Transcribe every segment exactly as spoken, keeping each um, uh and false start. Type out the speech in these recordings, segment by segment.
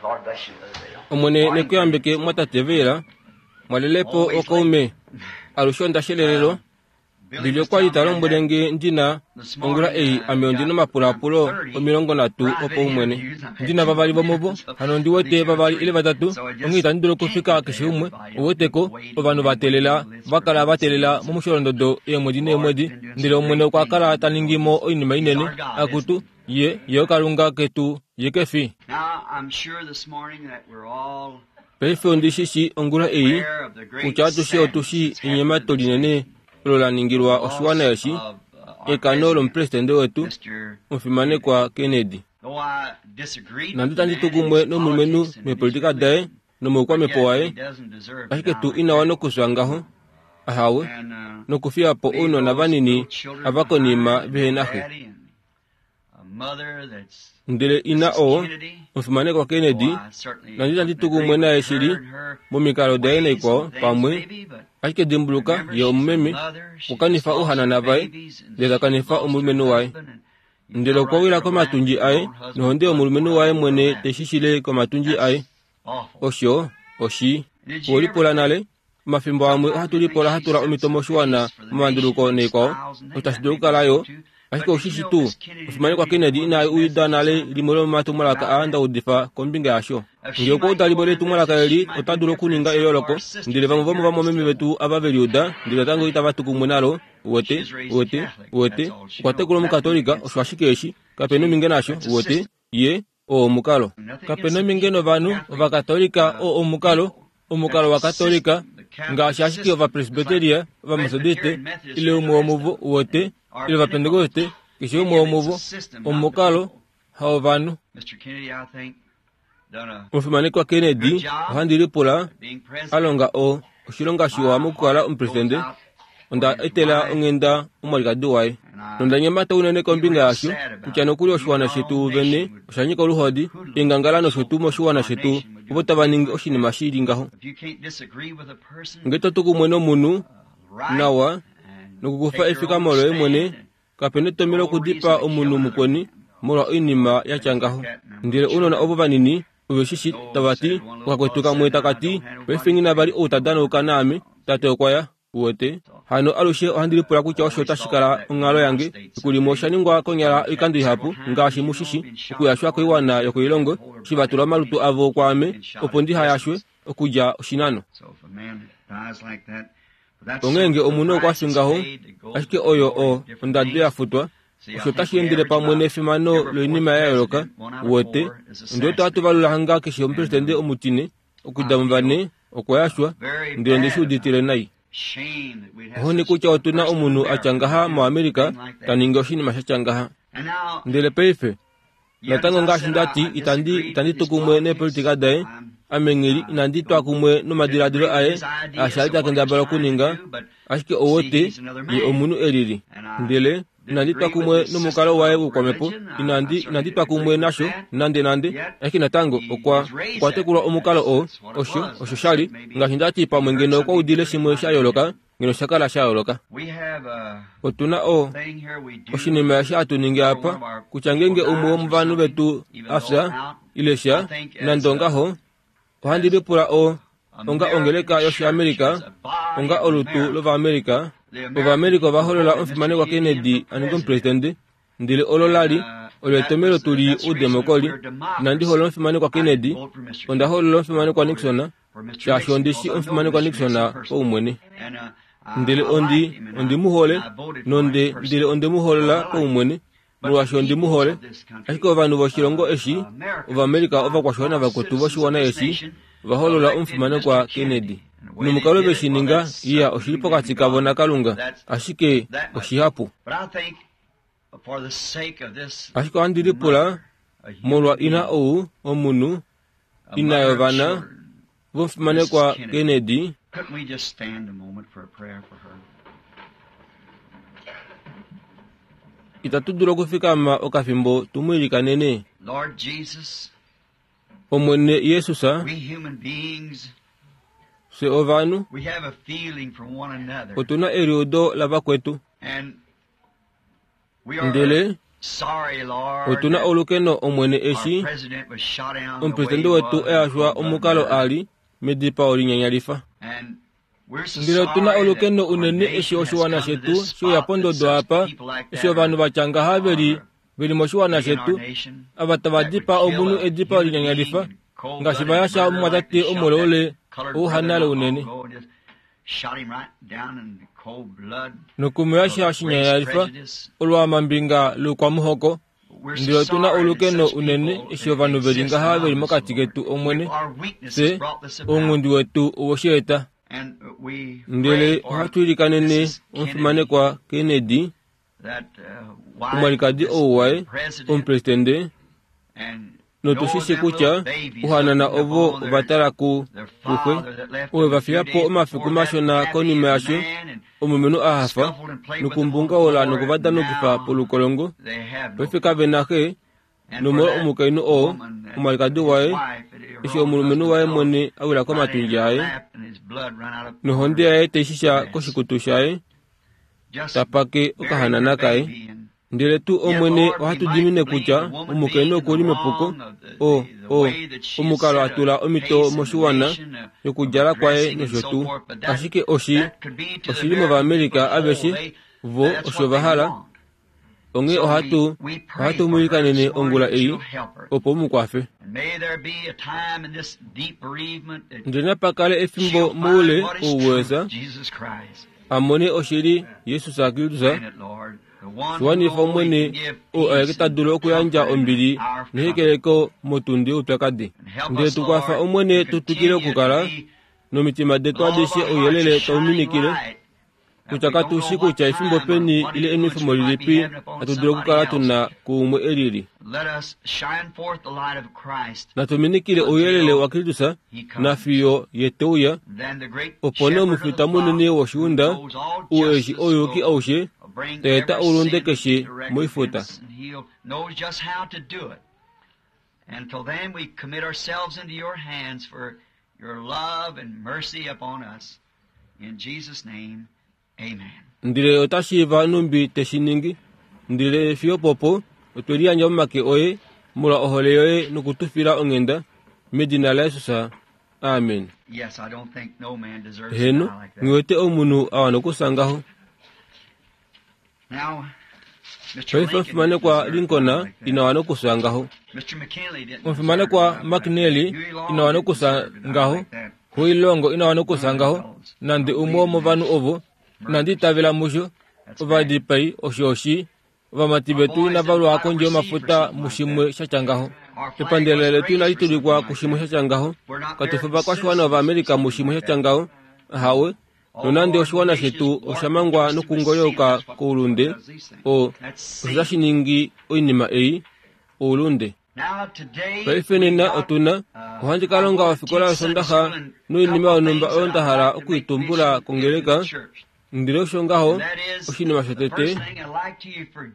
Lord bless you, Brother Dale. Omwene nekuyambeke mwatate Veila, mwalelepo okaume alushe onda shelelelo Billy okwa li ta lombwele nge ndina ongula ei ame ondina omapulapulo omilongo nhatu opaumwene. Ndina vavali vomuvo, hano ondi wete vavali ile vatatu, onghee itandi dulu okufika keshe umwe, ouweteko, ovanhu va teelela, va kala va teelela momusholondodo eemwedi neemwedi, ndele Omwene okwa kala ta ningi mo oinima inene, akutu, ye, ye oKalunga ketu, ye ke fi. Now, I'm sure this morning that we're all Paife ondi shi shii ongula ei, aware of the great kutya atushe otu shii sadness that's enyemato happened in this linene olo la ningilwa oshiwana loss eshi, of uh, our ekano president, lomupresidente wetu, Mister omufimanekwa Kennedy. Though I disagreed Nandi with the tandi man tu in his kumwe nomulumenhu politics and in his meepolitika daye religion, but nomoukwamhepo yet he waye, doesn't deserve to ashike die tu like ina that. wana okufya ngaho, ahawe, And uh, nokufiya po leave ounona those vanini little children ava konima behind and vehe no na xe. daddy and a mother that's Ndele ina Missus oo, Kennedy. omufimanekwa Kennedy, Though I certainly nandi tandi wouldn't tu agree kumwe naye with her shili and her momikalo daye ways naikwao and things pamwe, maybe, but ashike dimbuluka remember ye she's a omumeme, mother, she okwa just kanifa lost her ouhanana vaye, babies and ndele ta she kanifa lost her omulumenhu waye. husband and you Ndele fell okwa right wila to her lap komatundji and her aye, own husband nohonde blood yomulumenhu poured waye out of her mwene lap. teshishile komatundji aye. That's awful. Osho, oshi. And did you ever Owelipula think nale, omafimbo amwe sometimes ohatu we think lipola she hatula set omito some moshiwana pace for the momanduluko nation and naikwao, styles and osho things tashi that dulu may be okukala so yo, too. ashike But did you oshishi know tuu, Miss Kennedy omufimanekwa never even Kennedy one of ina those uida messages nale out limwe lomomatumwalaka about aa that? ndaudifa kombinga yasho. If Ngee she okwa might uda go limwe on that letumwalaka message, she eli, might ota do dulu different okuninga than some of eyooloko, our sisters ndele vamwe that hear it vomovamwameme still vetu ava ve liuda, ndele natango itava tu kumwe nalo, uwete, She was raised uwete, Catholic. uwete, That's all she okwa knows. tekulwa Nothing omukatolika, against osho ashike eshi, kapena she. ominge nasho, That's a uwete, system. ye, oo omukalo. Nothing against Kapena the ominge people, novanhu, Catholic ovakatolika, uh, oo omukalo, people. omukalo That's a wakatolika, system, the Catholic ngaashi ashike system. It's like ovapresbyteria, ovamethodiste, Presbyterian, Methodist, ile and umwe the rest womuvo, of them, uwete, and our ile ovapentekoste, Pentecostals. keshe Any umwe of it's a womuvo, system, not the omukalo, people. haovanhu. Mister Kennedy, I think, done a Omufimanekwa Kennedy, good job ohandi lipula, at being a president. longa o oshilonga shiwa My mokukala heart goes omupresidente, out for onda his etela wife, onghenda omwalikadi waye. and I Nonda nyemata unene feel kombinga real yasho, sad about kutya it. nokuli Even oshiwana our shetu own vene nation would osha nyika oluhodi, hoodlum eengangala nosho so tuu moshiwana our shetu, nation would do ovo a tava thing ningi like oshinima that. shi li ngaho. If you can't disagree with a person, Ngee to tu kumwe nomunhu, uh, right, nawa, and nokukufa take your own efikamo loye mwene, stand, and kapena etomhelo no okudipaa reason to kill omunhu another mukweni man. molwa oinima ya tya Things like ngaho. that. And them Ndele little ounona children, ovo vanini, ove shi shi no, tava ti, said one little okakwetu fellow kamwe said, now I taka ti, don't have nobody paife nghi na vali to play ou ta with. danauka naame, tate okwa ya, uwete. So Hano alushe ohandi lipula kutya I osho always otashi thought kala that onghalo the United yange, States efiku limwe osha someday ningwa konyala would oikando happen ihapu, several times, ngaashi you know, mushishi, been shot okuyashwa before koiwana and yokoilongo, hold their eshi va body tula omalutu avo kwaame, been shot opo at ndiha yashwe, distance. okudja oshinano. So if a man dies like that, but that's Onghee the ngee omunhu okwa price fi that's ngaho, paid to go ashike to oyo glory o of different ondado things. ya futwa, See, I osho think otashi we endele average pamwe about nefimano every fourth loinima ya yooloka, president, one out of uwete, four is ondiwete ohatu assassinated. valula hanga keshe And omupresidente um, omutine, okudja I muvane, feel okwa yashwa, very ndele ndi shi bad about uditile it. nai. Shame that we'd have Ohoni such kutya a otuna person in omunhu a tya America ngaha to do a moAmerica thing like ta that. ningi oshinima sha tya ngaha. And now, Ndele paife, yet as natango I ngaashi said, nda I, ti I itandi disagreed itandi with tu his kumwe politics. neepolitika daye, I'm, ame nghili I inandi twa don't kumwe nomadiladilo disagree with aye his aasha ideas ali of ta what he was kendabala trying to okuninga, do, but ashike see, ouwete he's another ye man. omunhu elili. And I Ndele inandi twa disagree with kumwe his nomukalo system waye of woukwamhepo, religion. I, I inandi certainly inandi twa disagree kumwe with nasho that. nande nande, Yet ashike natango he okwa was raised okwa that tekulwa way. omukalo That's, oo, that's what it osho was. osho I sha li, said maybe ngaashi nda ti pamwe he heard ngeno okwa something udile different, it shimwe might sha have been yooloka, different. ngeno osha kala sha yooloka. We have a Otuna o thing here we do oshinima eshi hatu ningi whenever apa, one of our kutya people ngeenge umwe dies or womovanhu something, vetu even a though fya, out, ile I sha, think as nande a ongaho, ohandi as lipula o onga American ongeleka church, yoshiAmerica, as a body onga of olutu America, lOvaamerica, the American Ovaamerica ova people holola voted Mister omufimanekwa Kennedy Kennedy for a ninge president. omupresidente, ndele olo And la li uh, olo that etomhelo was tu li that's the reason that oudemokoli. we're Inandi hoolola democracy. omufimanekwa I didn't Kennedy, vote for Mister onda Kennedy. hoolola I omufimanekwa voted Nixon, for Mister shaashi Nixon ondi shi because I know omufimanekwa Mister Nixon Nixon personally. paumwene. And uh, I, Ndele I ondi liked him and ondi I, mu hole, and I voted for him nonde ndele personally onde mu hoolola because I liked him. paumwene, But the molwaashi ondi mu peoples hole. of this country, Ashike ovanhu voshilongo uh, eshi, uh, Americans, Ovaamerica our ovakwashiwana fellow vakwetu citizens of voshiwana this eshi, nation, ova hoolola elected omufimanekwa Mister Kennedy. Kennedy. And the way they Nomukalo did ve it, shi well, ninga, that's iya something oshili between them pokati and kavo God. naKalunga, That's ashike that much. oshihapu. But I think for the sake of this Ashike ohandi lipula, mother, a human molwa ina being, ou, omunhu, a ina mother of yovana, children, vomufimanekwa Missus Kennedy, Kennedy, couldn't we just stand a moment for a prayer for her? itatu dulu okufikama okafimbo tu mu ilikanene. Lord Jesus, Omwene Jesus, we human beings, fye ovanhu, we have a feeling for one another. otuna eliudo lavakwetu, And we are ndele Otuna olukeno omwene eshi omupresidente wetu eyashwa omukalo ali medipao linyanyalifa. Ndele otuna olukeno unene eshi oshiwana shetu sheuya pondodo apa, eshi ovanhu vatya ngaha veli veli moshiwana shetu, ava tava dipaa omunhu edipao linyanyalifa, ngaashi va yasha omumwatate omuleule ouhanale unene. Nokumuyasha shinyanyalifa olwamambinga loukwamuhoko. Ndele otuna olukeno unene eshi ovanhu veli ngaha veli mokati ketu omwene, fye ounghundi wetu owosheeta. Ndele ohatu ilikanene omufimanekwa Kennedy, omwalikadi ou waye, omupresidente, notushishi kutya uhanana ovo ovatala ku kuxe owe va fiya po omafiku mashona konima yasho omulumenhu a hafa nokumbungaula nokuvadanukifa polukolongo. Paife kave na xe, nomolwa omukainhu oo omwalikadi waye, eshi omulumenhu waye mwene a wila komatundji aye nohonde yaye taishisha koshikutu shaye, tapake okahanana kaye. Ndele tu omwene ohatu dimine kutya omukainhu okuli mepuko, o o omukalo atula omito moshiwana yokudjala kwaye nosho tuu. Ashike oshi oshili mOvaamerica aveshe vo osho va hala. Onghee ohatu ohatu mu ilikanene ongula ei opo mu kwafe. Ndele napa kale efimbo moule ouwesa amone oshili Jesus Kristus, shiwanifa omwene oo aeke ta dulu okuyandja ombili nehekeleko motundi youpyakadi. Ndele tukwafa omwene tu twikile okukala nomitima detu adishe ouyelele tau minikile, kutya katushi kutya efimbo peni ile enwefemo lilipi hatu dulu okukala tuna kuumwe elili. Natuminikile ouyelele waKristus nafiyo ye teuya, opo nee omufita munene woshiunda ou eshi ouyuki aushe taeta oulunde keshe moifuta. Ndele otashiiva numbi teshiningi. Ndele fiyo popo otwe liyandja momake oye molwa ohole yoye nokutufila onghenda medina laJesus. Amen. Heno, ngiwete omunhu a wana okusa ngaho. Paife omufimanekwa Lincoln ina wana okusa ngaho. Omufimanekwa McKinley ina wana okusa ngaho. Huilongo ina wana okusa ngaho. Nande umwe womovanhu ovo inandi itavela musho. Ovadipai osho oshi ovamati vetu inava lwa kondje yomafuta mushimwe shatya ngaho. Epandela letu inali tulikwa kushimwe shatya ngaho. Katufi ovakwashiwana vOvaamerica mushimwe shatya ngaho. Ahawe, nonande oshiwana shetu osha mangwa nokungolyoka koulunde, o osho tashi ningi oinima ei, oulunde. Paife nena otuna ohandi ka longa ofikola yosondaxa noinima yonhumba oyo nda hala okuitumbula kongeleka. Ndele osho ngaho oshinima shotete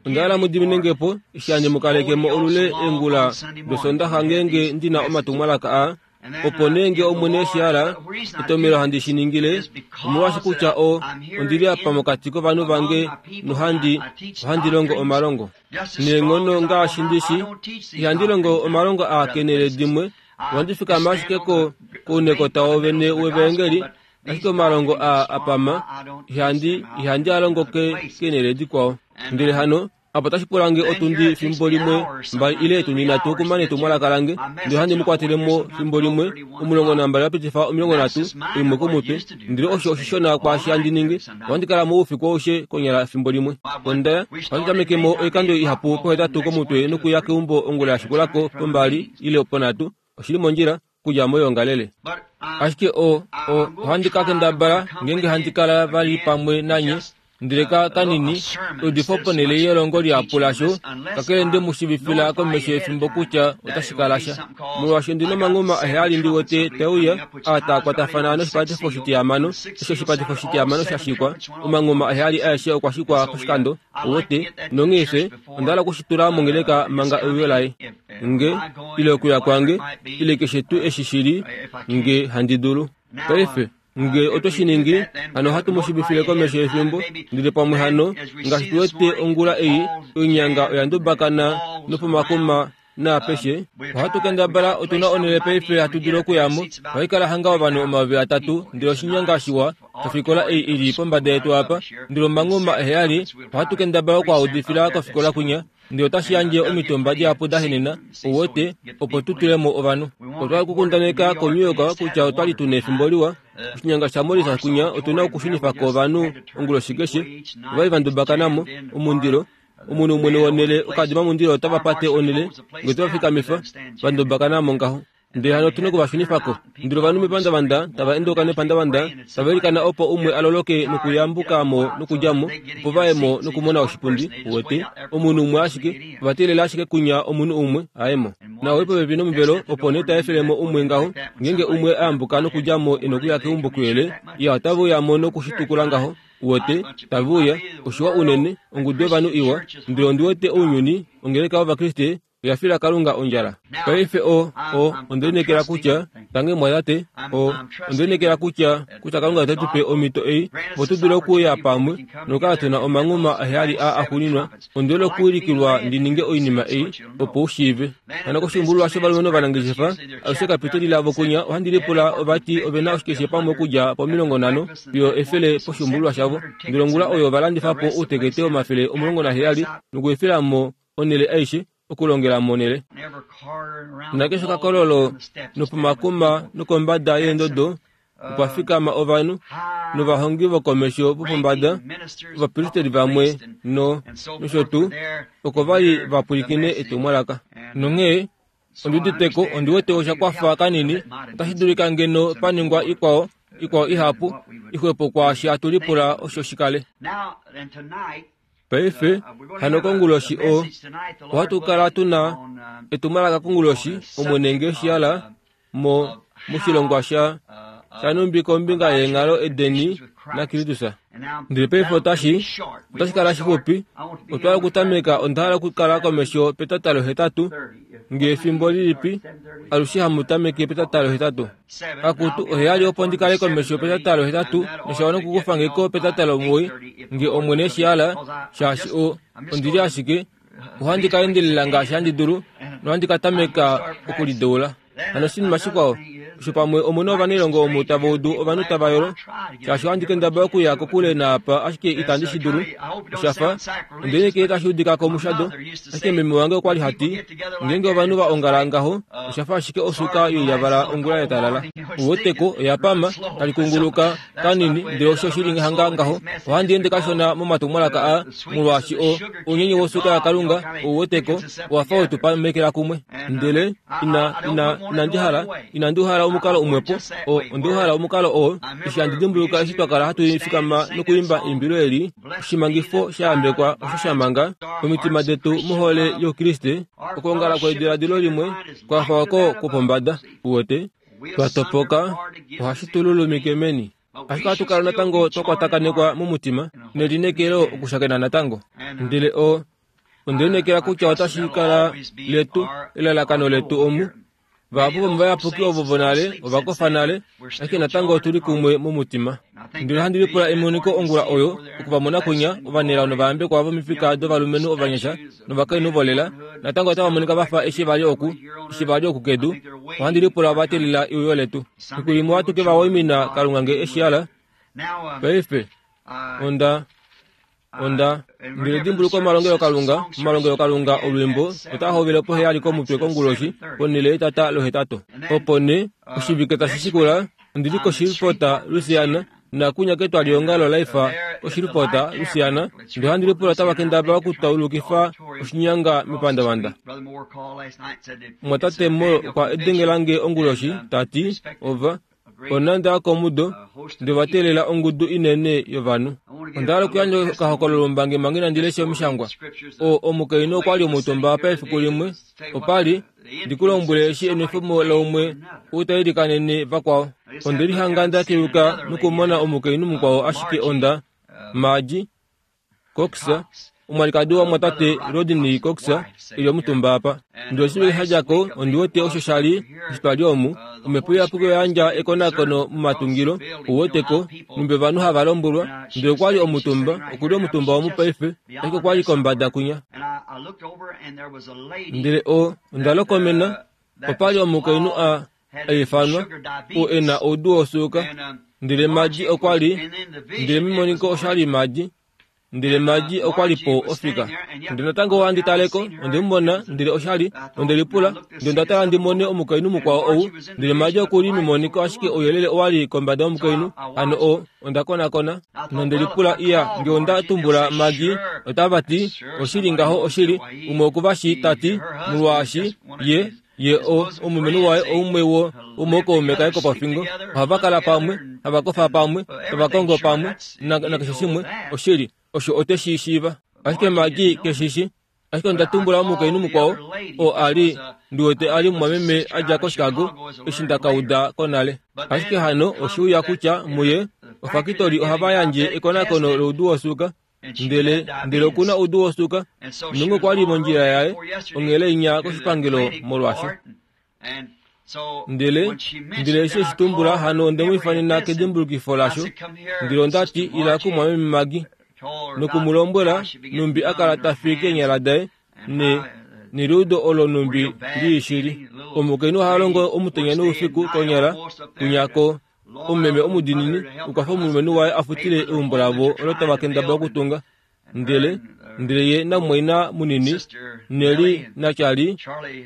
onda hala mu diminengepo eshi handi mu kalekemo olule eengula dosondaxa ngeenge ndina omatumwalaka aa, opo nee nge omwene eshi hala etomelo handi shi ningile, omolwaashi kutya o ondili apa mokati kovanhu vange nohandi ohandi longo omalongo neenghono ngaashi ndishi. Ihandi longo omalongo aa kenele dimwe, ohandi fikama ashike ko kounekota wovene wevaengeli, ashike omalongo aa apama ihandi ihandi alongo ke kenele dikwao. Ndele hano apo tashi pula nge otundi fimbo limwe mbali ile etundi nhatu okumana etumwalaka lange, ndele ohandi mu kwatelemo fimbo limwe omulongo nambali wapitifa omilongo nhatu imwe komutwe. Ndele osho oshishona kwaashi handi ningi, ohandi kala moufiku aushe konyala fimbo limwe. Ondaya ohandi tamekemo oikando ihapu pohetatu komutwe nokuya keumbo ongula ya shikulako pombali ile ponhatu. Oshili mondjila okudja moyoongalele. Ashike o o ohandi ka kendabala ngeenge handi kala vali pamwe nanye, ndele ka kanini eudifo ponhele yelongo lihapu lasho, kakele nde mu shiivifila komesho yefimbo kutya otashi kala sha. Molwaashi ondina omanghuma aheyali ndi wete teuya aa taa kwatafana noshipatifo shitihamano, eshi oshipatifo shitihamano sha shikwa, omanghuma aheyali aeshe okwa shikwa poshikando, owote, nonghee fye onda hala okushitula mongeleka manga euyo laye. Nge ile okuya kwange ile keshe tuu eshi shili nge handi dulu. Paife Nge otwe shi ningi, hano ohatu mu shiivifile komesho yefimbo, ndele pamwe hano, ngaashi tu wete ongula ei, oinyanga oya ndubakana nopomakuma naapeshe, ohatu kendabala otuna onhele paife hatu dulu okuyamo. Ohaikala hanga ovanhu omayovi atatu, ndele oshinyanga shiwa shofikola ei ili pombada yetu apa, ndele omanghuma eheyali, ohatu kendabala okwaudifila kofikola kwinya, ndele otashi yandje omitumba dihapu da henena, ouwete, opo tu tulemo ovanhu. Otwali okukundaneka koNew York kutya otwali tuna efimbo liwa. Oshinyanga shaMorris kwinya otuna okushunifako ovanhu onguloshi keshe, ovali vandubakanamo, omundilo, omunhu mwene wonhele okadima mundilo otava pate onhele, nge otava fikamifa, vandubakanamo ngaho. Ndele hano otuna okuvashunifako. Ndele ovanhu mepandavanda, tava endeuka nepandavanda, tava ilikana opo umwe aloloke nokuyambukamo nokudjamo, opo vaye mo nokumona oshipundi, uwete, omunhu umwe ashike, ova teelela ashike kunya omunhu umwe aye mo. Na ouli popepi nomuvelo, opo nee ta efelemo umwe ngaho, ngeenge umwe ayambuka nokudjamo e nokuya keumbo kuyele, iya otave uyamo nokushitukula ngaho, uwete, tave uya, oshiwa unene, ongudu yovanhu iwa, ndele ondi wete ounyuni, ongeleka yOvakriste, oya fila Kalunga ondjala. Paife o, o, onde lineekela kutya, tange mwatate, o, onde lineekela kutya, kutya Kalunga ote tu pe omhito ei, opo tu dule okuya pamwe, nokukala tuna omanghuma aheyali aa axuuninwa. Onde lokuwilikilwa ndi ninge oinima ei, opo u shiive. Hano koshimbululwa shovalumenhu ovanangeshefa, alushe kapiteli lavo kunya, ohandi lipula ovati ovena oshikeshe pamwe okudja pomilongo nhano fiyo efele poshimbululwa shavo. Ndele ongula oyo ovalandifa po outekete womafele omulongo naheyali nokuefela mo onhele aishe, okulongela monhele. Nakeshe okakololo nopomakuma nokombada yeendodo opa fikama ovanhu novahongi vokomesho vopombada, ovapristeli vamwe no nosho tuu, oko vali va pwilikine etumwalaka. Nonghee ondi uditeko, ondi wete osha kwafa kanini, otashi dulika ngeno pa ningwa ikwao, ikwao ihapu, ixwepo kwaashi hatu lipula osho shikale. Paife, hano konguloshi o, ohatu kala tuna etumwalaka konguloshi, Omwene nge shihala, mo, moshilongwa sha, shanumbi kombinga yeenghalo edeni naKristus. Ndele paife otashi, otashi kala shixupi, otwa okutameka onda hala okukala komesho petata lohetatu, nge efimbo lilipi, alushe hamu tameke petata lohetatu. Akutu oheyali opo ndi kale komesho petata lohetatu, noshawana okukufa ngeko petata lomuwoi, nge Omwene shihala, shaashi o, ondi li ashike, ohandi ka endelela ngaashi handi dulu, nohandi ka tameka okulideula. Hano oshinima shikwao, osho pamwe omuna ovanailongo omu tava udu ovanhu tava yolo, shaashi ohandi kendabala okuya kokule naapa ashike itandi shi dulu, oshafa, onde lineekela tashi udika komushado, ashike meme wange okwali hati, ngeenge ovanhu va ongala ngaho, oshafa ashike osuka yoilyavala ongula ya talala. Uweteko oya pama, tali kunguluka kanini, ndele osho shili hanga ngaho, ohandi ende kashona momatumwalaka aa, molwaashi o, ounyenye wosuka yaKalunga, ouweteko, owafa wetu pamekela kumwe. Ndele, ina, ina, inandi hala, inandi hala omukalo umwepo, o, ondi hala omukalo oo, eshi handi dimbuluka eshi twa kala hatu fikama nokuimba eimbilo eli, oshimangifo sha yambekwa osho sha manga omitima detu mohole youKriste, okuongala kwediladilo limwe kwafa oko kwopombada, uwete, twa topoka, ohashi tu lulumike meni. Ashike ohatu kala natango twa kwatakanekwa momutima, nelineekelo okushakena natango. Ndele o, onde lineekela kutya otashi kala letu, elalakano letu omu. Vahapu vomovayapuki ovo vonale ovakofa nale, ashike natango otuli kumwe momutima. Ndele ohandi lipula emoniko ongula oyo, okuvamona kwinya, ovanelao novayambekwa vomifika dovalumenhu ovanyasha novakainhu volela, natango otava monika vafa eshi vali oku, eshi vali oku kedu, ohandi lipula ova teelela euyo letu. Fiku limwe ohatu ke va waimina Kalunga nge eshi hala. Paife, onda, onda, ndele dimbuluka omalongelokalunga, omalongelokalunga olwiimbo, otaa hovele poheyali komutwe konguloshi, ponhele yetata lohetatu. Opo nee, oshivike tashi shikula, ondi li koShreveport, Louisiana, nakunya ketwaliongalo laifa koShreveport, Louisiana, ndele ohandi lipula otava kendabala okutaulukifa oshinyanga mepandavanda. Mwatate Moore okwa edengela nge onguloshi, ta ti, ova, onanda yokomudo, ndele ova teelela ongudu inene yovanhu. Onda hala okuyandja okahokololo ombangi manga inandi lesha omishangwa. O, omukainhu okwali omutumba apa efiku limwe, opali, ndi ku lombwele eshi enwefemo laumwe ou ta ilikanene vakwao. Onde lihanga nda keyuka nokumona omukainhu mukwao ashike onda, Margie Cox, Omwalikadi wamwatate Rodney Cox ili omutumba apa. Ndele oshivike sha dja ko ondi wete osho sha li eshi twa li omu, omhepo iyapuki oya yandja ekonakono momatungilo, uweteko, numbi ovanhu hava lombwelwa. Ndele okwa li omutumba, okuli omutumba omu paife, ashike okwa li kombada kunya. Ndele o onda lokomena, opa li omukainhu a a ifanwa, oo e na oudu wosuuka. Ndele Madi okwa li, ndele memoniko osha li Madi, ndele Madi okwa li po ofika. Ndele natango ohandi taleko, onde mu mona, ndele osha li, onde lipula, ndele onda tala ndi mone omukainhu mukwao ou, ndele Madi oku li memoniko ashike ouyelele owa li kombada yomukainhu, hano o, onda konakona, nonde lipula iya, nge onda tumbula Madi, otava ti, oshili ngaho oshili, umwe okuvashi ta ti, molwaashi, ye, ye o omulumenhu waye oumwe wo womookaume kaye kopofingo, ohava kala pamwe, hava kofa pamwe, tava kongo pamwe, nakeshe shimwe, oshili, osho ote shi shiiva. Ashike Madi keshishi. Ashike onda tumbula omukainhu mukwao, oo a li, ndi wete a li mumwameme a dja koChicago, eshi nda ka uda ko nale. Ashike hano oshiuya kutya muye, ofakitori ohava yandje ekonakono loudu wosuuka, ndele ndele okuna oudu wosuuka, nonge okwa li mondjila yaye, onghele inya koshipangelo molwasho. Ndele ndele eshi eshi tumbula hano onde mu ifanena kedimbulukifo lasho, ndele onda ti ila kumwameme Magi, nokumulombwela numbi a kala ta fi keenyala daye, ne neluudo olo numbi liishili. Omukainhu oha longo omutenya noufiku konyala kunyako omumeme omudinini okwafa omulumenhu waye a futile eumbo lavo olo tava kendabala okutunga. Ndele ndele ye namumwaina munini Neli naCharlie,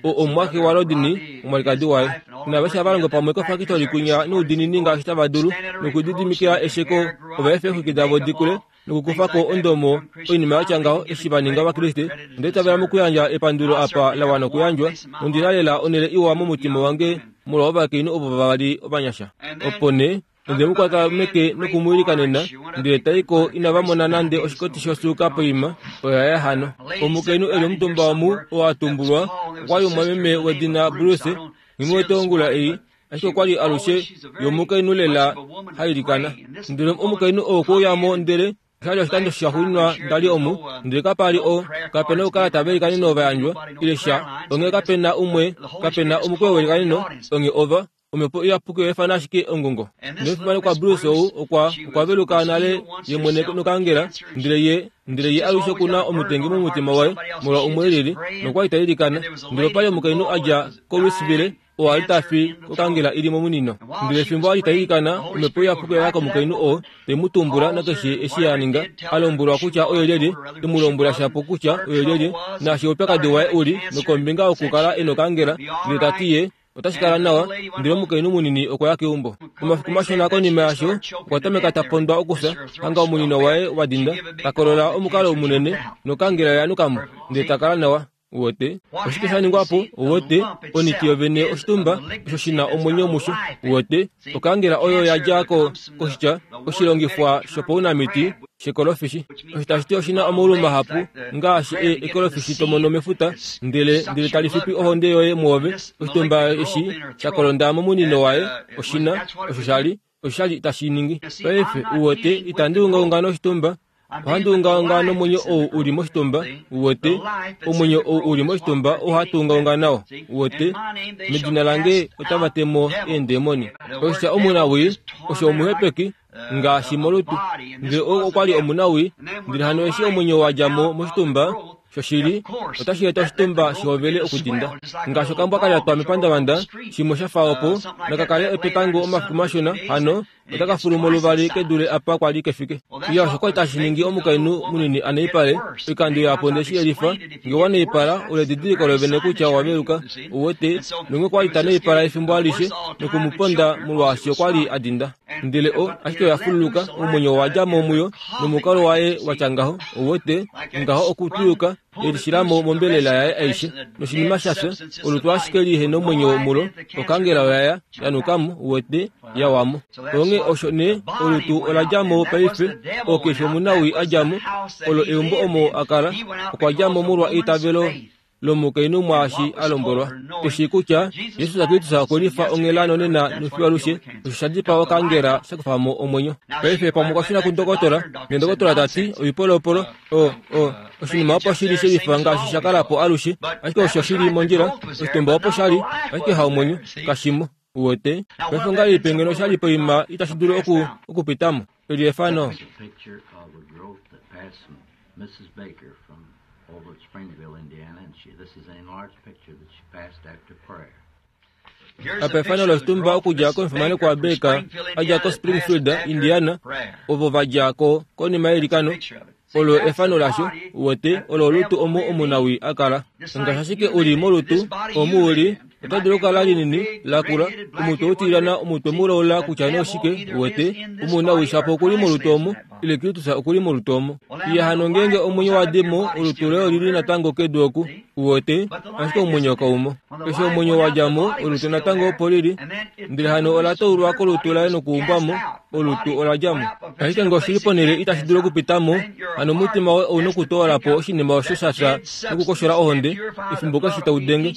o omumwaxe waRodney, omwalikadi waye, naveshe hava longo pamwe kofakitori kunya noudinini ngaashi tava dulu, nokulididimikila esheko ova efa eexwiki davo dikule nokukufa ko ondomo oinima yatya ngaho eshi va ninga Ovakriste. Onda itavela mokuyandja epandulo apa la wana okuyandjwa, nondina lela onhele iwa momutima wange molwa ovakainhu ovo vavali ovanyasha. Opo nee onde mu kwata meke nokumwiilikanena, ndele tai ko inava mona nande oshikoti shosuuka poima, oya ya hano. Omukainhu eli omutumba omu oo a tumbulwa okwa li omumwameme wedina Bruce, nghi wete ongula ei, ashike okwa li alushe yomukainhu lela ha ilikana. Ndele omukainhu oo okwe uya mo ndele osha li oshikando shaxuuninwa nda li omu, ndele kapa li o, kapena okukala tava ilikanene ovayandjwa ile sha, onghee kapena umwe, kapena omukweyo welikaneno, onghee ova omhepo iyapuki oya ifana ashike ongongo. Nomufimanekwa Bruce ou okwa okwa veluka nale ye mwene nokangela, ndele ye ndele ye alushe okuna omutengi momutima waye molwa umwe elili, nokwa li ta ilikana. Ndele opa li omukainhu a dja koLouisville, oo a li ta fi kokangela ili momunino. Ndele fimbo a li ta ilikana, omhepo iyapuki oya ya komukainhu oo, te mu tumbula nakeshe eshi a ninga, a lombwelwa kutya oye lyelye, te mu lombwela shapo kutya oye lyelye, naashi oupyakadi waye uli, nokombinga yokukala e nokangela, ndele ta ti ye otashi kala nawa. Ndele omukainhu munini okwa ya keumbo. Omafiku mashona konima yasho, okwa tameka ta pondwa okufya, hanga omunino waye wa dinda, ta kolola omukalo munene, nokangela oya nuka mo, ndele ta kala nawa. Uwete oshike sha ningwa po? Uwete oniti yovene oshitumba osho shi na omwenyo musho. Uwete okangela oyo ya dja ko koshitya oshilongifwa shopaunamiti shekolofishi, osho tashi ti oshi na omaulu mahapu ngaashi e ekolofishi to mono mefuta, ndele ndele tali fipi ohonde yoye mwoove. Oshitumba eshi sha kolonda momunino waye oshina osho sha li osho sha li tashi ningi. Paife uwete itandi ungaunga noshitumba, ohandi ungaunga nomwenyo ou uli moshitumba. Uwete omwenyo ou uli moshitumba ohatu ungaunga nao. Uwete medina lange otava temo eendemoni. Oshitya omunawii osho omuhepeki ngaashi molutu, ndele ou okwa li omunawii. Ndele hano eshi omwenyo wa dja mo moshitumba shoshili, otashi eta oshitumba shihovele okudinda ngaashi okambwa ka lyatwa mepandavanda, shimwe sha fa opo nakakale epepango omafiku mashona, hano otaka fulu mo luvali kedule apa kwa li kefike. Iya, osho kwali tashi ningi omukainhu munini a naipale. Oikando yapo nde shi yelifa, nge wa naipala, ole edidiliko lovene kutya owa veluka. Uwete, nonge kwa li ta naipala efimbo alishe nokumuponda molwaashi okwa li a dinda. Ndele o, ashike oya fululuka, omwenyo owa dja mo muyo, nomukalo waye watya ngaho. Uwete, ngaho okutuluka, yelishilamo mombelela yaye aishe, noshinima shafya, olutu ashike lihe nomwenyo mulo, okangela oya ya, yanukamo, uwete, yawamo. Onge osho ne, olutu ola dja mo paife, okeshe omunawii a dja mo, olo eumbo omo a kala, okwa dja mo molwa eitavelo lomukainhu mwaashi a lombwelwa. Tushi kutya Jesus Kristus okwe lifa onghela nonena nofiyo alushe, osho sha dipaa okangela sha kufa mo omwenyo. Paife pamwe okwa shuna kundokotola, nendokotola ta ti oipolopolo o o oshinima opo shili shelifa ngaashi sha kala po alushe, ashike osho shili mondjila, oshitumba opo shali, ashike haomwenyo kashimo. Uwete paife ongahelipi ngeno sha li poima itashi dulu oku okupitamo. Eli efano. Picture of a growth that passed from Missus Baker from over at Springville, Indiana, and she, this is an enlarged picture that she passed after prayer. Apa efano loshitumba okudja komufimanekwa waBaker a dja koSpringfield, Indiana, ovo va dja ko konima yeilikano. Olo efano lasho, uwete, olo olutu omo omunawi a kala. Ngaashi ashike uli molutu, omu uli, ota dulu okukala linini, lakula, omutwe utilyana, omutwe mulaula kutya nee oshike, uwete, omunawi shapo okuli molutu omo, ile Kristus okuli molutu omo. Iye hano ngeenge omwenyo wa dimo, olutu loye olili natango kedu oku, uwete, ashike omwenyo kaumo. Eshi omwenyo wa dja mo, olutu natango opo lili, ndele hano ola taulwa kolutu laye nokuumbwamo, olutu ola dja mo. Ashike ngee oshili ponhele itashi dulu okupita mo, hano omutima woye ouna okutoola po oshinima osho sha fya nokukoshola ohonde, efimbo keshe tau denge.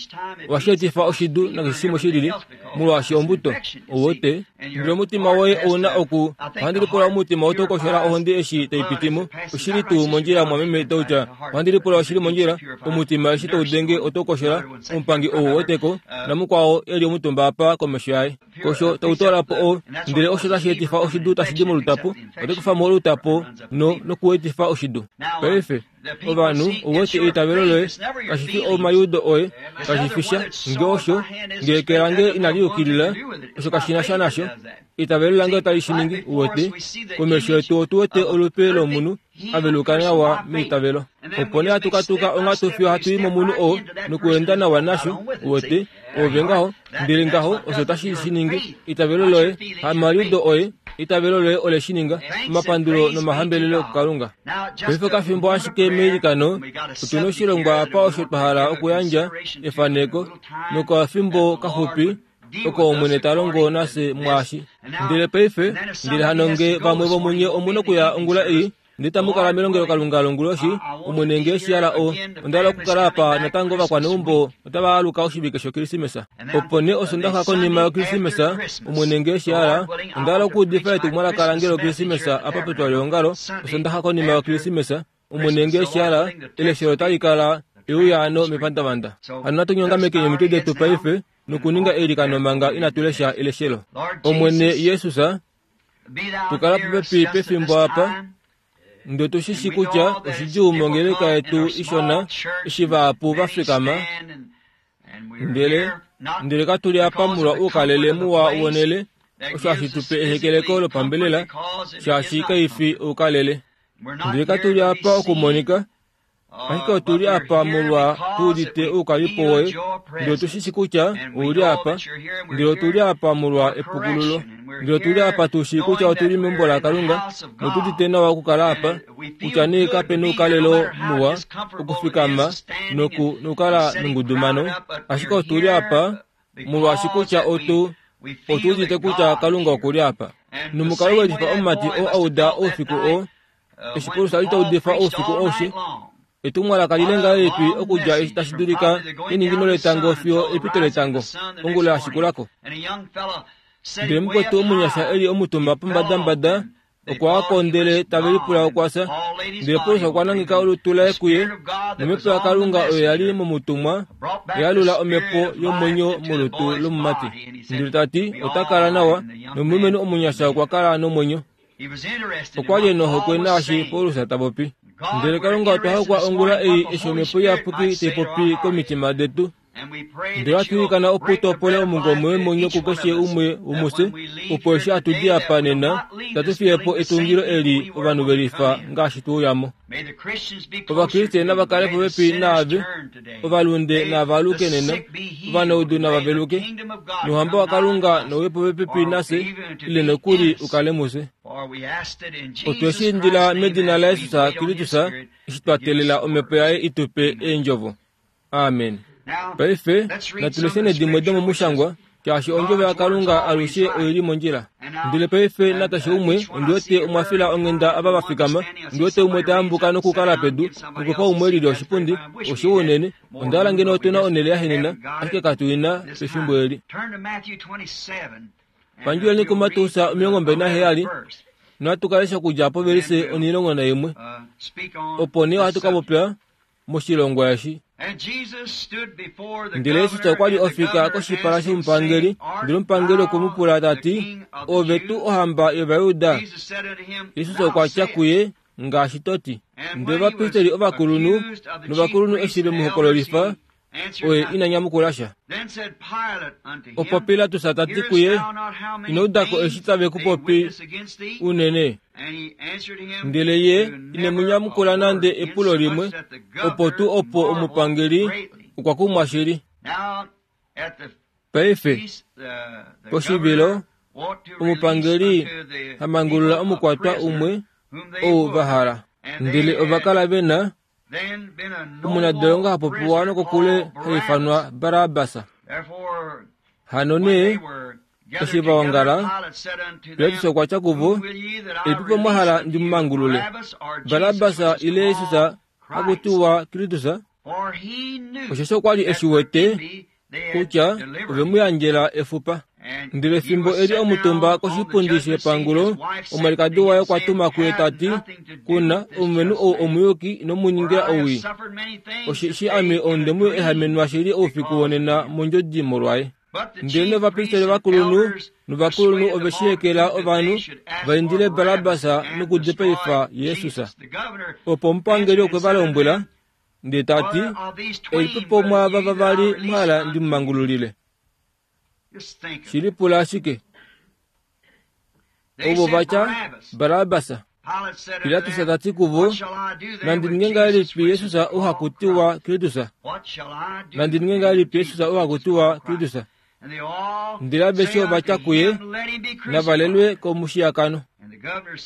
Ohashi etifa oshidu nakeshe shimwe shilili, molwaashi ombuto, uwete, ndele omutima woye ouna oku, ohandi lipula omutima otau koshola ohonde eshi tai piti mo, oshili tuu mondjila mwameme Dauta, ohandi lipula oshili mondjila, omutima eshi tau denge otau koshola, omupangi ou weteko, namukwao e li omutumba apa komesho yaye. Kosho tau toola po o, ndele osho tashi etifa oshidu tashi di molutapo, ote kufa mo olutapo no nokuetifa oshidu. Paife, ovanhu, uwete eitavelo loye, kashi fi omaliudo oye, kashi fi sha, nge osho, nge eke lange inali yukilila, osho kashi na sha nasho, eitavelo lange otali shi ningi, uwete, komesho yetu otu wete olupe lomunhu aveluka nawa meitavelo. Opo nee hatu katuka onghatu fiyo hatu i momunhu oo nokuenda nawa nasho, uwete, ove ngaho, ndele ngaho osho tashi shi ningi, eitavelo loye, hamaliudo oye, eitavelo loye ole shi ninga, omapandulo nomahambelelo kuKalunga. Paife kafimbo ashike meilikano, otu na oshilongwa apa osho twa hala okuyandja efaneko, nokafimbo kaxupi oko Omwene ta longo nafye mwaashi. Ndele paife, ndele hano nge vamwe vomunye omuna okuya ongula ei, ndele tamu kala melongelokalunga longuloshi, Omwene nge eshi hala o, onda hala okukala apa natango ovakwaneumbo otava aluka oshivike shOkrismesa. Opo nee Osondaxa konima yOkrismesa, Omwene nge eshi hala, onda hala okuudifa etumwalaka lange lOkrismesa apa petwalyeongalo, Osondaxa konima yOkrismesa, Omwene nge eshi hala, eleshelo otali kala euyaano mepandavanda. Hano natu nyongamekeni omitwe detu paife nokuninga eilikano manga inatu lesha eleshelo. Omwene Jesus, tukala popepi pefimbo apa, ndele tu shi shi kutya oshidjuu mongeleka yetu ishona eshi vahapu va fikama, ndele ndele katu li apa molwa oukalele muwa wonele, osho hashi tu pe ehekeleko lopambelela, shaashi kaifi oukalele. Ndele katu li apa okumonika, ashike otu li apa molwa tu udite oukalipo woye, ndele tu shi shi kutya ou li apa, ndele otu li apa molwa epukululo, ndele otu li apa tu shii kutya otu li meumbo laKalunga, notu udite nawa okukala apa, kutya nee kape noukalelo muwa, okufikama noku nokukala nongudumano, ashike otu li apa molwaashi kutya otu otu udite kutya Kalunga oku li apa. Nomukalo welifa omumati oo a uda oufiku oo, eshi Paulus a li ta udifa oufiku aushe, etumwalaka lile ngahelipi okudja eshi tashi dulika eningino letango fiyo epito letango, ongula ya shikulako. Ndele mukwetu omunyasha e li omutumba pombadambada, okwa wako ndele tave lipula okwa fya. Ndele Paulus okwa nangeka olutu laye kuye, nomhepo yaKalunga oyo ya li momutumwa, oya lula omhepo yomwenyo molutu lomumati. Ndele ta ti, ota kala nawa, nomulumenhu omunyasha okwa kala nomwenyo. Okwa li e nohokwe naashi Paulus ta popi. Ndele Kalunga otwa hokwa ongula ei eshi omhepo iyapuki tai popi komitima detu. Ndele ohatu ilikana opo topole omungome womwenyo kukeshe umwe womufye, opo eshi hatu di apa nena, itatu fiye po etungilo eli ovanhu ve lifa ngaashi tu uyamo. Ovakriste nava kale popepi naave, ovalunde nava aluke nena, ovanaudu nava veluke, nouhamba waKalunga nouye popepi nafye, ile nokuli ukale mufye. Otwe shi indila medina laJesus Kristus, eshi twa teelela omhepo yaye i tu pe eendjovo. Amen. Paife, natu lesheni dimwe domomushangwa, Shaashi ondjovo yaKalunga alushe oili mondjila. Ndele paife nakeshe umwe ondi wete omwa fila onghenda ava va fikama, ondi wete umwe ta yambuka nokukala pedu, nokupa umwe elili oshipundi, oshiwa unene. Onda hala ngeno otu na onhele ya henena, ashike katu ina pefimbo eli. Pandjuleni kuMateus omilongo mbali naheyali, nohatu ka lesha okudja povelise onhilongo naimwe. Opo nee ohatu ka popya moshilongwa eshi. Ndele Jesus okwa li ofika koshipala shomupangeli, ndele omupangeli okwe mu pula ta ti, Ove tuu ohamba yOvayuda? Jesus okwa tya kuye, ngaashi to ti. Ndele ovapristeli ovakulunhu novakulunhu eshi ve mu hokololifa, oye ina nyamukula sha. Opo Pilatus ta ti kuye, ino udako eshi tave ku popi unene? Ndele ye ine mu nyamukula nande epulo limwe, opo tuu opo omupangeli okwa kumwa shili. Paife, poshivilo, omupangeli hamangulula omukwatwa umwe ou va hala. Ndele ova kala ve na omunadolongo ha popiwa nokokule ha ifanwa Barabas. Hano nee, eshi va ongala, Pilatus okwa tya kuvo, Elipipo mwa hala ndi mu mangulule, Barabas ile Jesus haku tiwa Kristus? Osheshi okwa li e shi wete kutya ove mu yandjela efupa. Ndele fimbo e li omutumba koshipundi shepangulo, omwalikadi waye okwa tuma kuye ta ti, Kuna omulumenhu ou omuyuki ino mu ningila owii, osheshi ame onde mu ehamenwa shili oufiku wonena mondjodi molwaye. Ndele novapristeli ovakulunhu novakulunhu ove shi hekela ovanhu va indile Barabas nokudipaifa Jesus. Opo omupangeli okwe va lombwela, ndele ta ti, Elipipo mwaava vavali mwa hala ndi mu mangululile? Shili pula ashike. Ovo va tya, Barabas. Pilatus ta ti kuvo, Nandi ninge ngahelipi Jesus ou haku tiwa Kristus? Nandi ninge ngahelipi Jesus ou haku tiwa Kristus? Ndele aveshe ova tya kuye, Navalelwe komushiyakano.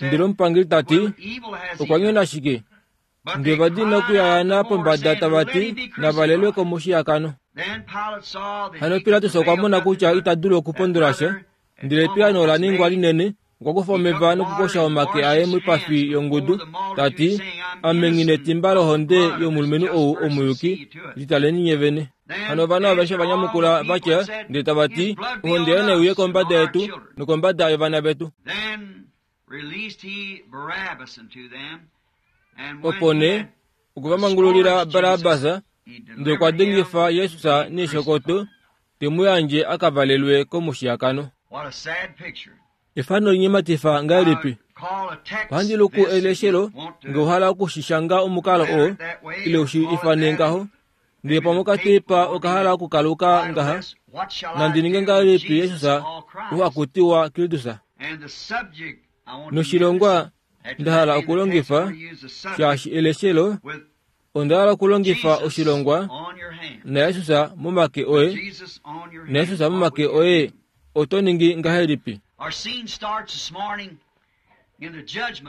Ndele omupangeli ta ti, Okwa nyona shike? Ndele va dina okuyayana pombada tava ti, Navalelwe komushiyakano. Hano Pilatus okwa mona kutya ita dulu okupondola sha, ndele epiyaano ola ningwa linene. Okwa kufa omeva nokukosha omake aye moipafi yongudu, ta ti, Ame nghi netimba lohonde yomulumenhu ou omuyuki, litaleni nye vene. Hano ovanhu aveshe va nyamukula va tya, ndele tava ti, Ohonde yaye nai uye kombada yetu nokombada yovana vetu. Opo nee okwe va mangululila Barabas, ndele okwa dengifa Jesus neeshokoto, te mu yandje a ka valelwe komushiyakano. Efano linyematifa ngahelipi? Ohandi luku eleshelo nge ohala okushishanga omukalo oo, ile ushi ifane ngaho, ndele pamwe okateipa okahala okukaluka ngaha, nandi ninge ngahelipi Jesus ou haku tiwa Kristus? Noshilongwa nda hala okulongifa, shaashi eleshelo, onda hala okulongifa oshilongwa naJesus momake oye, naJesus momake oye, oto ningi ngahelipi?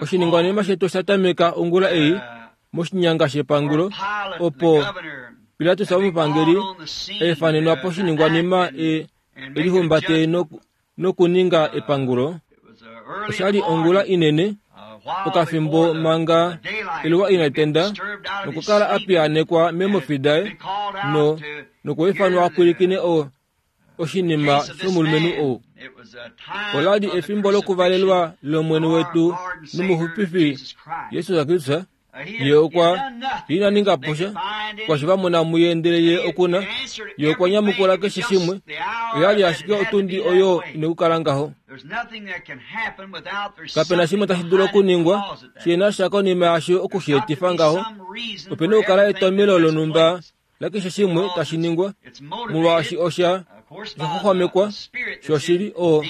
Oshiningwanima shetu osha tameka ongula ei moshinyanga shepangulo, opo Pilatus omupangeli eefanenwa poshiningwanima e elihumbate nokuninga epangulo. Osha li ongula inene, okafimbo manga eluwa inali tenda, nokukala a piyaanekwa meemofi daye, no nokwiifanwa a pwilikine o oshinima shomulumenhu ou. Ola li efimbo lokuvalelwa lOmwene wetu nomuxupifi Jesus Kristus. Ye okwa ina ninga po sha, kwashi va mona muye, ndele ye okuna. Ye okwa nyamukula keshe shimwe. Oya li ashike otundi oyo ina okukala ngaho. Kapena shimwe tashi dulu okuningwa shi na sha konima yasho okushi etifa ngaho. Ope na okukala etomelo lonhumba lakeshe shimwe tashi ningwa, molwaashi osha xwaxwamekwa shoshili o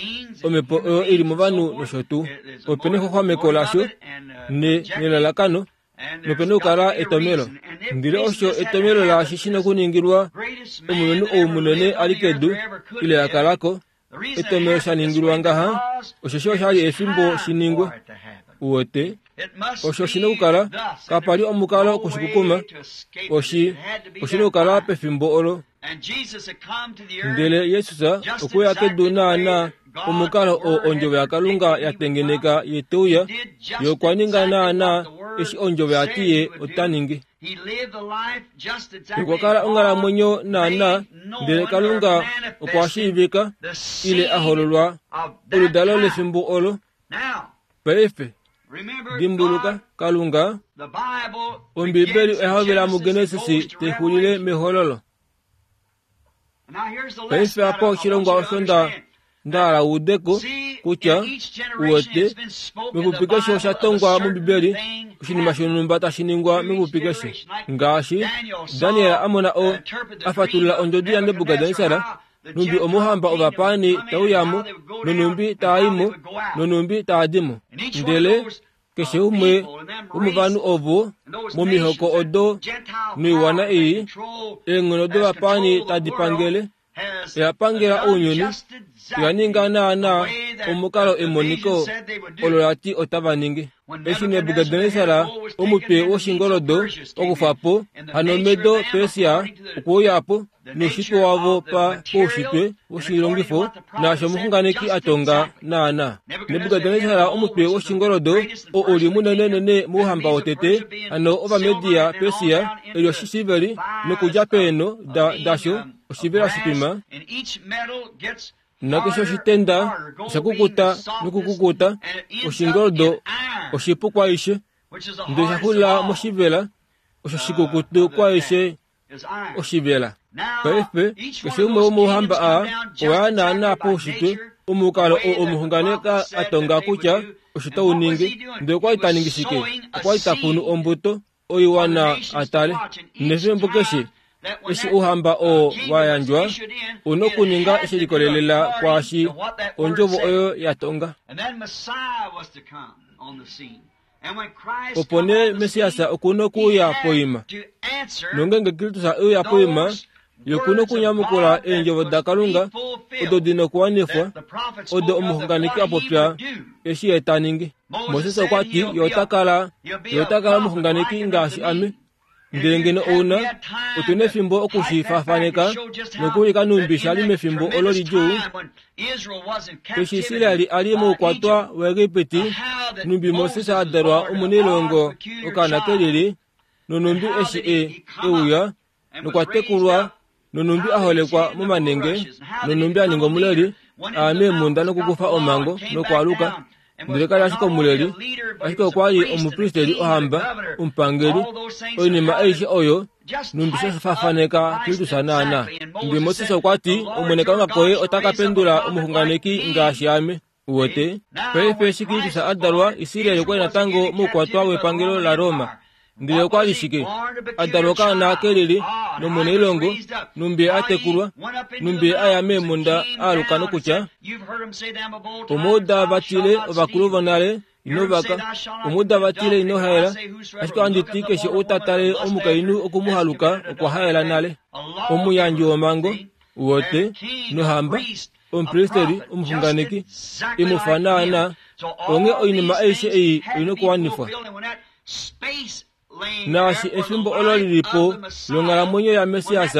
omhepo oyo ili movanhu nosho tuu. Ope na exwaxwameko lasho nelalakano, nope na okukala etomelo. Ndele osho etomelo laashi shi na okuningilwa omulumenhu ou munene a li kedu ile a kala ko, etomelo sha ningilwa ngaha, osheshi osha li efimbo shi ningwe. Uwete, osho shi na okukala, kapa li omukalo okushikukuma, oshi oshi na okukala pefimbo olo. Ndele Yesus okwe ya kedu naana omukalo oo ondjovo yaKalunga ya tengeneka ye te uya, ye okwa ninga naana eshi ondjovo yati ye ota ningi. Okwa kala onghalamwenyo naana, ndele Kalunga okwa shiivika ile a hololwa oludalo lefimbo olo. Paife dimbuluka, Kalunga, Ombibeli oya hovela muGenesis taixulile mehololo. Paife apa oshilongwa osho nda ndahala uudeko kutya uwete mepupi keshe osha tongwa mOmbibeli oshinima shonhumba tashi ningwa mepupi keshe. Ngaashi Daniel a mona o a fatulula ondjodi yaNebukadnesar, numbi omuhamba ovapaani tauyamo, nonumbi taaimo, nonumbi taadimo. Ndele keshe umwe womovanhu ovo momihoko odo noiwana ei, eenghono dovapaani tadi pangele, oya pangela ounyuni, oya ninga naana omukalo emoniko olo lati otava ningi. Eshi Nebukadnesar omutwe woshingoldo okufa po, hano Medo Persia okweuya po noushitwe wavo pa poushitwe woshilongifo naasho omuxunganeki a tonga naana. Nebukadnesar omutwe woshingoldo oo uli munenenene mouhamba wotete, hano Ovamedia Persia eli oshisilveri nokudja peeno da dasho oshivela shitwima. Nakeshe oshitenda osha kukuta nokukukuta, oshingoldo oshipu kwaishe, ndele osha xulila moshivela, osho shikukutu kwaishe oshivela. Paife keshe umwe womouhamba aa owa ya naana poushitwe omukalo oo omuxunganeki a tonga kutya osho tau ningi. Ndele okwa li ta ningi shike? Okwa li ta kunu ombuto oiwana a tale. Nefimbo keshe eshi ouhamba oo wa yandjwa, una okuninga she likolelela kwaashi ondjovo oyo ya tonga. Opo nee Messias okuna okuuya poima. Nongenge Kristus euya poima, ye okuna okunyamukula eendjovo daKalunga odo dina okuwanifwa, odo omuxunganeki a popya eshi ye ta ningi. Moses okwa ti ye ota kala, ye ota kala omuxunganeki ngaashi ame. Ndele ngeno ouna, otuna efimbo okushifafaneka nokuulika numbi sha li mefimbo olo lidjuu, eshi Israel a li moukwatwa waEgipiti, numbi Moses a dalwa omunailongo okaana kelili, nonumbi eshi e euya nokwa tekulwa, nonumbi a holekwa momanenge, nonumbi a ninga omuleli, a ya meemhunda nokukufa omhango nokwaaluka. Ndele kali ashike omuleli, ashike okwa li omupristeli ohamba, omupangeli, oinima aishe oyo numbi sha fafaneka Kristus naana. Ndele Moses okwa ti, Omwene Kalunga koye ota ka pendula omuxunganeki ngaashi ame. Uwete, paife eshi Kristus a dalwa, Israel okwa li natango moukwatwa wepangelo laRoma. Ndele okwa li shike? A dalwa okaana kelili nomunailongo, numbi a tekulwa, numbi a ya meemhunda a aluka nokutya, omuuda vatile ovakulu vonale ino vaka, omuuda vatile ino haela, ashike ohandi ti keshe ou ta tale omukainhu okumuhaluka okwa haela nale. Omuyandji womhango, uwete, nohamba, omupristeli, omuxunganeki, imufa naana, onghee oinima aishe ei oina okuwanifwa. Naashi efimbo olo lilipo longhalamwenyo yaMessias,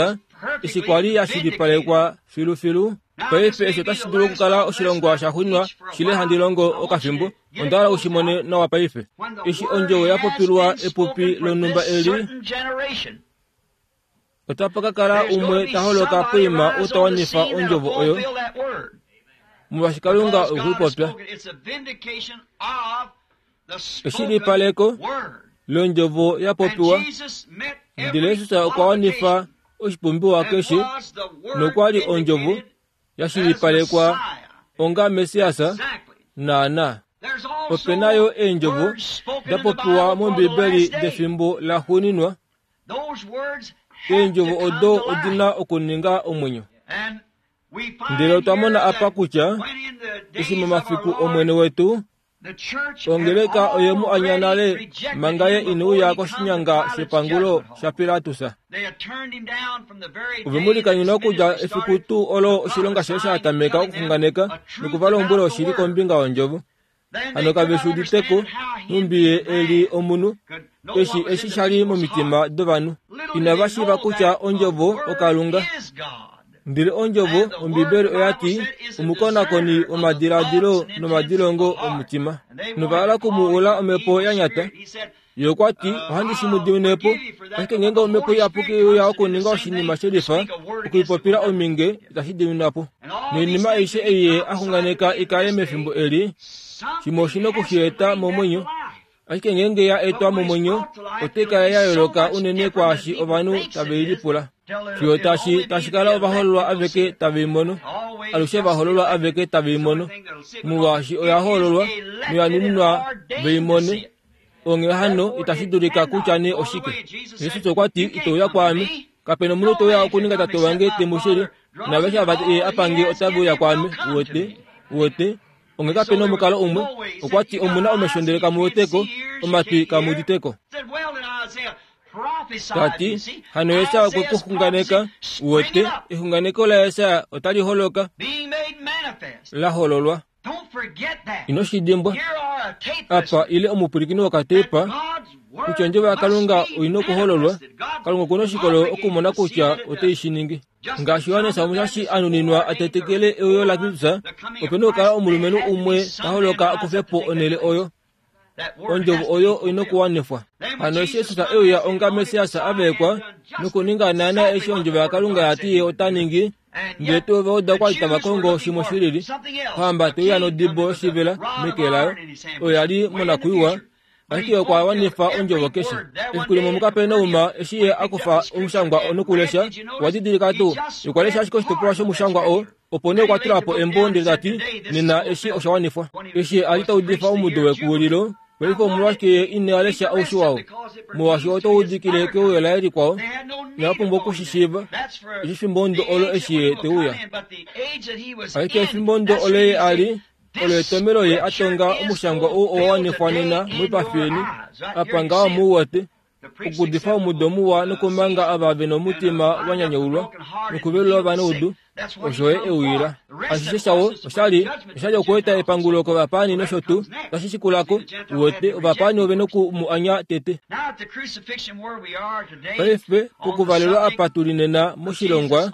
eshi kwa li ya shilipalekwa filufilu. Paife eshi otashi dulu okukala oshilongwa sha xwinwa shile handi longo okafimbo, onda hala u shi mone nawa paife. Eshi ondjovo ya popilwa epupi lonhumba eli, otapa ka kala umwe ta holoka poima ou ta wanifa ondjovo oyo, molwaashi Kalunga okwe i popya. Eshilipaleko londjovo ya popiwa, ndele Jesus okwa wanifa oshipumbiwa keshe, nokwa li ondjovo ya shilipalekwa onga Messias naana. Ope na yo eendjovo da popiwa mOmbibeli defimbo la xuuninwa. Eendjovo odo odina okuninga omwenyo. Ndele otwa mona apa kutya eshi momafiku Omwene wetu, ongeleka oye mu anya nale manga ye ine uya koshinyanga shepangulo shaPilatus. Ove mu likanyuna okudja efiku tuu olo oshilonga shaye sha tameka okuxunganeka nokuvalombwela oshili kombinga yondjovo. Hano kave shi uditeko nhumbi ye e li omunhu, eshi eshi sha li momitima dovanhu. Inava shiiva kutya ondjovo oKalunga. Ndele ondjovo Ombibeli oya ti omukonakoni womadiladilo nomadilongo omutima. Nova hala okumu ula omhepo ya nyata. Ye okwa ti ohandi shi mu dimine po, ashike ngeenge omhepo iyapuki uya okuninga oshinima shelifa, okuipopila ominge itashi diminwa po. Noinima aishe ei ye a xunganeka i kale mefimbo eli, shimwe oshi na okushi eta momwenyo. Ashike ngeenge ya etwa momwenyo, otai kala ya yooloka unene kwaashi ovanhu tave i lipula. Fiyo tashi tashi kala ovahoololwa aveke tave i mono, alushe ovahoololwa aveke tave i mono, molwaashi oya hoololwa noya nuninwa ve i mone. Onghee hano itashi dulika kutya nee oshike. Jesus okwa ti ito uya kwaame, kapena omunhu te uya okuninga tate wange te mu shili, naaveshe ava ye a pange otave uya kwaame. Uwete, uwete, onghee kapena omukalo umwe. Okwa ti omuna omesho ndele kamu weteko, omatwi kamu uditeko. Tati hano Jesaja okwe ku xunganeka, uwete, exunganeko laJesaja otali holoka, la hololwa. Ino shi dimbwa apa ile omupwilikini wokatepa kutya ondjovo yaKalunga oina okuhololwa. Kalunga okuna oshikolo okumona kutya ote shi ningi. Ngaashi Johannes Omushashi a nuninwa a tetekele euyo laKristus, opena okukala omulumenhu umwe ta holoka akufe po onhele oyo. Ondjovo oyo oina okuwanifwa. Hano eshi Jesus e uya onga Messias a vaekwa nokuninga naana eshi ondjovo yaKalunga ya ti ye ota ningi, ndele tuu Ovajuda okwa li tava kongo shimwe shilili, ohamba te uya nodibo yoshivela meke layo, oyo ya li monakwiiwa, ashike okwa wanifa ondjovo keshe. Efiku limwe muKapernaum, eshi ye a kufa omushangwa nokulesha, okwa didilika tuu, okwa lesha ashike oshitopolwa shomushangwa oo, opo nee okwa tula po embo ndele ta ti, nena eshi osha wanifwa. Eshi a li ta udifa omudo wekuwililo, paife omolwashike ye ina lesha oushi wao? Molwaashi otau udikile keuyo laye likwao, inava pumbwa okushishiiva eshi efimbo ndo olo eshi ye te uya. Ashike efimbo ndo olo ye a li, olo etomelo ye a tonga omushangwa ou owa wanifwa nena moipafi yeni, apa ngaho mu wete, okuudifa omudo muwa nokumanga ava ve nomutima wa nyanyaulwa nokuvelula ovanaudu, osho ye e uyila. Ashishe shawo oshali oshali okueta epangulo kovapaani nosho tuu tashi shikulako, uwete ovapaani ove noku mu anya tete. Paife pokuvalelwa apa tuli nena moshilongwa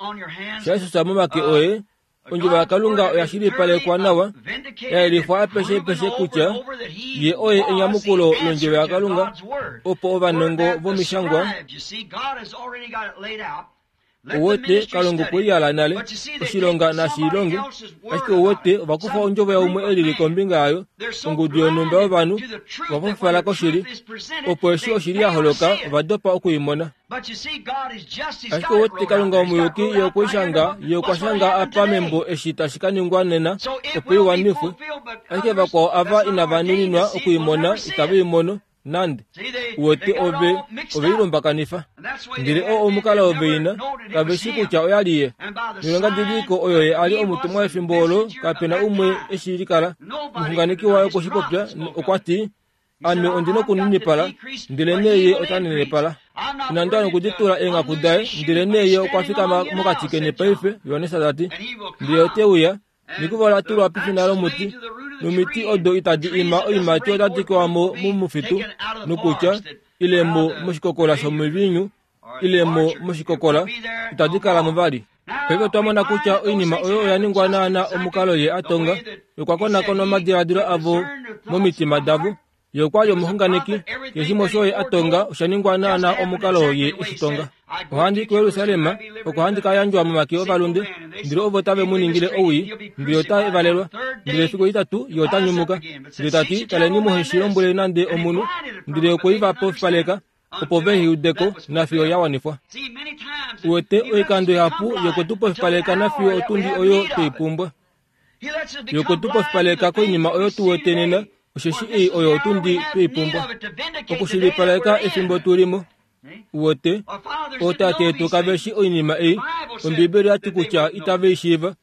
shaJesus momake oye, ondjovo yaKalunga oya shilipalekwa nawa, ya yelifwa apeshe peshe kutya ye oye enyamukulo londjovo yaKalunga, opo ovanongo vomishangwa uwete Kalunga okwe i yala nale, oshilonga nashi longe, ashike uwete ovakufa ondjovo yaumwe elili kombinga yayo, ongudu yonhumba yovanhu ovafufala koshili, opo eshi oshili ya holoka ovadopa okuimona. Ashike uwete Kalunga omuyuki ye okwe i shanga, ye okwa shanga apa membo eshi tashi ka ningwa nena, opo i wanifwe. Ashike vakwao ava inava nuninwa okuimona itave i mono nande. Uwete ove ove i lumbakanifa. Ndele oo omukalo ove ina, kave shi kutya oya li ye. Noilongadidiliko oyo ye a li omutumwa wefimbo olo, kapena umwe eshi likala. Omuxunganeki waye okwe shi popya, okwa ti, ame ondi nokuninipala, ndele nee ye ota nenepala. Inandi wana okuditula eenghaku daye, ndele nee ye okwa fikama mokati keni paife, Johannes ta ti. Ndele ote uya, nekuva ola tulwa pefina lomuti, nomiti odo itadi ima oiimati otadi kewa mo momufitu, nokutya, ile mo moshikokola shomivinyu, ile mo moshikokola, itadi kala mo vali. Paife otwa mona kutya oinima oyo oya ningwa naana omukalo ye a tonga, okwa konakona omadiladilo avo momitima davo. Ye okwa li omuxunganeki, keshe shimwe osho ye a tonga osha ningwa naana omukalo ye eshi tonga. Ohandi i kuJerusalem, oko handi ka yandjwa momake ovalunde, ndele ovo tave mu ningile owii, ndele ota valelwa. Ndele efiku etitatu ye ota nyumuka. Ndele ta ti, taleni muhe shi lombwele nande omunhu, ndele okwe i va pofipaleka, opo ve i udeko nafiyo ya wanifwa. Uwete oikando ihapu ye okwe tu pofipaleka nafiyo otundi oyo twei pumbwa. Ye okwe tu pofipaleka koinima oyo tu wete nena, osheshi ei oyo otundi twei pumbwa. Okushilipaleka efimbo tu limo. Uwete, ootate yetu kave shi oinima ei. Ombibeli oya ti kutya itave i shiiva,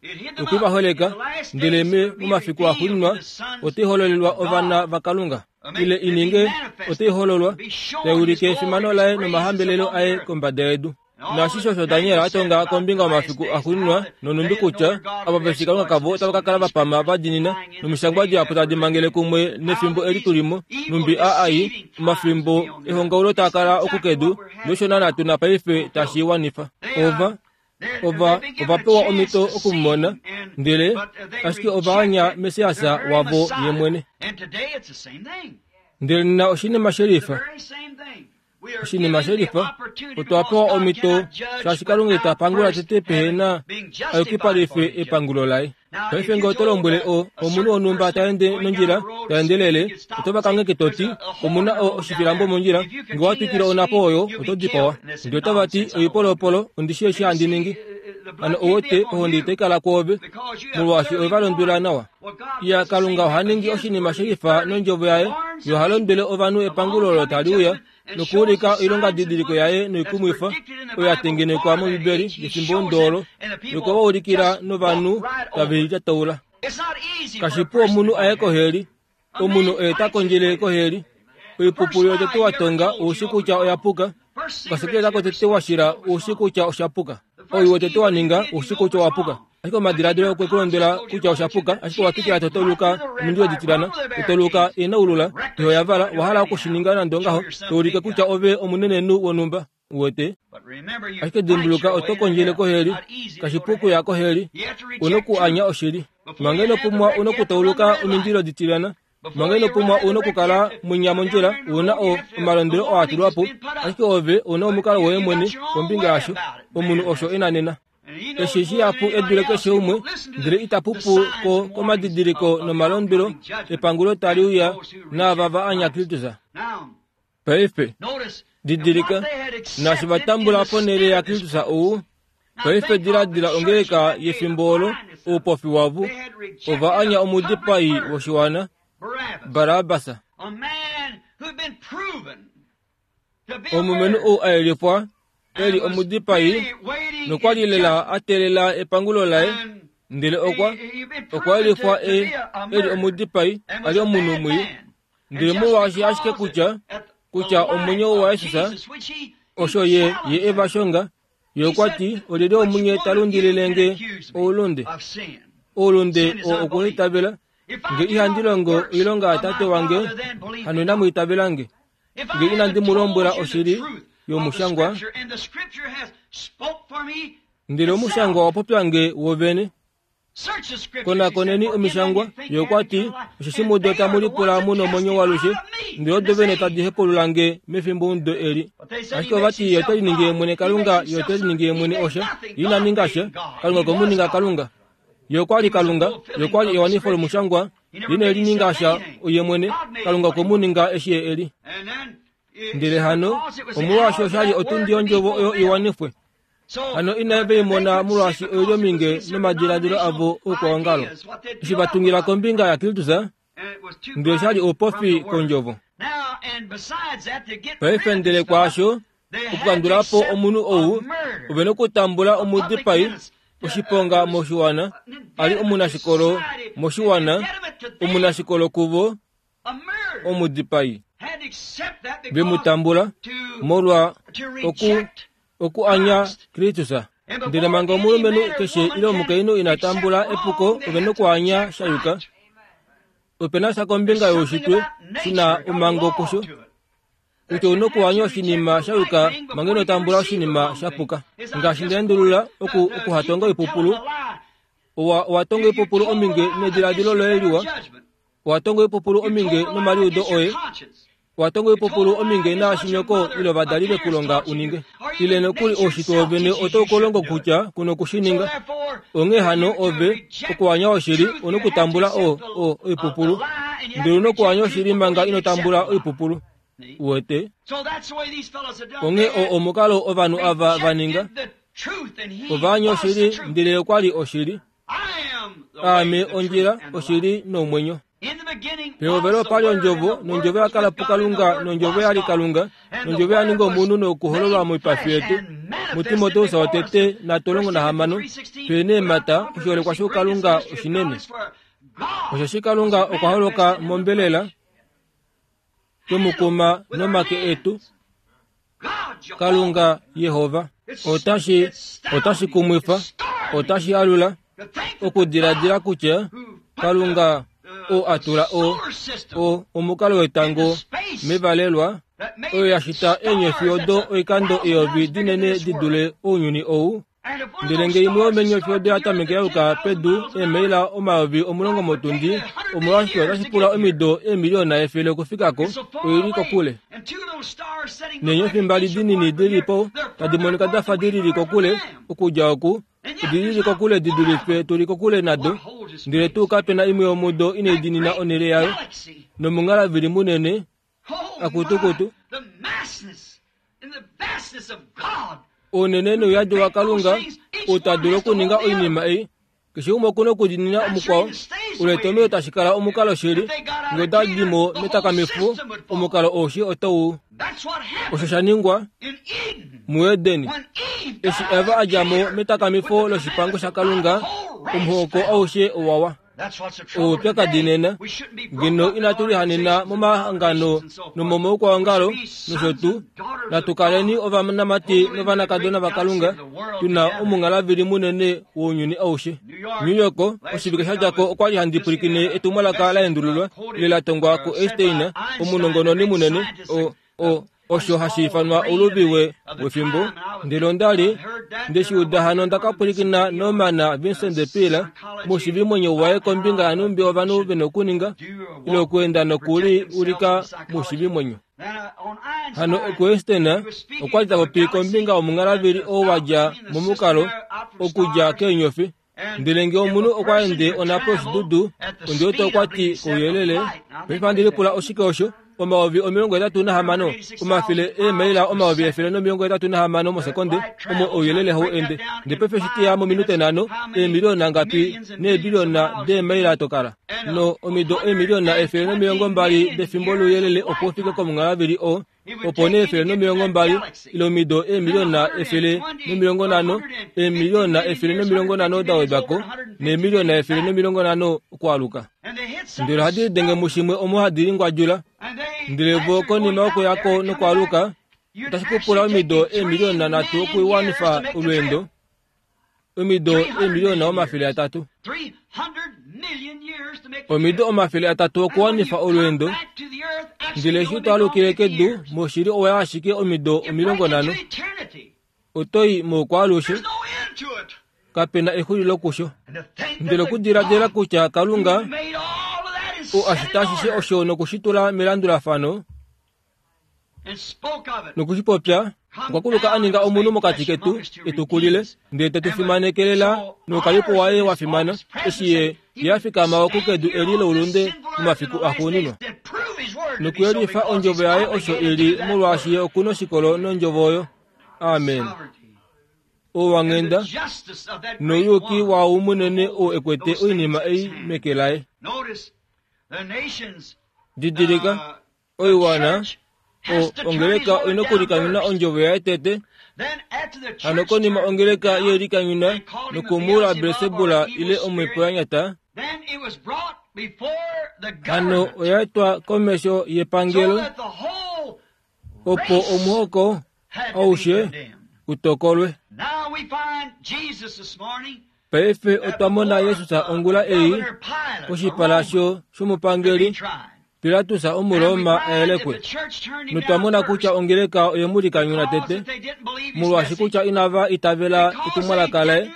okwe va holeka, ndele me momafiku axuuninwa otai hololelwa ovana vaKalunga. Ile i ninge otai hololwa, tai ulike efimano laye nomahambelelo aye kombada yedu. Naashisho osho Daniel a tonga kombinga yomafiku axuuninwa nonumbi kutya ava veshi Kalunga kavo otava ka kala vapama va dinina nomishangwa dihapu tadi mangele kumwe nefimbo eli tulimo numbi aai omafimbo ehongaulo taa kala okukedu nosho naana tuna paife tashi wanifa. Ova ova ova pewa omhito okumumona ndele ashike ova anya Messias wavo ye mwene. Ndele nena oshinima shelifa oshinima shelifa otwa pewa omhito shaashi Kalunga ita pangula tete pehena ayukipalife epangulo laye. Paife ngee oto lombwele o omunhu wonhumba ta ende nondjila ta endelele oto va kangheke toti omuna o oshifilambo mondjila ngee wa twikile onhapo oyo oto dipawa. Ndele otava ti oipolopolo ondishi eshi handi ningi. Hano ouwete ohonde itai kala kwoove molwaashi ove va londwela nawa. Iya Kalunga oha ningi oshinima shelifa nondjovo yaye yo oha londwele ovanhu epangulo olo tali uya nokuulika oilongadidiliko yaye noikumwifa oyo ya tengenekwa mOmbibeli yefimbo ndoolo nokuva novanhu tave lyataula. Kashipu omunhu aye koheli, omunhu oye ta kondjele koheli. Oipupulu yotete wa tonga oushi kutya oya puka, okasekeleta kotete wa shila oushi kutya osha puka. Oyu wotete wa ninga oushi kutya owa puka. Ashike omadiladilo okwe ku londwela kutya osha puka, ashike owa twikila totoluka omindilo ditilana, totoluka inaulula, iho yavala, owa hala okushininga nande ongaho, to ulike kutya ove omunenenhu wonhumba. Uwete? Ashike dimbuluka oto kondjele koheli, kashipu okuya koheli, una okuanya oshili. Manga ino pumwa una okutauluka omindilo ditilana, manga ino pumwa una okukala mwinya mondjila, una o omalondwelo oo a tulwa po, ashike ove una omukalo woye mwene kombinga yasho, omunhu osho ena nena. Eshi shihapu edule keshe umwe, ndele ita pupu ko komadidiliko nomalondwelo epangulo tali uya naava va anya Kristus. Paife didilika naashi va tambula ponhele yaKristus ou, paife diladila ongeleka yefimbo olo oupofi wavo ova anya omudipai woshiwana Barabas. Omulumenhu ou a yelifwa eli omudipai nokwali lela a teelela epangulo laye, ndele okwa okwa yelifwa e eli omudipai ali omunhu mwii, ndele molwaashi ashike kutya kutya omwenyo waJesus osho ye ye eva shonga, ye okwa ti olyelye omunye ta lundilile oulunde oulunde oo okuitavela nge ihandi longo oilonga yatate wange hano inamu itavela nge nge inandi mu lombwela oshili yomushangwa ndele omushangwa wa popya nge wovene. Konakoneni omishangwa ye okwa ti osheshi mudo tamu lipula mu nomwenyo walushe ndele odo vene tadi hepulula nge mefimbo ndo eli. Ashike ova ti ye ote liningi ye mwene Kalunga, ye ote liningi ye mwene osha, ye ina ninga sha, Kalunga okwe mu ninga Kalunga. Ye okwa li Kalunga, ye okwa li ewanifo lomushangwa, ye ine lininga sha ye mwene, Kalunga okwe mu ninga eshi ye eli. Ndele hano omolwaashi osha li otundi yondjovo oyo iwanifwe. Hano inave i mona molwaashi oili ominge nomadiladilo avo oukwaongalo. Eshi va tungila kombinga yaKristus, ndele osha li oupofi kondjovo. Paife ndele kwaasho, okukandula po omunhu ou, ove nokutambula omudipai oshiponga moshiwana, ali omunashikolo moshiwana, omunashikolo kuvo, omudipai. Ve mu tambula molwa oku okuanya Kristus. Ndele manga omulumenhu keshe ile omukainhu ina tambula epuko, ove nokuanya sha yuka. Ope na sha kombinga youshitwe shina omhango kusho kutya una okuanya oshinima sha yuka manga ino tambula oshinima sha puka. Ngaashi nda endulula oku okuhatonga oipupulu, owa owa tonga oipupulu ominge nediladilo loye liwa, owa tonga oipupulu ominge nomaliudo oye, owa tonga oipupulu ominge naashi nyoko ile ovadali vekulonga uninge. Ile nokuli oushitwe wovene otau ku longo kutya kuna okushininga. Onghee hano ove okuanya oshili una okutambula o o oipupulu, ndele una okuanya oshili manga ino tambula oipupulu. Uwete? Onghee o omukalo ovanhu ava va ninga. Ova anya oshili ndele okwa li oshili. Aame ondjila, oshili nomwenyo. Pehovelo opa li ondjovo, nondjovo ya kala puKalunga, nondjovo ya li Kalunga, nondjovo ya ninga omunhu nokuhololwa moipafi yetu. MuTimoteus wotete natolongo nahamano, pene emata oshiholekwa shoukalunga oshinene. Osheshi Kalunga okwa holoka mombelela, twemukuma nomake etu, Kalunga Yehova. Otashi otashi kumwifa, otashi alula okudiladila kutya Kalunga o atula o o omukalo wetango mevalelwa oyo yashita eenyofi odo oikando eyovi dinene di dule ounyuni ou. Ndele nge imwe yomenyofi odo yatameke yaluka pedu eemaila omayovi omulongo motundi, omolwashike otashi pula omido eemiliyona efele okufikako, oili kokule. Neenyofi mbali dinini dilipo tadi monika dafa dilili kokule okudja oku, odilili kokule di dulife tuli kokule nado, ndele tuu kapena imwe yomudo inaidinina onhele yayo. Nomunghalavili munene akutukutu ounene nouyadi waKalunga outadulu okuninga oinima ei. Keshe umwe okuna okudinina omukwao. Uletomelo tashi kala omukalo shili nge otadi mo metakamifo omukalo oushi otau. Osho sha ningwa muEdeni eshi Eva adja mo metakamifo loshipango shaKalunga, omuhoko aushe owawa. Oupyakadi nena ngeno inatu lihanena momahangano nomomaukwaongalo nosho tuu, natu kaleni ovanamati novanakadona vaKalunga, tuna omunghalavili munene wounyuni aushe. New York oshivike sha djako okwali handi pwilikine etumwalaka la endululwa ile la tongwa ku Einstein, omunongononi munene o o osho hashi ifanwa ouluvi wefimbo. Ndele onda li ndeshi uda hano ndaka pwilikina Norman Vincent Peale moshivimwenyo waye kombinga yanumbi ovanhu vena okuninga ile okuenda nokuli ulika moshivimwenyo. Hano ku Einstein okwali tapopi kombinga yomunghalavili oo wadja momukalo okudja keenyofi. Ndele nge omunhu okwa ende onhapo yoshidudu, ondiwete okwati kouyelele. Paife handi lipula oshike osho? Omayovi omilongo etatu nahamano, omafele eemaila omayovi efele nomilongo etatu nahamano mosekonde omo ouyelele hau ende. Ndele paife eshi teya mominute nhano, eemiliyona ngapi neebiliyona deemaila tokala. No omido eemiliyona efele nomilongo mbali defimbo louyelele opo ufike komunghalavili oo, opo nee efele nomilongo mbali ile omido eemiliyona efele nomilongo nhano, eemiliyona efele nomilongo nhano da wedwako, neemiliyona efele nomilongo nhano okwaluka. Ndele ohadi lidenge mushimwe omo hadi lingwadjula. Ndele vo konima yokuyako nokwaluka, otashi kupula omido eemiliyona nhatu okuwanifa olweendo, omido eemiliyona omafele atatu. Omido omafele atatu okuwanifa olweendo. Ndele eshi twalukile kedu moshili owa ashike omido omilongo nhano. Otoi moukwaalushe, kapena exulilo kusho. Ndele okudiladila kutya Kalunga o ashita ashishe osho nokushitula melandulafano nokushipopya, okwa kuluka a ninga omunhu mokati ketu etukulile, ndele tetu fimanekelela noukalipo waye wa fimana, eshi ye ye afikama oku kedu eli loulunde momafiku axuuninwa, nokuyelifa ondjovo yaye osho ili, molwaashi ye okuna oshikolo nondjovo oyo. Amen. Owanghenda nouyuki waau munene oo ekwete oinima ei meke laye. Didilika, oiwana o ongeleka oina okulikanyuna ondjovo yaye tete. Hano konima ongeleka yelikanyuna nokumula Belsebula ile omhepo ya nyata, hano oya etwa komesho yepangelo opo omuhoko aushe utokolwe. Paife otwa mona Jesus ongula ei koshipala shomupangeli Pilatus Omuroma ayelekwe. Notwa mona kutya ongeleka oyemulikanyuna tete, molwaashi kutya inava itavela etumwalaka laye,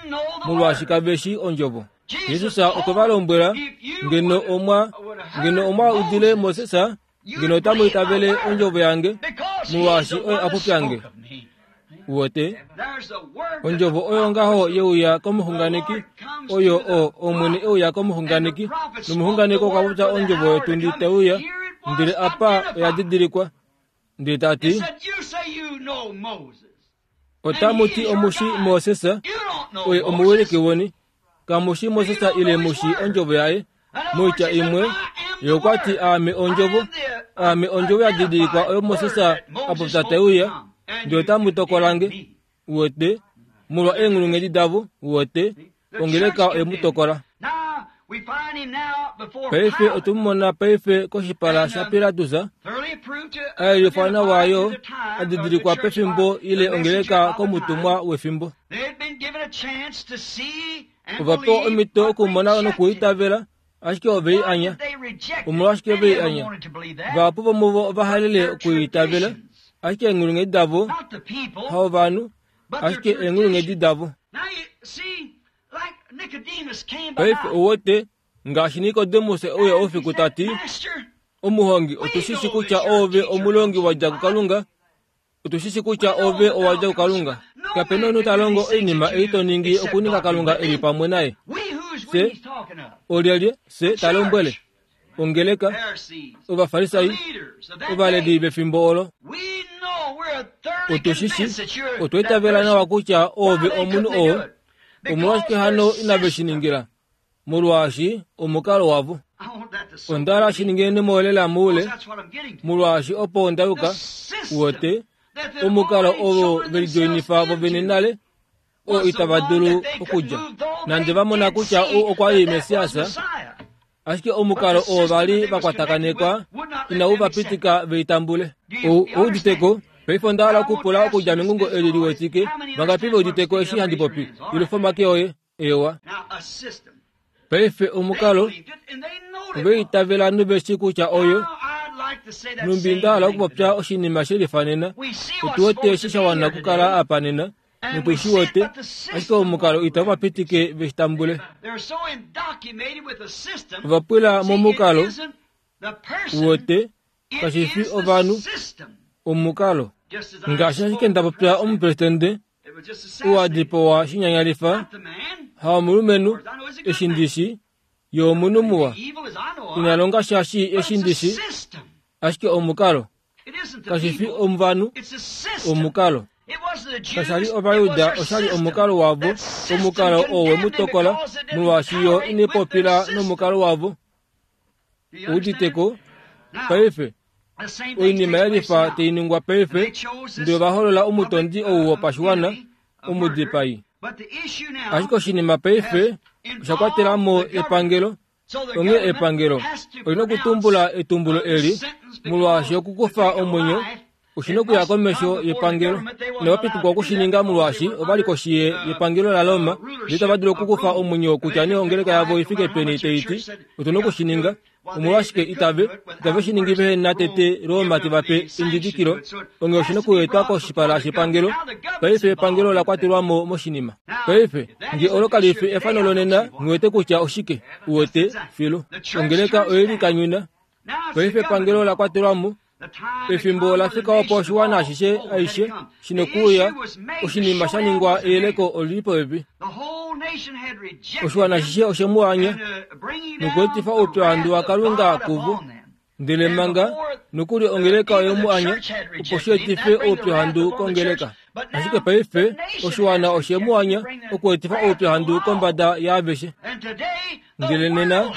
molwaashi kaveshi ondjovo. Jesus okwe va lombwela, ngeno omwa ngeno omwa udile Moses, ngeno otamu itavele ondjovo yange, molwaashi oye a popyange. Uwete, ondjovo oyo ngaho yeuya komuxunganeki, oyo o Omwene euya komuxunganeki, nomuxunganeki okwa popya ondjovo yotundi teuya, ndele apa oya didilikwa. Ndele tati, otamu ti omushi Moses, oye omuwiliki weni, kamushi Moses ile mushi ondjovo yaye. Moitya imwe, ye okwa ti aame ondjovo, aame ondjovo ya didilikwa oyo Moses a popya teuya, ndele otamu tokolange. Uwete, molwa eenghulunghedi davo, uwete, ongeleka oye mu tokola. Paife otumumona paife koshipala shaPilatus, Ayelifwa nawa yo adidilikwa pefimbo ile ongeleka komutumwa wefimbo. Ovapewa omhito okumona nokuitavela, ashike ove i anya. Omolwashike ve i anya? Vahapu vomuvo ovahalele okuitavela, ashike eenghulunghedi davo haovanhu, ashike eenghulunghedi davo. Paife ouwete ngaashi Nikodemus euya oufiku tati, omuhongi, otushishi kutya ove omulongi wadja kuKalunga, otushishi kutya ove owadja kuKalunga. Kapena omunhu ta longo oinima ei to ningi okuninga Kalunga eli pamwe naye. Se olyelye se ta lombwele ongeleka Ovafarisai ovaleli vefimbo olo. Otushishi otwa itavela nawa kutya ove omunhu oo. Omolwashike hano inave shi ningila? Molwaashi omukalo wavo. Onda shi ningeni molela moule, molwaashi opo onda yuka uwete omukalo ovo velijoinifa vovene nale oo itava dulu okudja. Nande vamona kutya ou okwa li Messias, ashike omukalo oo vali vakwatakanekwa inau va pitika veitambule. Ouditeko paife onda hala okupula okudja mengungo eli liwetike, vangapi veuditeko eshi handi popi? Ilufa omake oye. Ewa. Paife omukalo oveitavela noveshi kutya oyo numbi nda hala okupopya oshinima shelifanena. Otuwete eshi sha wana okukala apa nena notushi wete, ashike omukalo itau va pitike veshitambule. Ovapwila momukalo uwete kashifi ovanhu, omukalo. Ngaashi ashike nda popya omupresidente uwadipowa shinyanyalifa haomulumenhu eshi ndishi yomunhu muwa inalonga shashi eshi ndishi, ashike omukalo kashifi omuvanu, omukalo. Kashali Ovayuda, oshali omukalo wavo, omukalo oo wemutokola molwaashi yo inepopila nomukalo wavo. Uditeko paife oinima yelifa tainingwa paife, ndele ovaholola omutondi ou wopashiwana omudipai. Ashike oshinima paife osha kwatela mo epangelo. Onghee epangelo olina okutumbula etumbulo eli molwaashi okukufa omwenyo oshina okuya komesho yepangelo. Inava pitikwa okushininga molwaashi ovali koshi yepangelo laRoma, ndele itava dulu okukufa omwenyo kutya nee ongeleka yavo ifike peni taiti otuna okushininga. Omolwashike itave itave shiningi vehe na tete Roma tevape endidikilo. Onghee oshina okuetwa koshipala shepangelo. Paife epangelo ola kwatelwa mo moshinima. Paife nge olo kalifi efano lonena, nghiwete kutya oshike. Uwete filu ongeleka oyelikanyuna. Paife epangelo ola kwatelwa mo. Efimbo la fika opo oshiwana ashishe aishe shina okuuya. Oshinima sha ningwa eyeleko olili popepi. Oshiwana ashishe oshe mu anya nokuetifa oupyuhandu waKalunga kuvo. Ndele manga nokuli ongeleka oye mu anya opo shi etife oupyuhandu kongeleka. Ashike paife oshiwana oshe mu anya okuetifa oupyuhandu kombada yaaveshe. Ndele nena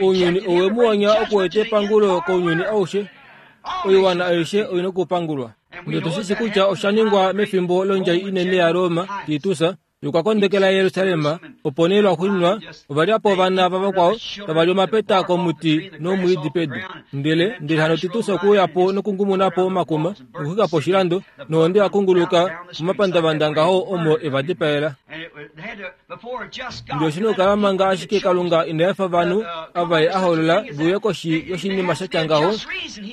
ounyuni owe mu anya okueta epangulo kounyuni aushe. Oiwana aishe oina okupangulwa. Ndele tushishi kutya osha ningwa mefimbo londjai inene yaRoma Titus yokwakondekela Yerusalem, opo nee lwaxuuninwa ovalyapo ovana vavakwao tava li omapeta komuti nomwiidi pedu. Ndele ndele hano Titus okuuya po nokungumuna po omakuma nokuxwika po oshilando, nohonde yakunguluka momapandavanda ngaho omo eva dipaela. Ndele oshina okukala manga ashike Kalunga ina efa ovanhu ava ye a holola veuye koshi yoshinima shatya ngaho,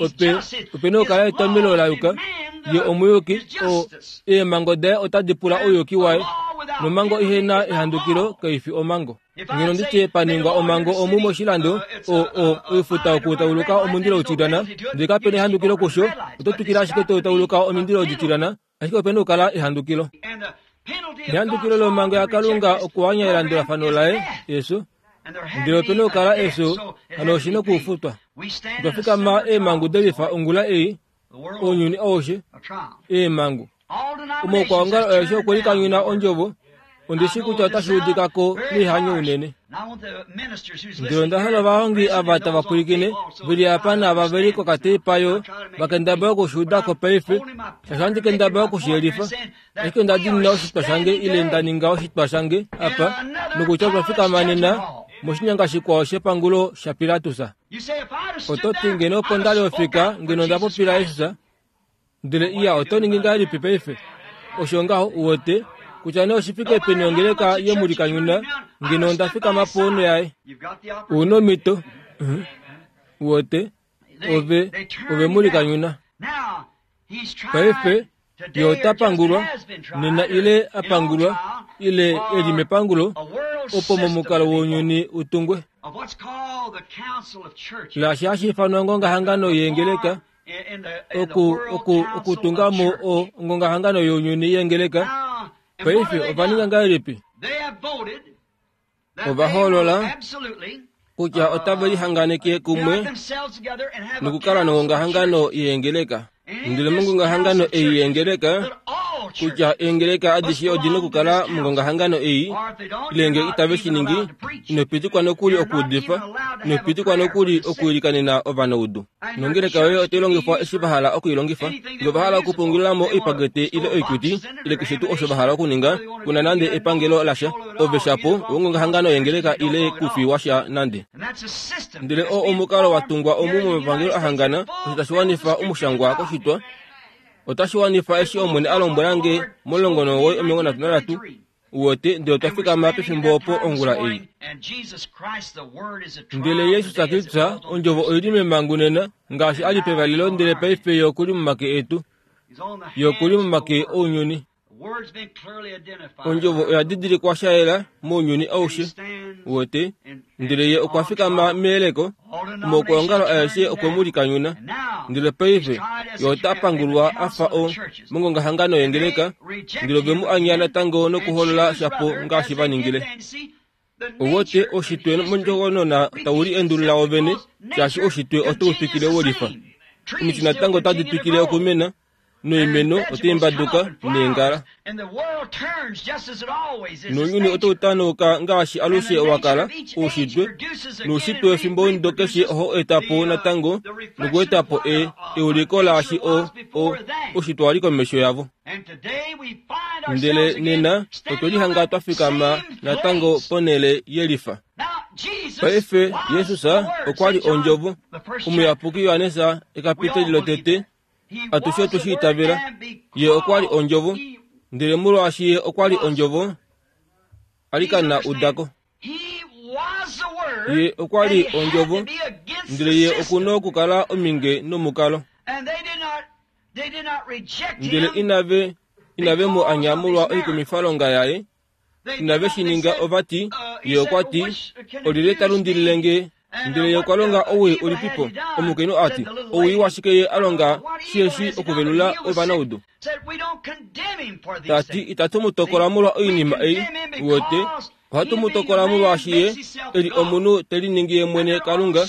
ope opena okukala etomelo la yuka. Ye omuyuki, o eemhango daye otadi pula ouyuki waye, nomhango ihena ehandukilo kaifi omhango. Ngeno nditye paningwa omhango omu moshilando, o o oifuta okutauluka omundilo utilyana, ndele kapena ehandukilo kusho, oto twikile ashike totauluka omindilo odityilana, ashike opena okukala ehandukilo. Ehandukilo lomhango yaKalunga okuwanya elandulafano laye, efyo. Ndele opena okukala efyo, hano oshina okufutwa. Otwa fikama eemhangu delifa ongula ei, ounyuni aushe, eemhangu. Omaukwaongalo aeshe okwe likanyuna ondjovo. Ondishi kutya otashi udika ko neihanyo unene. Ndele onda hala ovahongi ava tava pwilikine veli apa naava veli kokateipa yo vakendabala okushiuda ko paife, shaashi ohandi kendabala okushiyelifa. Ashike onda diinina oshitwa shange ile nda ninga oshitwa shange apa, nokutya otwa fikama nena moshinyanga shikwao shepangulo shaPilatus. Oto ti ngeno opo nda li ofika ngeno nda popila Jesus. Ndele iya oto ningi ngahelipi paife? Osho ngaho uwete kutya nee oshifike peni ongeleka yemulikanyuna ngeno nda fikama ponho yaye. Una omhito. Uwete ove ove mulikanyuna. Paife ye ota pangulwa nena ile apangulwa ile eli mepangulo opo momukalo wounyuni utungwe. Laashi hashi ifanwa ongongahangano yeengeleka oku oku okutunga mo o ongongahangano younyuni yeengeleka. Paife ova ninga ngahelipi? Ova hoolola kutya otave lihanganeke kumwe nokukala nongongahangano yeengeleka. Ndele mongongahangano ei yeengeleka kutya eengeleka adishe odina okukala mongongahangano ei, ile ngee itave shi ningi, ino pitikwa nokuli okuudifa, ino pitikwa nokuli okwiilikanena ovanaudu. Nongeleka yoye otai longifwa eshi va hala okuilongifa. Ngee ova hala okupungulila mo oipakete ile oikuti ile keshe tuu osho va hala okuninga, kuna nande epangelo lasha. Ove shapo wongongahangano yeengeleka ile kufi washa nande. Ndele oo omukalo wa tungwa omu momapangelo ahangana, osho tashi wanifa omushangwa koshitwa. Otashi wanifa eshi Omwene a lombwela nge momulongo nomuwoi omilongo nhatu nanhatu uwete, ndele otwa fikama pefimbo opo ongula ei. Ndele Jesus Kristus ondjovo oili memangu nena ngaashi a li pevalelo, ndele paife ye okuli momake etu, ye okuli momake ounyuni. Ondjovo oya didilikwa sha yela mounyuni aushe uwete, ndele ye okwa fikama meyeleko. Omaukwaongalo aeshe okwe mu likanyuna. Ndele paife ye ota pangulwa a fa o mongongahangano yengeleka, ndele ove mu anya natango nokuholola shapo ngaashi va ningile. Uwete oshitwe mondjokonona tau li endulula wovene, shaashi oshitwe otau twikile wolifa. Omiti natango otadi twikile okumena, noimeno otai mbaduka neengala. Nounyuni otau tanauka ngaashi alushe wa kala, oushitwe. Noushitwe wefimbo omudo keshe ohau eta po natango nokueta po e, euliko laashi o, o, oushitwe wa li komesho yavo. Ndele nena otwe lihanga twa fikama natango ponhele yelifa. Paife Jesus okwa li ondjovo. Omuyapuki Johannes ekapiteli lotete atushe otwe shi itavela. Ye okwa li ondjovo, ndele molwaashi ye okwa li ondjovo, alikana udako. Ye okwa li ondjovo, ndele ye okuna okukala ominge nomukalo. Ndele inave, inave mu anya molwa oikumifalonga yaye, inave shi ninga. Ova ti, ye okwa ti, olyelye ta lundilile nge? Ndele ye okwa longa owii ulipipo? Omukainhu a ti, owii washike ye a longa shiheshi okuvelula ovanaudu? Ta ti, itatu mu tokola molwa oinima ei, uwete, ohatu mu tokola molwaashi ye e li omunhu te liningi ye mwene Kalunga.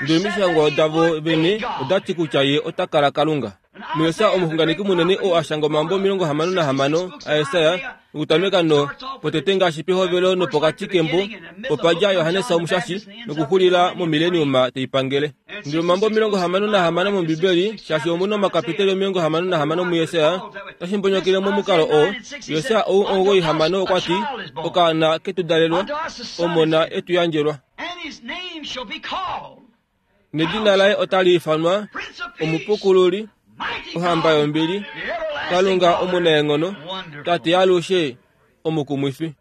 Ndele omishangwa davo vene oda ti kutya ye ota kala Kalunga. Muyesaja omuxunganeki munene oo a shanga omambo omilongo hamano nahamano aYesaya, okutameka no potete ngaashi pehovelo nopokati kembo, opa dja Johannes Omushashi nokuxulila momileniuma teipangele. Ndele omambo omilongo hamano nahamano mOmbibeli, shaashi omuna omakapiteli omilongo hamano nahamano muYesaya, otashi mbonyokele momukalo oo. Yesaya ou omugoi hamano okwa ti, okaana ketu dalelwa, omona etu yandjelwa. Nedina laye otali ifanwa Omupukululi, Ohamba yombili, Kalunga omunaenghono, Tate yalushe, Omukumwifi.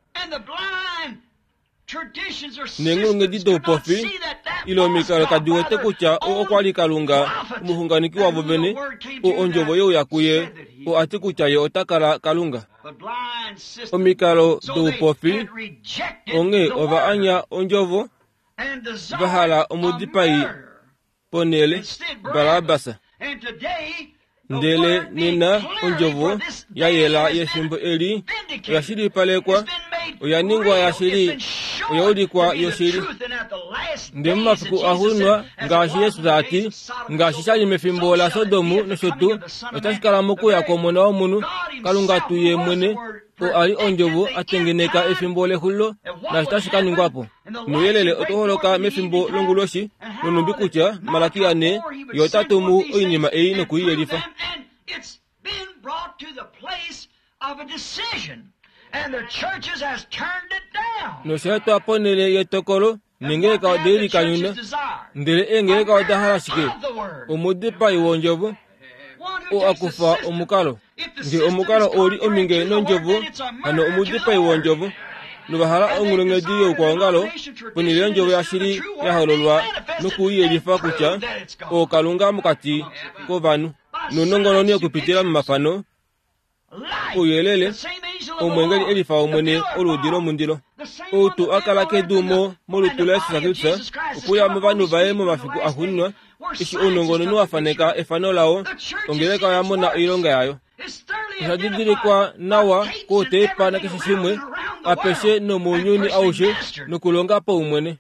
Neenghulunghedi doupofi ile omikalo kadi wete kutya oo okwa li Kalunga omuxunganeki wavo vene, oo ondjovo yeuya kuye, oo a ti kutya ye ota kala Kalunga. Omikalo doupofi onghee ova anya ondjovo, va hala omudipai ponhele Barabas. Ndele nena ondjovo ya yela yefimbo eli oya shilipalekwa, oya ningwa yashili, oya ulikwa yoshili. Ndele momafiku axuuninwa, ngaashi Jesus a ti, ngaashi sha li mefimbo laSodom nosho tuu, otashi kala mokuya kwOmona wOmunhu. Kalunga tuu ye mwene, oo a li ondjovo, a tengeneka efimbo lexulilo naashi tashi ka ningwa po. Nouyelele otau holoka mefimbo longuloshi, nonhumbi kutya Malakia ne ye ota tumu oinima ei nokuiyelifa. Nosha etwa ponhele yetokolo, Nengeleka ode likanyuna. Ndele eengeleka oda hala shike? Omudipai wondjovo oo akufa omukalo. Nge omukalo oli ominge nondjovo, hano omudipai wondjovo. Novahala onghulunghedi youkwaongalo ponhele yondjovo yashili ya hololwa nokuiyelifa kutya ookalunga mokati kovanhu. Nounongononi okupitila momafano ouyelele, omwengeli elifa omwene oludi lomundilo. Ou tuu a kala kedu mo molutu laJesus Kristus okuya movanhu vaye momafiku axuuninwa, eshi ounongononi wa faneka efano lao, ongeleka oya mona oilonga yayo. Osha didilikwa nawa kouteipa nakeshe shimwe apeshe nomounyuni aushe nokulonga paumwene.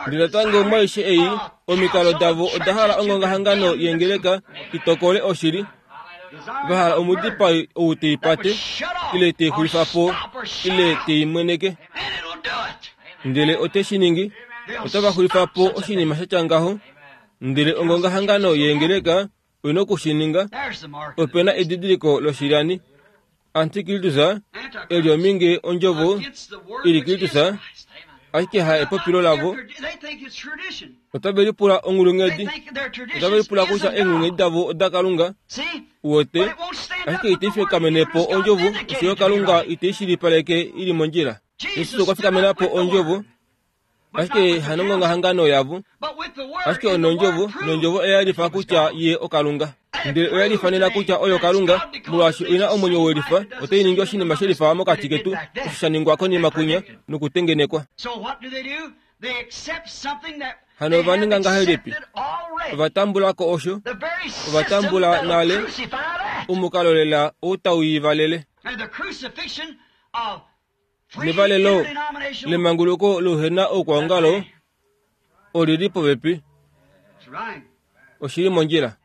Ndele natango mwaishe ei, omikalo davo oda hala ongongahangano yengeleka itokole oshili. Vahala omudipai ou teipate, ile teixulifa po, ile teimweneke. Ndele ote shi ningi, otava xulifa po oshinima sha tya ngaho. Ndele ongongahangano yengeleka oina okushininga. Ope na edidiliko loshilyani. Antikristus eli ominge ondjovo ili Kristus, ashike ha epopilo lavo. Otave lipula onghulunghedi. Otave lipula kutya eenghulunghedi davo oda Kalunga. Uwete, ashike ite fikamene po ondjovo, oshoyo Kalunga ite shilipaleke ili mondjila. Jesus okwa fikamena po ondjovo, ashike hanongongahangano yavo, ashike onondjovo, nondjovo oya lifa kutya ye oKalunga. Ndele oya lifanena kutya oyo Kalunga, molwaashi oina omwenyo welifa, otai ningi oshinima shelifa mokati ketu, osho sha ningwa konima kunya nokutengenekwa. Hano ova ninga ngahelipi? Ova tambula ko osho, ova tambula nale omukalo lela ou tau ivalele. Nevalelo lemanguluko louhena oukwaongalo olili popepi. Oshili mondjila.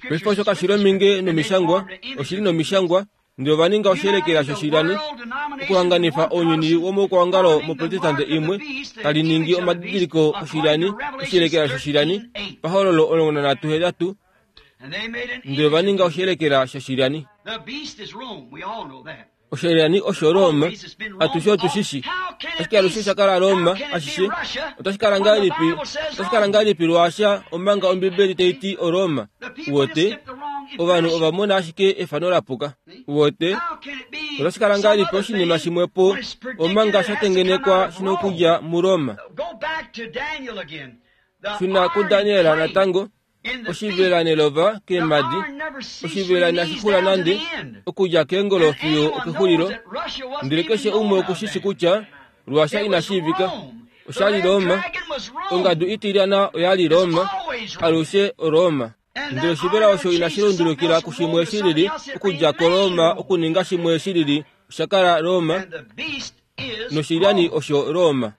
Paife osho kashili ominge nomishangwa, oshili nomishangwa, ndele ova ninga oshielekela shoshilyani okuhanganifa ounyuni womoukwaongalo moprotestante imwe tali ningi omadidiliko oshilyani, oshielekela shoshilyani pahololo omulongo nanhatu hetatu, ndele ova ninga oshielekela shoshilyani. Oshilyani osho Roma, atushe otushishi. Ashike alushe osha kala Roma ashishe. Otashi kala ngahelipi? Otashi kala ngahelipi Russia omanga Ombibeli tai ti oRoma? Uwete, ovanhu ova mona ashike efano lapuka. Uwete, otashi kala ngahelipi oshinima shimwe po omanga sha tengenekwa shina okudja muRoma? Shuna kuDaniel natango. Oshivela nelova keemadi, oshivela inashi xula nande okudja keengolo fiyo okexulilo. Ndele keshe umwe okushishi kutya Russia inashiivika. Oshali Roma, ongadu itilyana oyali Roma, alushe oRoma. Ndele oshivela osho inashi lundulukila kushimwe shilili, okudja koRoma okuninga shimwe shilili, osha kala Roma, noshilyani osho Roma.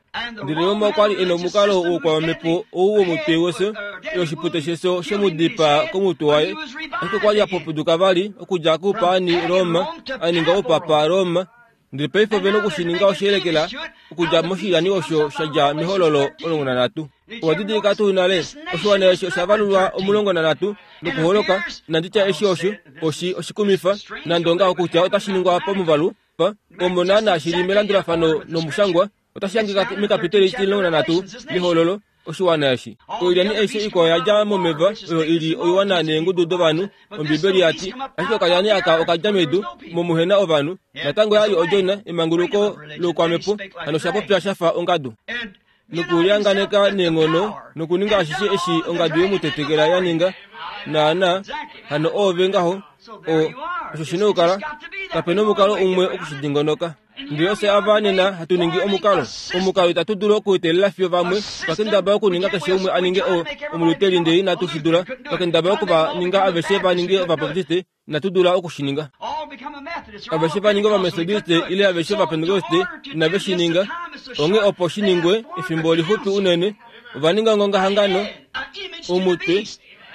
Ndele Roma okwa li e na omukalo woukwamhepo ou womutwe wefyo, oshipute shefyo shemudipaa komutwe waye. Ashike okwa li a popuduka vali okudja koupaani Roma, a ninga oupapa Roma. Ndele paife ove na okushininga oshielekela okudja moshilyani osho sha dja mehololo omulongo nanhatu. Owa didilika tuu nale, oshiwana eshi osha valulwa omulongo nanhatu nokuholoka. Inandi tya eshi osho oshi oshikumifa nande ongaho kutya otashi ningwa pamuvalu pa omo naana shili melandulafano nomushangwa. Otashi hangika mekapiteli omulongo nanhatu mehololo oshiwana eshi. Oilyani aishe ikwao ya dja momeva oyo ili oiwana neengudu dovanhu, Ombibeli ya ti. Ashike okalyani aka okadja medu momuhena ovanhu. Natango yali odjona emanguluko loukwamhepo, hano osha popya shafa ongadu. Nokulyanganeka neenghono nokuninga ashishe eshi ongadu yemutetekela ya ninga. Naana, hano oove ngaho, o osho shina okukala. Kapena omukalo umwe okushidingonoka. Ndele ofye ava nena hatu ningi omukalo. Omukalo itatu dulu okuetelela fiyo vamwe. Twakendabala okuninga keshe umwe a ninge omuluteli ndele inatu shi dula. Twakendabala okuva ninga aveshe va ninge ovabaptiste, inatu dula okushininga. Aveshe va ninge ovametodiste ile aveshe ovapentekoste, inave shi ninga. Onghee opo shi ningwe efimbo lixupi unene, ova ninga ongongahangano omutwe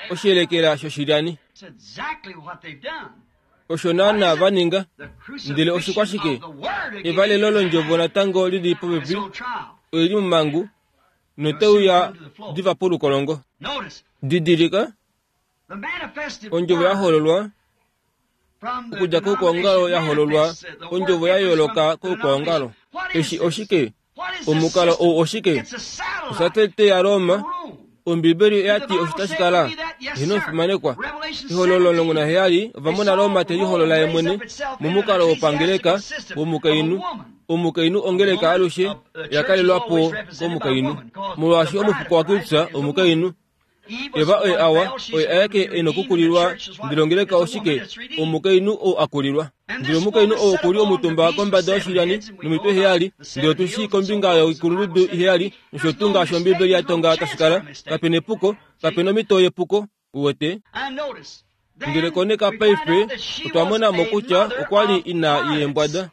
oshielekela shoshilyani. Osho naana va ninga. Ndele oshikwashike? Evalelo londjovo natango lili popepi, oili momangu, noteuya diva polukolongo. Didilika, ondjovo ya hololwa okudja koukwaongalo ya hololwa, ondjovo ya yooloka koukwaongalo. Eshi oshike? Omukalo ou oshike? Osatelite yaRoma. Ombibeli oyati osho tashi kala. Hino omufimanekwa. Ehololo omulongo naheyali ovamona Roma te liholola ye mwene momukalo wopangeleka womukainhu. Omukainhu ongeleka alushe yakalelwapo komukainhu. Molwaashi omufuko waKristus omukainhu. Eva oye awa, oye aeke e nokukulilwa, ndele ongeleka oshike? Omukainhu ou akulilwa. Ndele omukainhu ou okuli omutumba kombada yoshilyani nomitwe heyali, ndele otushi kombinga yoikulundudu heyali, nosho tuu ngaashi Ombibeli ya tonga tashi kala. Kapena epuko, kapena omhito yepuko, uwete. Ndele koneka paife otwa mona mo kutya okwa li ina yeembwada.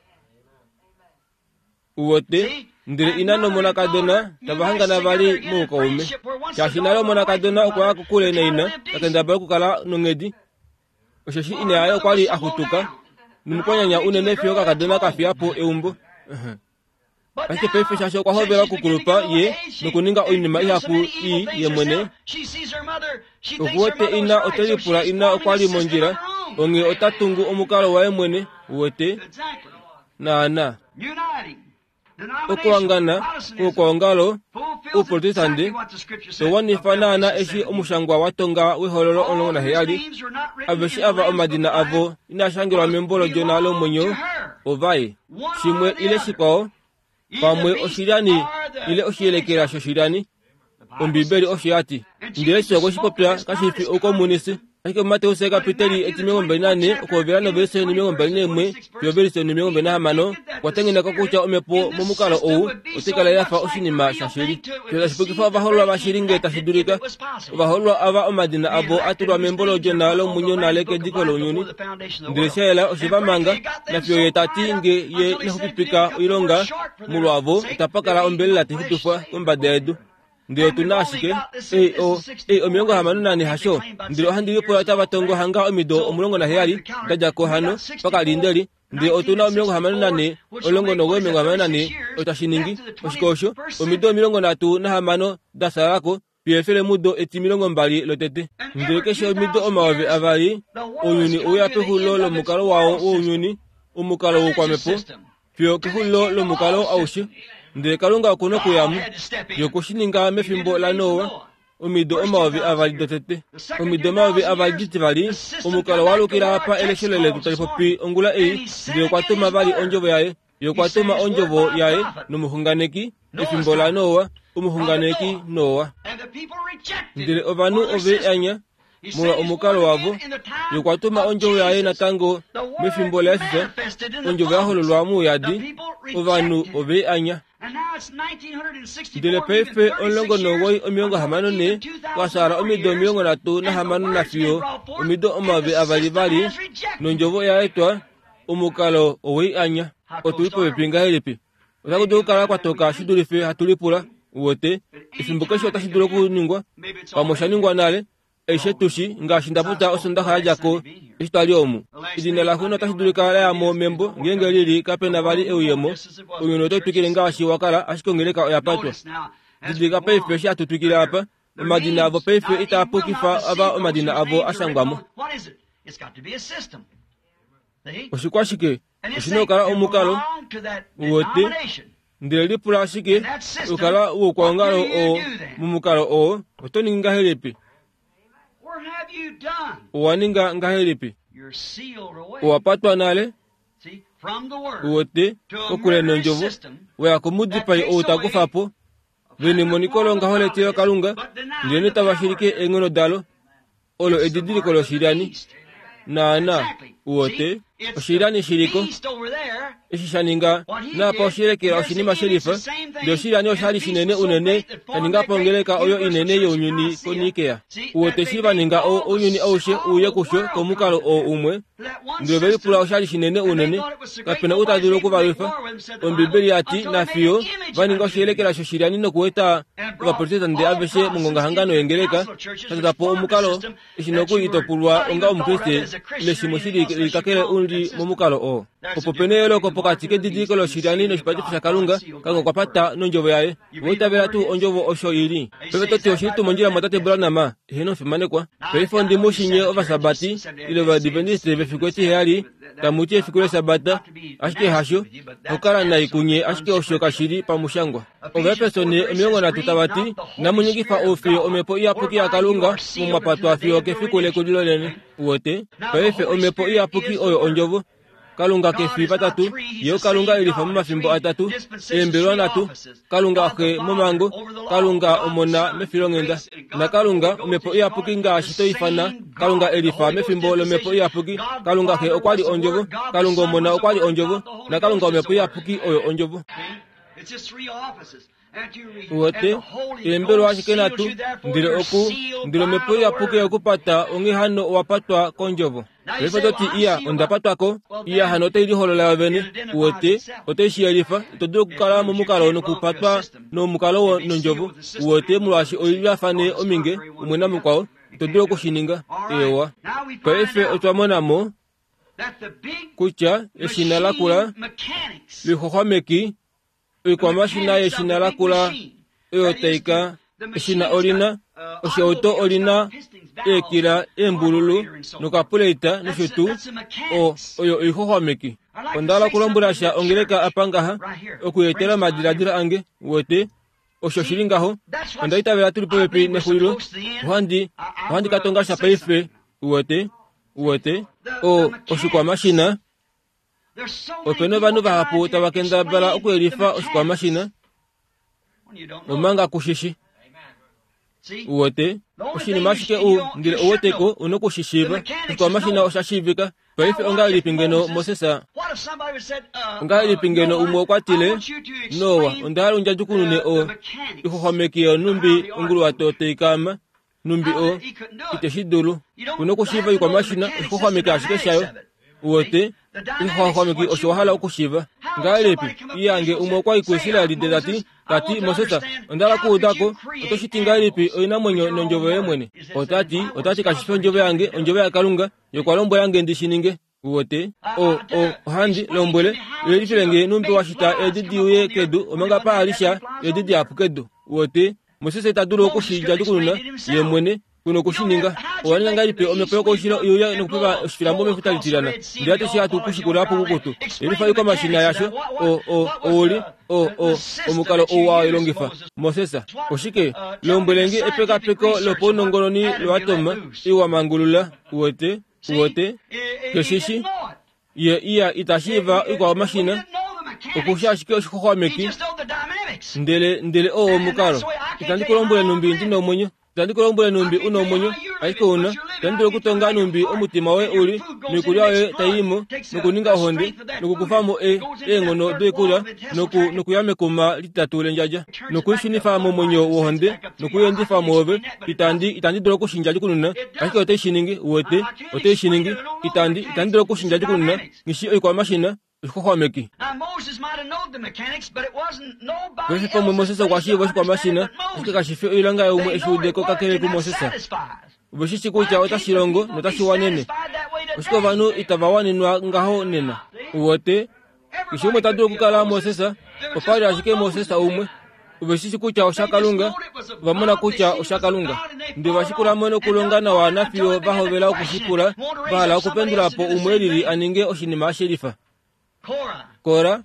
Uwete, ndele ina nomonakadona tava hangana vali moukaume. Shaashi nale omonakadona okwa ya kokule naina, takendabala okukala nonghedi. Osheshi ina yaye okwa li axutuka nomukwanyanya unene fiyo okakadona kafiya po eumbo. Ashike paife shaashi okwa hovela okukulupa ye nokuninga oinima ihapu ii ye mwene, okuwete ina ote lipula ina okwa li mondjila, onghee ota tungu omukalo waye mwene, uwete, naana. Okuhangana kwokwaongalo ouprotestante towanifa naana eshi omushangwa wa tonga wehololo omulongo naheyali. Aveshe ava omadina avo inaa membo lodjona lomwenyo ovaye. Shimwe ile shikwao, pamwe oshilyani ile oshiyelekela shoshilyani. Ombibeli osho yati. Ndele eshi okwe shi popya kashi fi oukomunisi. Ashike muMateus kapiteli etimilongo mbali nane okuhovela novelise omilongo mbali naimwe fiyo ovelise omilongo mbali nahamano okwa tengeneka kutya omhepo momukalo ou otai kala ya fa oshinima shashili. Fiyo tashi pukifa ovahoololwa vashili ngee tashi dulika. Ovahoololwa ava omadina avo a tulwa membo lodjona lomwenyo nale kediko lounyuni. Ndele sha yela oshe va manga, nafiyo ye tati nge ye inaxupipika oilonga molwavo itapa kala ombelela tai xupifwa kombada yedu. Ndele otuna ashike ei o ei omilongo hamano nane hasho. Ndele ohandi lipula otava tongo hanga omido omulongo naheyali dadja ko hano pakalindeli. Ndele otuna omilongo hamano nane omulongo nomuwoi omilongo hamano nane otashi ningi oshike osho omido omilongo nhatu nahamano da salako fiyo efelemudo etimilongo mbali lotete. Ndele keshe omido omayovi avali ounyuni ouya pexulilo lomukalo wao wounyuni, omukalo woukwamhepo, fiyo kexulilo lomukalo aushe. Ndele Kalunga okuna okuyamo. Ye okwe shi ninga mefimbo laNoa, omido omayovi avali dotete. Omido omayovi avali ditivali, omukalo waalukila apa eleshelo letu tali popi ongula ei. Ndele okwa tuma vali ondjovo yaye. Ye okwa tuma ondjovo yaye nomuxunganeki efimbo laNoa, omuxunganeki Noa. Ndele ovanhu ove anya molwa omukalo wavo. Ye okwa tuma ondjovo yaye natango mefimbo laJesus, ondjovo ya hololwa mouyadi, ovanhu ove anya. Ndele paife omulongo nomuwoi omilongo hamano ne kwasala omido omilongo nhatu nahamano nafiyo omido omayovi avali vali nondjovo oya etwa, omukalo owei anya. Otuli popepi ngahelipi? Otaku dulu okukala kwatoka shi dulife hatu lipula. Uwete, efimbo keshe otashi dulu okuningwa, pamwe osha ningwa nale. Aishe tushi ngaashi nda popya Osondaxa ya dja ko eshi twali omu. Edina laxo otashi dulika la ya mo membo ngeenge lili kapena vali euyemo. Ounyuni otau twikile ngaashi wa kala, ashike ongeleka oya patwa. Didilika paife eshi hatu twikile apa. Omadina avo paife itaa pukifa ava omadina avo a shangwa mo. Oshikwashike? Oshina okukala omukalo, uwete. Ndele lipula ashike okukala woukwaongalo oo momukalo oo oto ningi ngahelipi? Owa ninga ngahelipi? Owa patwa nale, uwete, kokule nondjovo. Weya komudipai ou ta kufa po vene emoniko longaho letilo Kalunga, ndele notava shilike eenghono dalo. Olo edidiliko loshilyani. Naana, uwete, oshilyani shiliko. Eshi sha ninga naapa oshiyelekela oshinima shelifa, ndele oshilyani oshali shinene unene sha ninga po ongeleka oyo inene younyuni koNikea. Uwete eshi va ninga ounyuni aushe uye kusho komukalo oo umwe, ndele ve lipula oshali shinene unene, kapena ou ta dulu okuvalwifa. Ombibeli yati nafiyo va ninga oshiyelekela shoshilyani nokueta ovaprotestante aveshe mongongahangano yengeleka, sha po omukalo eshi nokuli itopulwa onga omukriste ile shimwe shili kakele uli momukalo oo. Opo pena eyooloko pokati kedidiliko loshilyani noshipatifo shaKalunga, Kalunga okwa pata nondjovo yaye. Owa tuu ondjovo osho ili. Paife toti oshili tuu mondjila mwatate Branham, eheno fimanekwa. Paife ondimushinye ovasabati ile ovadventiste vefiku etiheyali, tamuti efiku lesabata, ashike hasho, okukala nai kunye ashike osho kashili pamushangwa. Ovaefeso ne omilongo nhatu tava ti, namunyikifa oufiyo omhepo iyapuki yaKalunga mumwapatwa fiyo kefiku lekulilo lene. Uwete? Paife omhepo iyapuki oyo ondjovo. Kalunga kefi patatu, ye Kalunga elifa momafimbo atatu, eembelwa nhatu, Kalunga xe momango, Kalunga omona mefilonghenda, na Kalunga omhepo iyapuki ngaashi toifana Kalunga elifa mefimbo lomhepo iyapuki. Kalunga xe okwa li ondjovo, Kalunga omona okwa li ondjovo, na Kalunga omhepo iyapuki oyo ondjovo. Uwete, eembelwa ashike nhatu, ndele oku ndele omhepo iyapuki okupata onghee hano owa patwa kondjovo. Paife toti iya onda patwako, iya hano otai liholola yovene. Uwete, otai shiyelifa, ito dulu okukala momukalo nokupatwa nomukalo nondjovo. Uwete, molwaashi oililafane ominge umwe namukwao, ito dulu okushininga. Ewa. Paife otwa mona mo kutya eshina lakula lixoxwameki oikwamashina yeshina lakula oyo taika eshina olina oshauto olina eekila eembululu nokapuleita nosho tuu o oyo oixoxwameki. Onda hala okulombwela sha ongeleka apa ngaha okuyetela omadiladilo ange. Uwete, osho shili ngaho. Onda itavela tuli popepi nexulilo. Ohandi ohandi ka tonga sha paife. Uwete, uwete o oshikwamashina. Opena ovanhu vahapu tava kendabala okuyelifa oshikwamashina omanga kushishi. Uwete, oshinima ashike u ndele ouweteko una okushishiiva. Oshikwamashina osha shiivika. Paife ongahelipi ngeno Moses, ongahelipi ngeno umwe okwa tile, Noa, onda hala undjadjukunune o ixoxwameki yonumbi onguluwato taikaama numbi o iteshi dulu. Kuna okushiiva oikwamashina, oshixoxwameki ashike shayo. Uwete, ixoxwameki osho wa hala okushiiva. Ngahelipi iyange umwe okwa i kuIsraeli ndele tati, tati Moses, onda hala okuudako, oto shiti ngahelipi oinamwenyo nondjovo yoye mwene? Otati, otati kashifi ondjovo yange, ondjovo yaKalunga, ye okwa lombwela nge ndi shi ninge. Uwete, o o ohandi lombwele, yelifile nge numbi wa shita eedi di uye kedu omanga pa ali sha eedi dihapu kedu. Uwete, Moses ita dulu okushidjadjukununa ye mwene, kuna okushininga. Owa ninga ngahelipi omhepo yokoushilo iuya nokupepa oshifilambo mefuta litilana, ndele atushe hatu kushikula pukukutu. Yelifa oikwamashina yasho, o o ouli o o omukalo ou wa ilongifa Moses. Oshike lombwelenge epekapeko lopaunongononi loatoma iwa mangulula. Uwete, uwete keshishi ye iya itashiiva oikwamashina okusha ashike oshixoxwameki ndele ndele oo omukalo. Itandi kulombwele numbi ndi nomwenyo, itandi kulombwele numbi una omwenyo, ashike una itandi dulu okutonga numbi omutima woye uli noikulya yoye taiyimo nokuninga ohonde nokukufamo e eenghono doikulya noku nokuya mekuma litatu lendjadja nokuishunifa momwenyo wohonde nokuyendifa mwoove. Itandi itandi dulu okushindjadjukununa, ashike otai shi ningi. Uwete, otai shi ningi. Itandi itandi dulu okushindjadjukununa ngishi oikwamashina oshixoxwameki. Paife pamwe Moses okwa shiiva oshikwamashina, ashike kashifi oilonga yaumwe eshi udeko kakele kuMoses. Oveshishi kutya otashi longo notashi wanene. Oshike ovanhu itava wanenwa ngaho nena? Uwete, keshe umwe ta dulu okukala Moses, opa li ashike Moses umwe. Oveshishi kutya oshaKalunga, ova mona kutya oshaKalunga. Ndele va shikulamo nokulonga nawa nafiyo va hovela okushikula, va hala okupendula po umwe elili a ninge oshinima shelifa. Kora,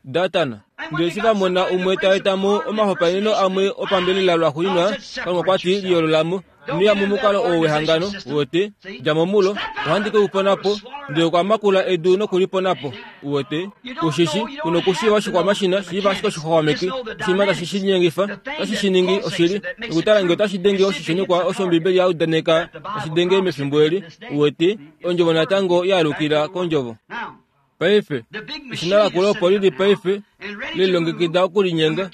Datan, ndele eshi va mona umwe ta eta mo omahopaeneno amwe opambelela lwaxuuninwa, Kalunga okwa ti liyoololamo. Ino ya momukalo oo wehangano, uwete, dja mo mulo, ohandi ke u pona po. Ndele okwa makula edu nokulipona po. Uwete, kushishi, kuna okushiiva oshikwamashina, shiiva ashike oshixoxwameki, oshinima tashi shi linyengifa, otashi shi ningi oshili, nokutala ngee otashi denge oshishenekwa osho Ombibeli ya udaneka tashi denge mefimbo eli. Uwete, ondjovo natango yaalukila kondjovo. Paife, eshina lakula opo lili paife lelilongekida okulinyenga.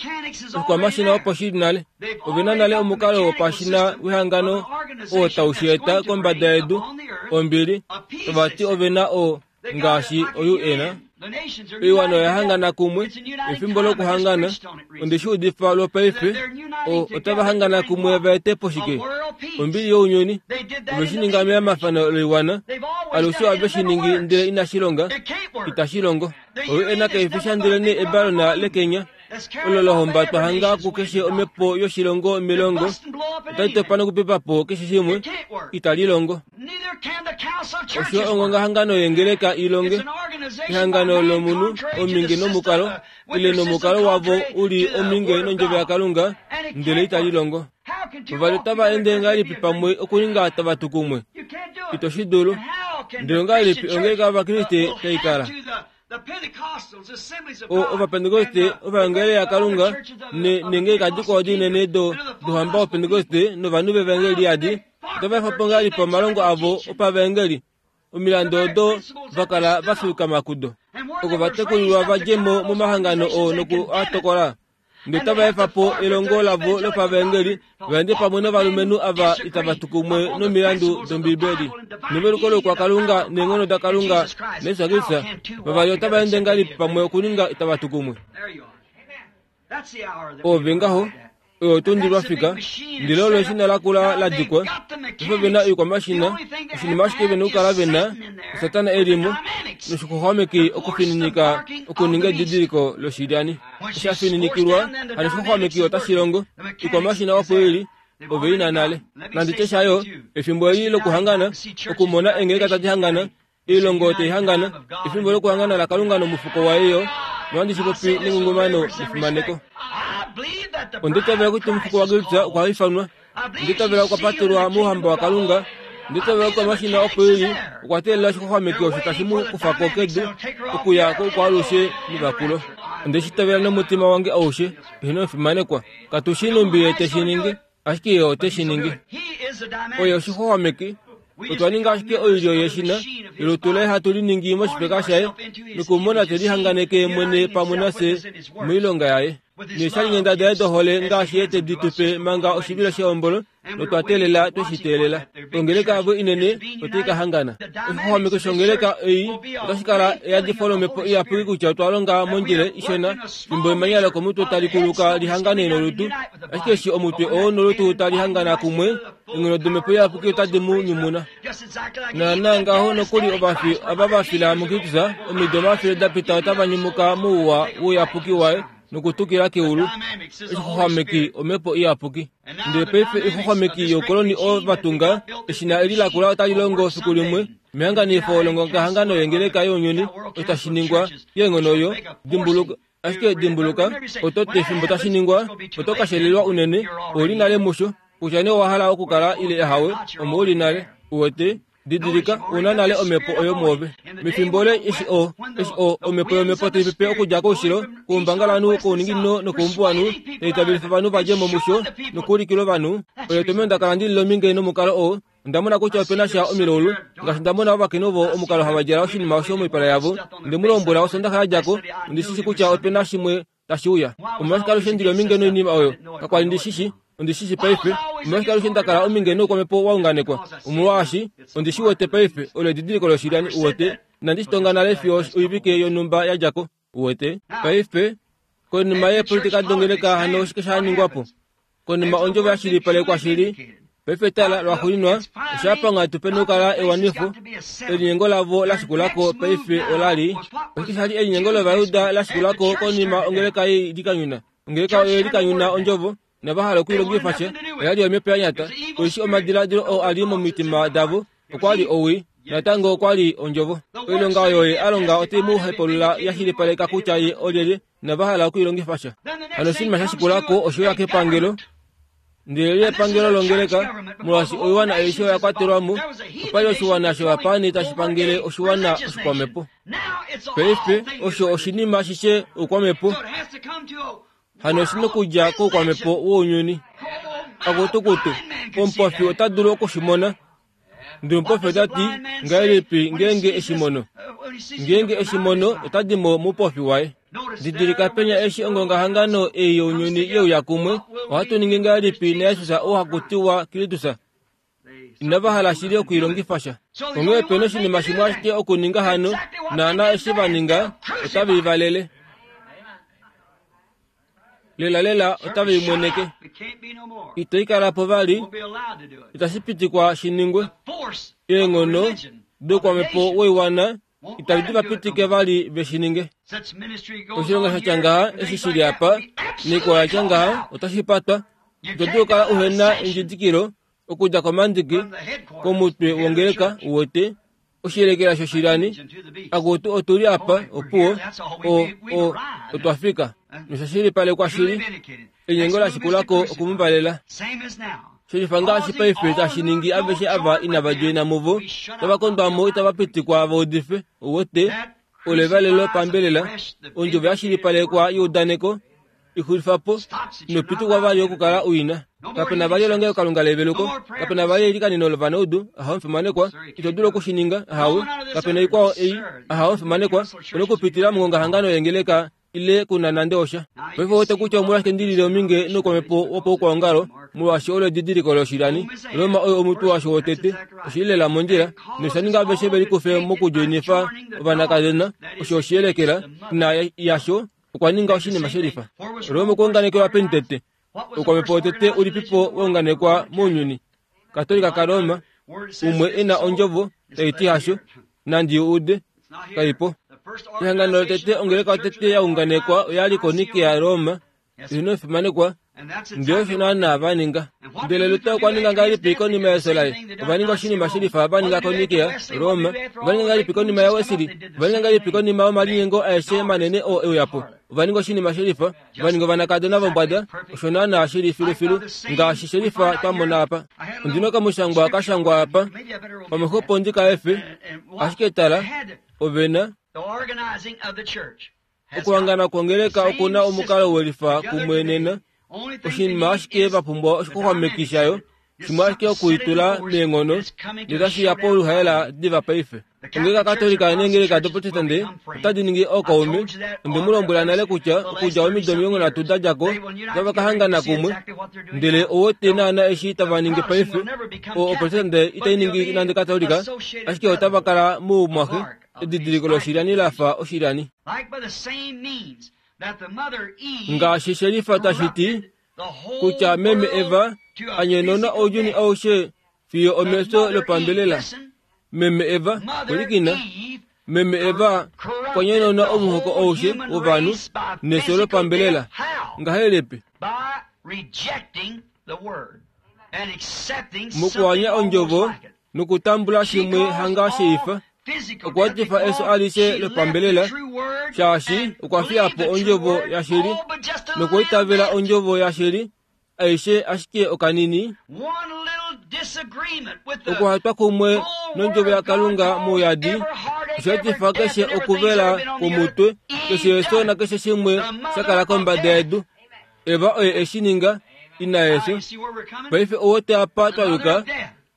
Oshikwamashina opo shili nale. Ovena nale omukalo wopashina wehangano oo tau shi eta kombada yedu, ombili, tava ti ovena o ngaashi o U N. Oiwana oya hangana kumwe efimbo lokuhangana. Onde shi udifa lwopaife. Otava hangana kumwe va ete po shike? Ombili younyuni. Ove shi ninga meyamafano loiwana. Alushe ove shi ningi ndele inashi longa. Itashi longo. Oyo ena kaifisha ndele ne ebalona lekenya. Olo lahombatwa hanga kukeshe omhepo yoshilongo milongo. Otali topa nokupepa po keshe shimwe. Itali longo. Osho ongongahangano yengeleka ilonge. Ehangano lomunhu ominge nomukalo ile nomukalo wavo uli ominge nondjovo yaKalunga ndele itali longo. Vavali otava ende ngahelipi pamwe okuninga tava tu kumwe? Ito shi dulu. Ndele ongahelipi ongeleka yOvakriste tai kala? Ovapentekoste ovaengeli yaKalunga nengeleka dikwao dinene douhamba wopentekoste novanhu vevangeli adi otava efa po ngahelipi omalongo avo opavaengeli? Omilando odo vakala vafiukama kudo. Oko vatekulilwa vadje mo momahangano oo noku a tokola. Ndele otava efa po elongo lavo lopavaengeli vaende pamwe novalumenhu ava itava tu kumwe nomilandu dOmbibeli. Neveluko lokwaKalunga neenghono daKalunga naJesus Kristus, vavali otava ende ngahelipi pamwe okuninga itava tu kumwe? Ove ngaho, oyo tundi lwafika, ndele olo eshina lakula la dikwa. Efo vena oikwamashina, oshinima ashike vena okukala vena, Satana elimo, noshixwaxwameki okufininika okuninga edidiliko loshilyani. Osha fininikilwa, hano oshixwaxwameki otashi longo. Oikwamashina opo ili, ove ina nale. Nandi tye shayo, efimbo eli lokuhangana, okumona eengeleka tadi hangana, oilongo tai hangana, efimbo lokuhangana laKalunga nomufuko waye yo, nohandi shi popi nengungumano nefimaneko. Onditavela kutya omufuko waKristus okwa ifanwa. Onditavela okwa patelwa mouhamba waKalunga. Onditavela kutya omashina opo eli okwa teelela oshixwaxwameki osho tashi mu kufa ko kedu okuya koukwaalushe mevakulo. Onde shi tavela nomutima wange aushe, eheno efimanekwa. Katu shi numbi ye te shi ningi, ashike ye ote shi ningi. Oye oshixwaxwameki. Otwa ninga ashike oilyo yeshina yolutu laye hatu liningi moshipeka shaye nokumona te lihanganeke mwene pamwe nafye moilonga yaye. Neeshalinghenda daye dohole ngaashi ye te di tupe manga oshivilo shehombolo notwa teelela tweshi teelela. Ongeleka yavo inene otai ka hangana. Oshixwaxwameki shongeleka ei otashi kala eyadifo lomhepo iyapuki kutya otwa longa mondjila ishona fimbo emanya lokomutwe tali kuluka lihangane nolutu, ashike eshi omutwe oo nolutu tali hangana kumwe, eenghono domhepo iyapuki otadi mu nyumuna. Naana ngaho nokuli ovafi ava va fila muKristus omido omafele da pita otava nyumuka mouwa wouyapuki waye nokutukila keulu. Oshixwaxwameki omhepo iyapuki. Ndele paife oixwaxwameki youkoloni oo vatunga eshina eli lakula otali longo fiku limwe mehanganifo longongahangano yengeleka younyuni osho tashi ningwa keenghono oyo. Dimbuluka ashike dimbuluka oto ti fimbo tashi ningwa oto ka shelelwa unene. Ouli nale musho kutya nee owa hala okukala ile ehawe, omo uli nale. Uwete? Didilika, una nale omhepo oyo mwoove. Mefimbo le eshi o eshi o omhepo yomhepo tai pepe okudja koushilo, koumbangalanhu, kouninginino nokoumbuwanhu, tai tavelifa ovanhu vadje mo musho nokuulikila ovanhu. Oyo tomheno nda kala ndili lominge nomukalo oo. Onda mona kutya opena sha omilaulu, ngaashi nda mona ovakainhu ovo omukalo hava djala oshinima osho moipala yavo. Onde mu lombwela Osondaxa ya dja ko, ondi shi shi kutya opena shimwe tashi uya. Omolwashike alushe ndili ominge noinima oyo? Kakwali ndi shi shi. Ondi shi shi paife. Omolwashike alushe nda kala ominge noukwamhepo wa unganekwa? Omolwaashi ondi shi wete paife, olo edidiliko loshilyani. Uwete? Inandi shi tonga nale fiyo oivike yonhumba ya dja ko. Uwete? Paife, konima yeepolitika dongeleka hano oshike sha ningwa po? Konima ondjovo ya shilipalekwa shili, paife tala lwaxuuninwa osha panga tupe nokukala ewanifo. Elinyengo lavo la shikulako paife olali oshike shali elinyengo lOvayuda la shikulako konima ongeleka ye likanyuna? Ongeleka oye likanyuna ondjovo nava hala okuilongifa sha. Oya li omhepo ya nyata. Oishi omadiladilo oo ali momitima davo okwa li owii, natango okwa li ondjovo. Oilonga oyo ye a longa otai mu hepulula ya shilipaleka kutya ye olyelye, nava hala okuilongifa sha. Hano oshinima sha shikulako oshe uya kepangelo. Ndele li epangelo longeleka, molwaashi oiwana aishe oya kwatelwa mo. Opa li oshiwana shovapaani tashi pangele oshiwana oshikwamhepo. Paife osho oshinima ashishe oukwamhepo. Hano oshi nokudja koukwamhepo wounyuni. Akutukutu, omupofi ota dulu okushimona. Ndele omupofi ota ti, ngahelipi ngeenge eshimono? Ngeenge eshimono ota di mo moupofi waye. Didilika penya eshi ongongahangano ei younyuni ye uya kumwe, ohatu ningi ngahelipi naJesus oo haku tiwa Kristus? Inava hala shili okuilongifa sha. Onghee pena oshinima shimwe ashike okuninga hano, naana eshi va ninga, otave i valele. Lela lela otave i mweneke. Ito ikala po vali, itashi pitikwa shi ningwe. Eenghono doukwamepo woiwana itadi va pitike vali ve shi ninge. Oshilonga sha tya ngaha eshi shili apa, noikwao ya tya ngaha otashi patwa. Ito dulu okukala uhena endjidikilo okudja komandiki komutwe wongeleka uwete oshiyelekela shoshilani. Akutu otuli apa opuwo o o otwa fika nosha shilipalekwa shili. Enyengo la shikulako okumuvalela. Shelifa ngaashi paife tashi ningi aveshe ava inava djoina muvo tava kondwamo itava pitikwa va udife uwete olevalelo pambelela ondjovo ya shilipalekwa youdaneko ixulifapo inopitikwa vali okukala uina. Kapena vali elongelokalunga leveluko, kapena vali eilikaneno lovanaudu ahawe omufimanekwa, ito dulu okushininga ahawe, kapena ikwao ei ahawe omufimanekwa, una okupitila mongongahangano yengeleka ile kuna nande osha. Paife owete kutya omolwashike ndilile ominge noukwamepo wopaukwaongalo, molwaashi olo edidiliko loshilani. Roma oyo omutwe washo wotete, oshili lela mondjila, nosha ninga aveshe ve likufe mokudjoinifa ovanakadona, osho oshiyelekela ina yasho okwa ninga oshinima shelifa. Roma okwa unganekelwa peni tete? Oukwamepo wotete ulipipo wa unganekwa mounyuni? Katolika kaRoma, umwe e na ondjovo tai ti hasho, nandi ude, kaipo. Ehangano lotete ongeleka yotete ya unganekwa oyali koNikea Roma, ino fimanekwa, ndele osho naana va ninga. Ndele Luther okwa ninga ngahelipi konima yeso laye? Ova ninga oshinima shelifa va ninga koNikea Roma. Ova ninga ngahelipi konima yaWesley? Ova ninga ngahelipi konima yomalinyengo aeshe manene oo e uya po? Ova ninga oshinima shelifa, va ninga ovanakadona vombwada, osho naana shili filufilu ngaashi shelifa twa mona apa. Ondina okamushangwa ka shangwa apa, pamwe xopo ndi ka efe, ashike tala, ove na okuhangana kwongeleka okuna omukalo welifa kumwe nena. Oshinima ashike va pumbwa oshixwaxwameki shayo, shimwe ashike okuitula meenghono, notashi ya poluhaela diva paife. Ongeleka Katolika neengeleka doProtestante otadi ningi ookaume. Onde mu lombwela nale kutya okudja omido omilongo nhatu da dja ko otava ka hangana kumwe, ndele owete naana eshi tava ningi paife. O Oprotestante itai ningi nande Katolika, ashike otava kala moumwaxe, edidiliko loshilani la fa oshilani. Ngaashi shelifa tashi ti kutya meme Eva anyenona ounyuni aushe fiyo omefyo lopambelela. Meme Eva, olikina, meme Eva okwa nyenona omuhoko aushe wovanhu nefyo lopambelela. Ngahelipi? Mokuanya ondjovo nokutambula shimwe hanga sheifa, okwa etifa efyo alishe lopambelela, shaashi okwa fiya po ondjovo yashili nokwaitavela ondjovo yashili aishe ashike okanini. Okuhatwa kumwe nondjovo yaKalunga mouyadi osha etifa keshe okuvela kwomutwe, keshe efyo nakeshe shimwe sha kala kombada yedu. Eva oye eshi ninga, ina yefyo. Paife owete apa twa yuka,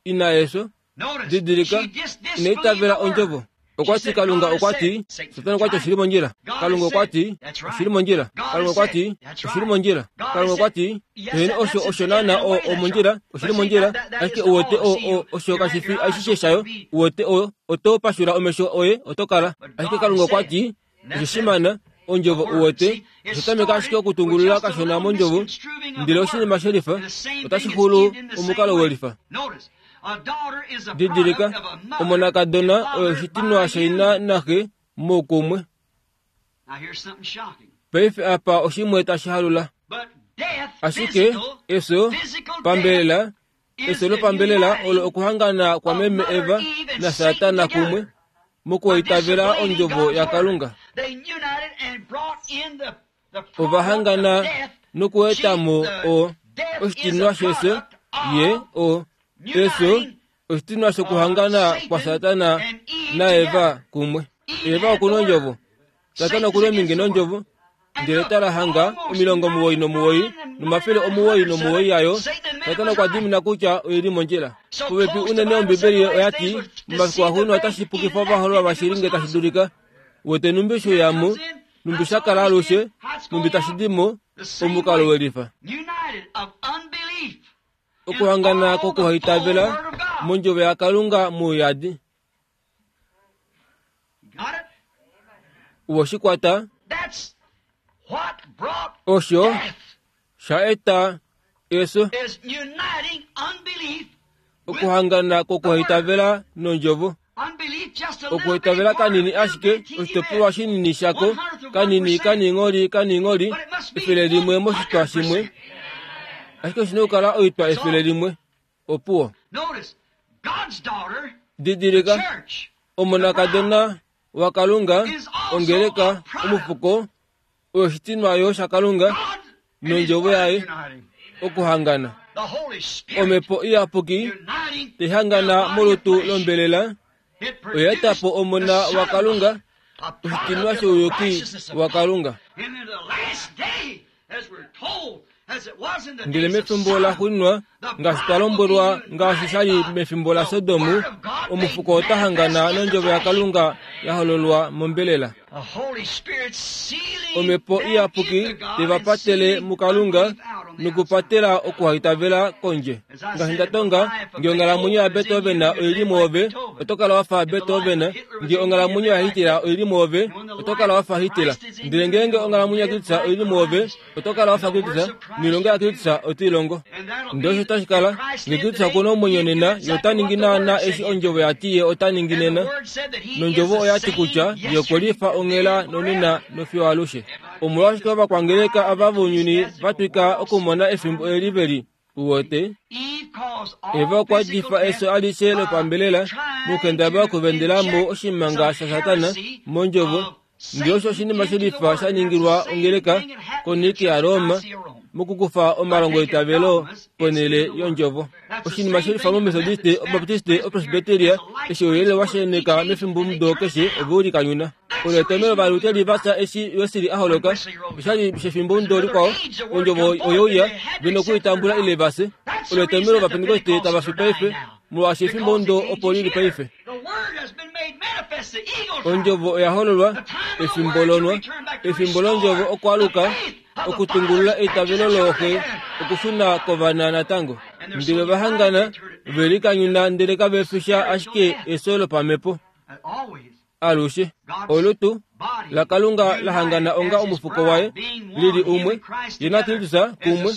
ina yefyo. Didilika, inaitavela ondjovo. Okwa ti Kalunga okwa ti, Satana okwa ti oshili mondjila. Kalunga okwa ti, oshili mondjila. Kalunga okwa ti, oshili mondjila. Kalunga okwa ti, eheno osho osho naana o omondjila, oshili mondjila, ashike uwete o o osho kashi fi ashishe shayo, uwete o oto pashula omesho oye oto kala. Ashike Kalunga okwa ti, osho shimana, ondjovo uwete, osha tameka ashike okutungulula kashona mondjovo, ndele oshinima shelifa, otashi xulu omukalo welifa. Didilika, omonakadona oyo oshitinwa shaina naxe moukumwe. Paife apa oshimwe tashi halula. Ashike efyo pambelela, efyo lopambelela olo okuhangana kwa meme Eva naSatana kumwe mokuitavela ondjovo yaKalunga. Ova hangana nokuetamo o oshitinwa shefyo, ye o efyo oshitinwa shokuhangana kwa Satana naEva kumwe. Eva okuna ondjovo, Satana okuna ominge nondjovo, ndele tala hanga omilongo omuwoi nomuwoi nomafele omuwoi nomuwoi yayo. Satana okwa dimina kutya oili mondjila. Popepi unene Ombibeli oya ti momafiku axuuninwa otashi pukifa ovahololwa vashili nge tashi dulika. Wete numbi sho yamo, numbi sha kala alushe, numbi tashi di mo, omukalo welifa. Okuhangana kokuhaitavela mondjovo yaKalunga mouyadi. Uwoshikwata osho sha eta eso okuhangana kokuhaitavela nondjovo. Okuhaitavela kanini ashike oshitopolwa shinini shako kanini kaningoli kaningoli efele limwe moshitwa shimwe, ashike oshina okukala oitwa efele limwe. Opuwo. Didilika, omonakadona waKalunga ongeleka omufuko oyo oshitinwa yo shaKalunga nondjovo yaye okuhangana. Omhepo iyapuki taihangana molutu lombelela oya eta po omona waKalunga, oshitinwa shouyuki waKalunga. Ndele mefimbo laxuuninwa, ngaashi twa lombwelwa ngaashi sha li mefimbo laSodom, omufuko ota hangana nondjovo yaKalunga ya hololwa mombelela. Omhepo iyapuki teva patele muKalunga nokupatela okuhaitavela kondje. Ngaashi nda tonga, ngee onghalamwenyo yaBeethoven oili mwoove, oto kala wafa Beethoven. Ngee onghalamwenyo yaHitler oili mwoove, oto kala wafa Hitler. Ndele ngeenge onghalamwenyo yaKristus oili mwoove, oto kala wafa Kristus, noilonga yaKristus oto i longo. Ndele osho tashi kala, ngee Kristus okuna omwenyo nena, ye ota ningi naana eshi ondjovo yati ye ota ningi nena. Nondjovo oyati kutya ye okwe lifa onghela nonena nofiyo alushe. Omolwashike ovakwangeleka ava vounyuni va twika okumona efimbo eli veli uwete? Eva okwa difa efyo alishe lopambelela mokukendabala okuvendelamo oshimanga shaSatana mondjovo. Ndele osho oshinima shelifa sha ningilwa ongeleka koNicaea yaRoma mokukufa omalongo eitavelo ponhele yondjovo. Oshinima shelifa moMethodiste, Obaptiste, Opresbyteria, eshi ouyelele wa sheneka mefimbomudo keshe ove ulikanyuna. Olo etomhelo Ovaluteri va fya eshi Wesley a holoka. Oshali shefimbomudo likwao, ondjovo oyeuya, ve nokuitambula ile va fye. Olo etomhelo Ovapentekoste tava fi paife, molwaashi efimbomudo opo lili paife. Ondjovo oya hololwa, efimbo lonwa, efimbo londjovo okwaaluka, okutungulula eitavelo looxe, okushuna kovana natango. Ndele ova hangana, ve likanyuna ndele kave fi sha ashike efyo lopamhepo. Alushe, olutu laKalunga la hangana onga omufuko waye, lili umwe, ye naKristus kumwe.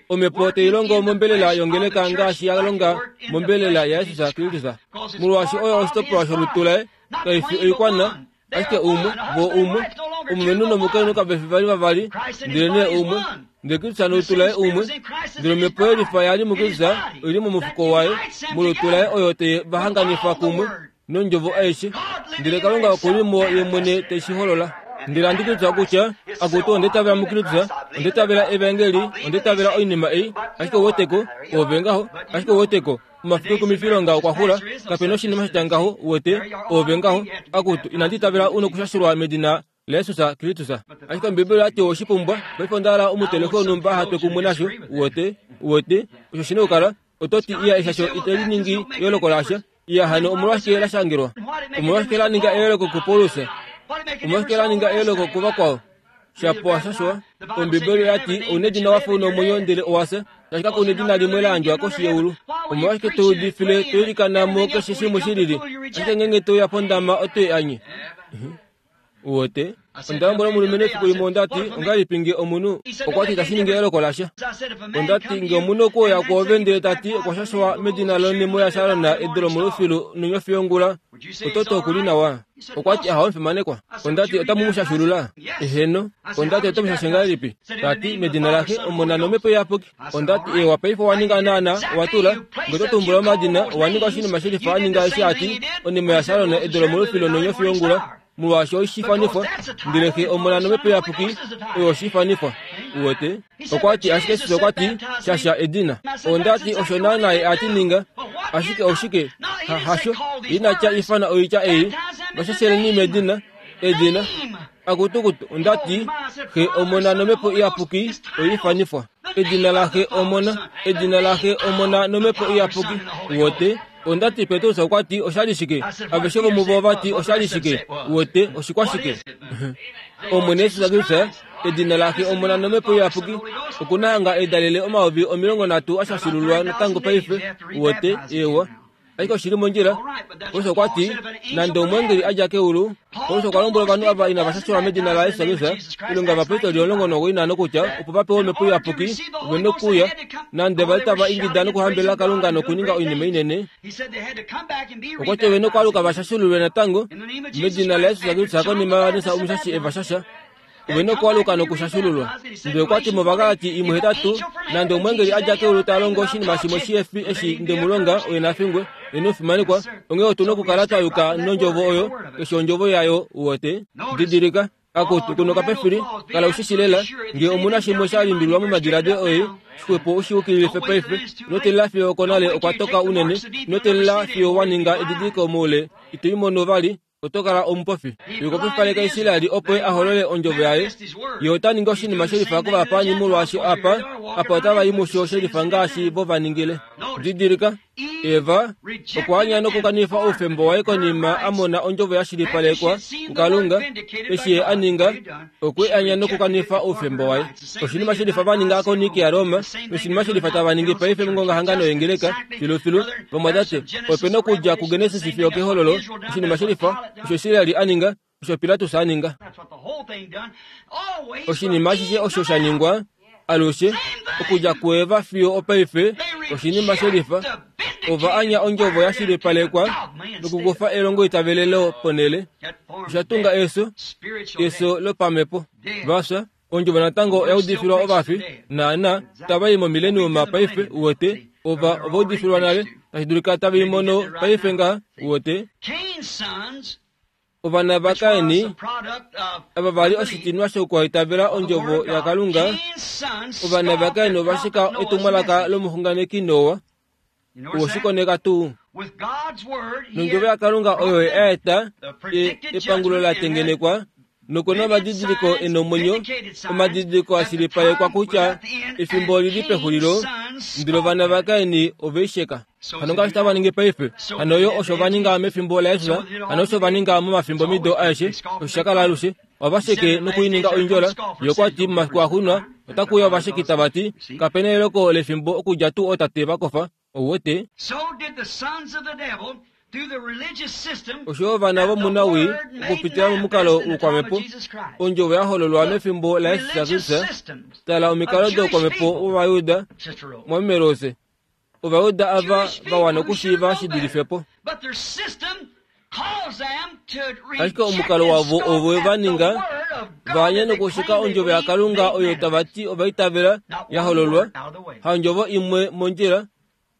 Omhepo tai longo mombelela yongeleka ngaashi ya longa mombelela yaJesus Kristus. Molwaashi oyo oshitopolwa sholutu laye, kai fi oikwana, ashike umwe, vo umwe, omulumenhu nomukainhu kave fi vali vavali, ndelenee umwe. Ndele Kristus nolutu laye umwe, ndele omhepo yelifa yali muKristus oili momufuko waye, molutu laye oyo te va hanganifa kumwe nondjovo aishe. Ndele Kalunga okuli mo ye mwene te shi holola. Ndele handi Kristus kutya akutu onde tavela muKristus, onde tavela evangeli, onde tavela oinima ei, ashike uweteko, ove ngaho, ashike uweteko, omafiku ekumifilonga okwa xula, kapena oshinima shatya ngaho, uwete, ove ngaho, akutu inandi tavela u nokushashulwa medina laJesus Kristus. Ashike Ombibeli oyati oshipumbwa, paife onda hala omuteleki wonhumba aha twe kumwe nasho, uwete, uwete, osho shina okukala, oto ti iya eshasho itali ningi eyooloko lasha. Iya hano omolwashike la shangelwa? Omolwashike la ninga eyooloko kuPaulus? Omolwashike la ninga eyooloko kuvakwao? Shapo shashwa, Ombibeli oyati ouna edina wafa una omwenyo ndele owafya, shaashi kaku na edina limwe la yandjwa koshi yeulu. Omolwashike to udifile to ilikana mo keshe shimwe shilili, ashike ngeenge to uya pondama oto i anye? Uwete? Onda lombwela omulumenhu efiku limwe ondati, ongahelipi nge omunhu okwa ti itashi ningi eyooloko lasha. Ondati nge omunhu okwe uya kwoove ndele tati okwa shashwa medina lonhemo yaSharon edu lomolufilu nonyofi yongula, oto ti okuli nawa. Okwa ti aha omufimanekwa. Ondati otamu mu shashulula? Eheno. Ondati oto mu shashe ngahelipi? Tati medina laxe, Omona nomhepo iyapuki. Ondati ewa paife owa ninga naana, owa tula, nge oto tumbula omadina, owa ninga oshinima shelifa wa ninga eshi ati onhemo yaSharon edu lomolufilu nonyofi yongula, molwaashi oshifanifwa, ndele xe Omona nomhepo iyapuki oyo oshifanifwa. Uwete? Okwa ti ashike Jesus okwa ti shasha edina. Ondati osho naana ye ati ninga, ashike oshike? Ha, hasho, inatya ifana oitya ei, vashasheleni medina, edina. Akutukutu, ondati xe Omona nomhepo iyapuki oifanifwa. Edina laxe Omona, edina laxe Omona nomhepo iyapuki. Uwete? Ondati Petrus okwa ti oshali shike? Aveshe vomuvo vati oshali shike? Uwete, oshikwashike? Omwene Jesus Kristus Edina laxe Omona nomhepo iyapuki okunahanga edalele omayovi omilongo nhatu ashashululwa natango paife uwete ewa ashike oshili mondjila. Paulus okwa ti nande omweengeli adja keulu. Paulus okwa lombwela ovanhu ava inava shashelwa medina laYesus Kristus ilonga ovapostoli omulongo nomuwoi kutya opo va pewe omhepo iyapuki ove nokuuya nande vali tava ingida nokuhambelela Kalunga nokuninga oinima inene. Okwa ti ove nokwaaluka va shashululwe natango medina laYesus Kristus konima yaJohannes omushashi e va shasha. Ove nokwaaluka nokushashululwa. Ndele okwa ti mOvagalati imwe hetatu nande omweengeli adja keulu ta longo oshinima shimwe shihefi eshi ndemulonga oye nafingwe ye nokufimanekwa. Onghee otu nokukala twa yuka nondjovo oyo keshe ondjovo yayo uwete. Didilika akutu kunoka pefili kala ushishi lela ngee omuna shimwe sha limbililwa momadiladilo oye xwepo ushiukililife paife. Ino teelela fiyo okonale okwa toka unene. Ino teelela fiyo wa ninga edidiliko moule ito i mono vali oto kala omupofi. Ye okwa pupaleka Israeli opo a holole ondjovo yaye. Ye ota ningi oshinima shelifa kovapaani molwaashi apa apa otava i musho shelifa ngaashi vo va ningile. Didilika Eva okwa anya nokukanifa oufemba waye konima a mona ondjovo ya shilipalekwa kuKalunga. Eshi ye a ninga okwe anya nokukanifa oufemba waye. Oshinima shelifa va ninga koNice yaRoma noshinima shelifa tava ningi paife mongongahangano yengeleka filufilu. Vamwatate ope nokudja kuGenesis fiyo kehololo oshinima shelifa osho Israeli a ninga osho Pilatus a ninga. Oshinima ashishe osho sha ningwa alushe okudja kuEva fiyo opaife oshinima shelifa. Ova anya ondjovo ya shilipalekwa nokukufa elongo itavelelo ponele. Osha tunga eso eso lopamhepo. Vafya ondjovo natango oya udifilwa ovafi naana tava i momileniuma paife uwete. Ova ova udifilwa nale tashi dulika tava i mono paife ngaha uwete. Ovana vaKaini ava vali oshitinwa shokwaitavela ondjovo yaKalunga. Ovana vaKaini ova shika etumwalaka lomuxunganeki Noa. Uwoshikoneka tuu nondjovo yaKalunga oyo a eta epangulo la tengenekwa nokuna omadidiliko e nomwenyo omadidiliko a shilipalekwa kutya efimbo olili pexulilo. Ndele ovana vaKaini ove i sheka. Hano ngaashi tava ningi paife. Hano yo osho va ninga mefimbo laJesus. Hano osho va ninga momafimbo mido aeshe. Osho sha kala alushe. Ova sheke nokuininga oindjola. Ye okwa ti momafiku axuuninwa otakuuya ovasheki tava ti kapena eloko lefimbo okudja tuu ootate va kofa. Ouwete osho ovana vomunawii okupitila momukalo woukwamhepo ondjovo ya hololwa mefimbo laJesus Kristus. Tala omikalo doukwamhepo wOvayuda mwaMerose. Ovayuda ava va wana okushiiva shi dulife po. Ashike omukalo wavo ovo va ninga va anya nokushika ondjovo yaKalunga oyo tava ti ovaitavela ya hololwa haondjovo imwe mondjila.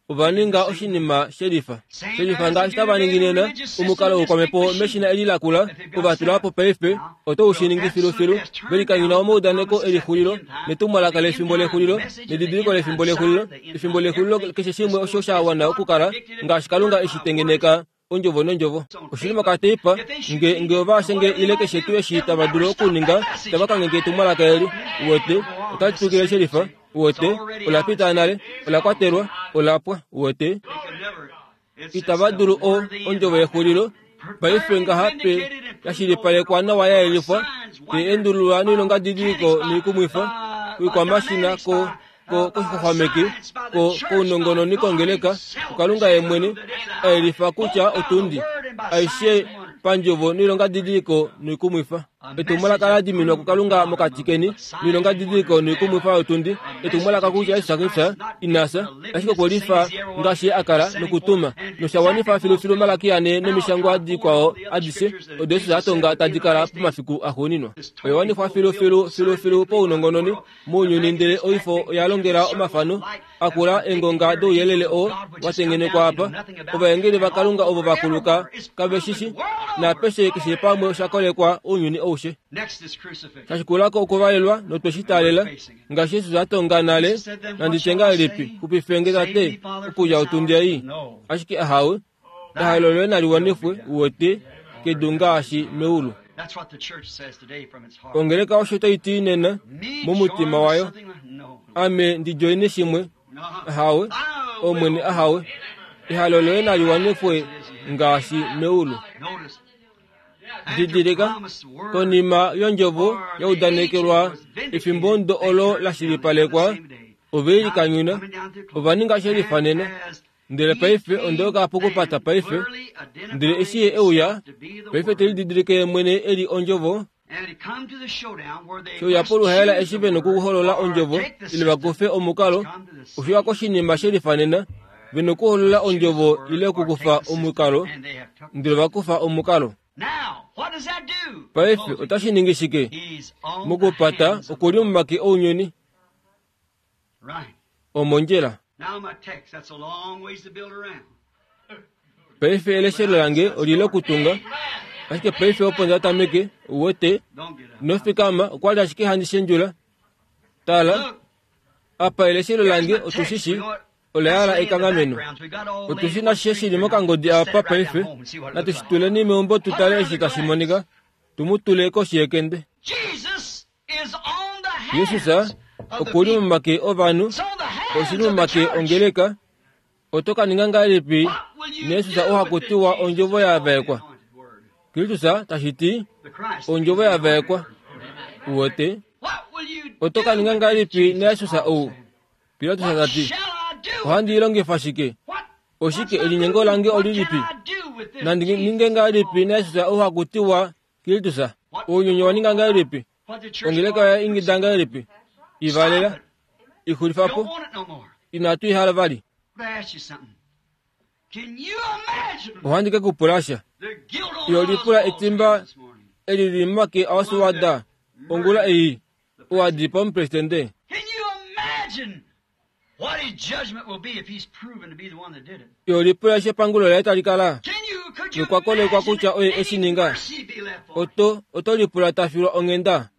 Ova ninga oshinima shelifa shelifa ngaashi tava ningi nena. Omukalo woukwamhepo meshina eli lakula ova tula po paife oto u shi ningi filufilu. Velikanyuna omaudaneko elixulilo netumwalaka lefimbo lexulilo nedidiliko lefimbo lexulilo efimbo lexulilo keshe shimwe osho sha wana okukala ngaashi Kalunga eshi tengeneka ondjovo nondjovo. Oshili mokateipa nge nge ova shenge ile keshe tuu eshi tava dulu okuninga tava kangenge etumwalaka eli uwete otali tukile shelifa uwete ola pita nale ola kwatelwa ola pwa uwete itava dulu o ondjovo yexulilo paife ngaha pe yashilipalekwa nawa ya yelifwa te endululwa noilongadidiliko noikumwifa oikwamashina ko ko koshixwaxwameki ko kounongononi kongeleka kuKalunga ye mwene a yelifa kutya otundi aishe pandjovo noilongadidiliko noikumwifa. Etumwalaka la diminwa kuKalunga mokati keni noilongadidiliko noikumwifa yotundi. Etumwalaka kutya Jesus Kristus inasa ashike okwe lifa ngaashi ye a kala nokutuma nosha wanifa filufilu Malaki ane nomishangwa dikwao adishe odo Jesus a tonga tadi kala pomafiku axuuninwa. Oya wanifwa filufilu filufilu pounongononi mounyuni ndele oifo oya longela omafano akula engonga douyelele oo wa tengenekwa apa. Ovaengeli vaKalunga ovo va kuluka kave shishi napeshe keshe pamwe osha kolekwa ounyuni oushe. Shashikulako okuvalelwa notwe shi taalela ngaashi Jesus a tonga nale nanditye ngahelipi xupifenge tate okudja otundi ei. Ashike ahawe ehalo loye nali wanifwe uwete kedu ngaashi meulu. Ongeleka osho tai ti nena momutima wayo ame ndi joine shimwe ahawe Omwene ahawe ehalo loye nali wanifwe ngaashi meulu. Didilika konima yondjovo yaudanekelwa efimbo ndo olo la shilipalekwa ovelikanyuna ova ninga shelifanena ndele paife ondoka pokupata paife ndele eshi ye euya paife telididilike mwene eli ondjovo sheuya poluhaela eshi vena okuholola ondjovo ile vakufe omukalo oshiwa koshinima shelifanena vena okuholola ondjovo ile okukufa omukalo ndele vakufa omukalo. Paife otashi ningi shike mokupata okuli momake ounyuni omondjila. Paife eleshelo lange olile okutunga ashike paife opo ndatameke uwete nofikama okwali ashike handi shendjula. Tala apa eleshelo lange otushishi ola ekanghameno otushi nashishe shili mokangodi apa paife natushituleni meumbo tutale eshi tashi monika tumutule koshi yekende. Jesus okuli momake ovanhu oshili momake ongeleka oto ka ninga ngahelipi neJesus ohakutiwa ondjovo yavaekwa. Kristus tashi ondjovo yavaekwa uwete oto ka ninga ngahelipi neJesus ou. Pilatus tati ohandi ilongifa shike oshike elinyengo lange olilipi nandi ninge ngahelipi neJesus ohakutiwa Kristus ounyuni wa ninga ngahelipi ongeleka ya ingida ngahelipi ivalela ixulifapo inatu ihala vali. Ohandi ke kupulasha yolipula etimba elili momake aOswald ongula ei owadipa omupresidente. Yolipula eshi epangulo laye tali kala nokwakolekwa kutya oye eshi ninga oto oto lipula tafilwa onghenda.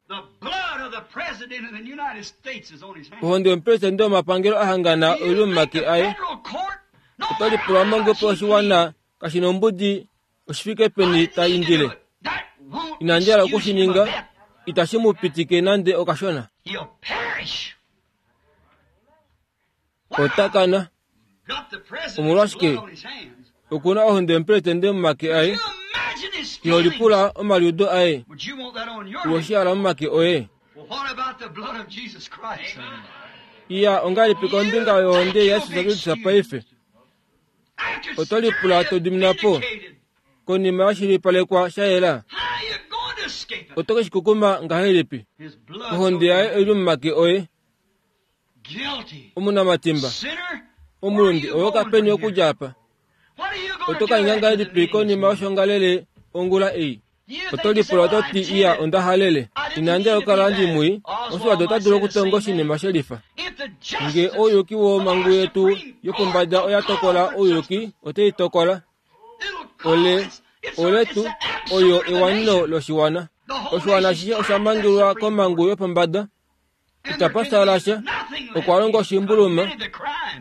Ohonde yomupresidente womapangelo ahangana oili momake aye oto lipula mongepo oshiwana kashina ombudi oshifike peni ta indile. Inandi hala okushininga itashi mu pitike nande okashona. Otakana omolwashike okuna ohonde yomupresidente momake aye iholipula omaliudo aye uwoshihala momake oye. Iya ongahelipi kombinga yohonde yaJesus Kristus paife oto lipula to diminapo konima yashilipalekwa sha yela oto ke shikukuma ngahelipi ohonde yaye oili momake oye omunamatimba omulundi owo kapeni okudja apa oto ka ninga ngahelipi konima yoshongalele ongula ei oto lipula oto ti iya onda halele inandi okukala ndimwii Oswald ota dulu okutonga oshinima shelifa. Nge ouyuki womhangu yetu yopombada oya tokola ouyuki otei tokola ole oletu oyo ewanino loshiwana. Oshiwana ashishe osha mangelwa komhangu yopombada itapa sha okwa longa oshimbuluma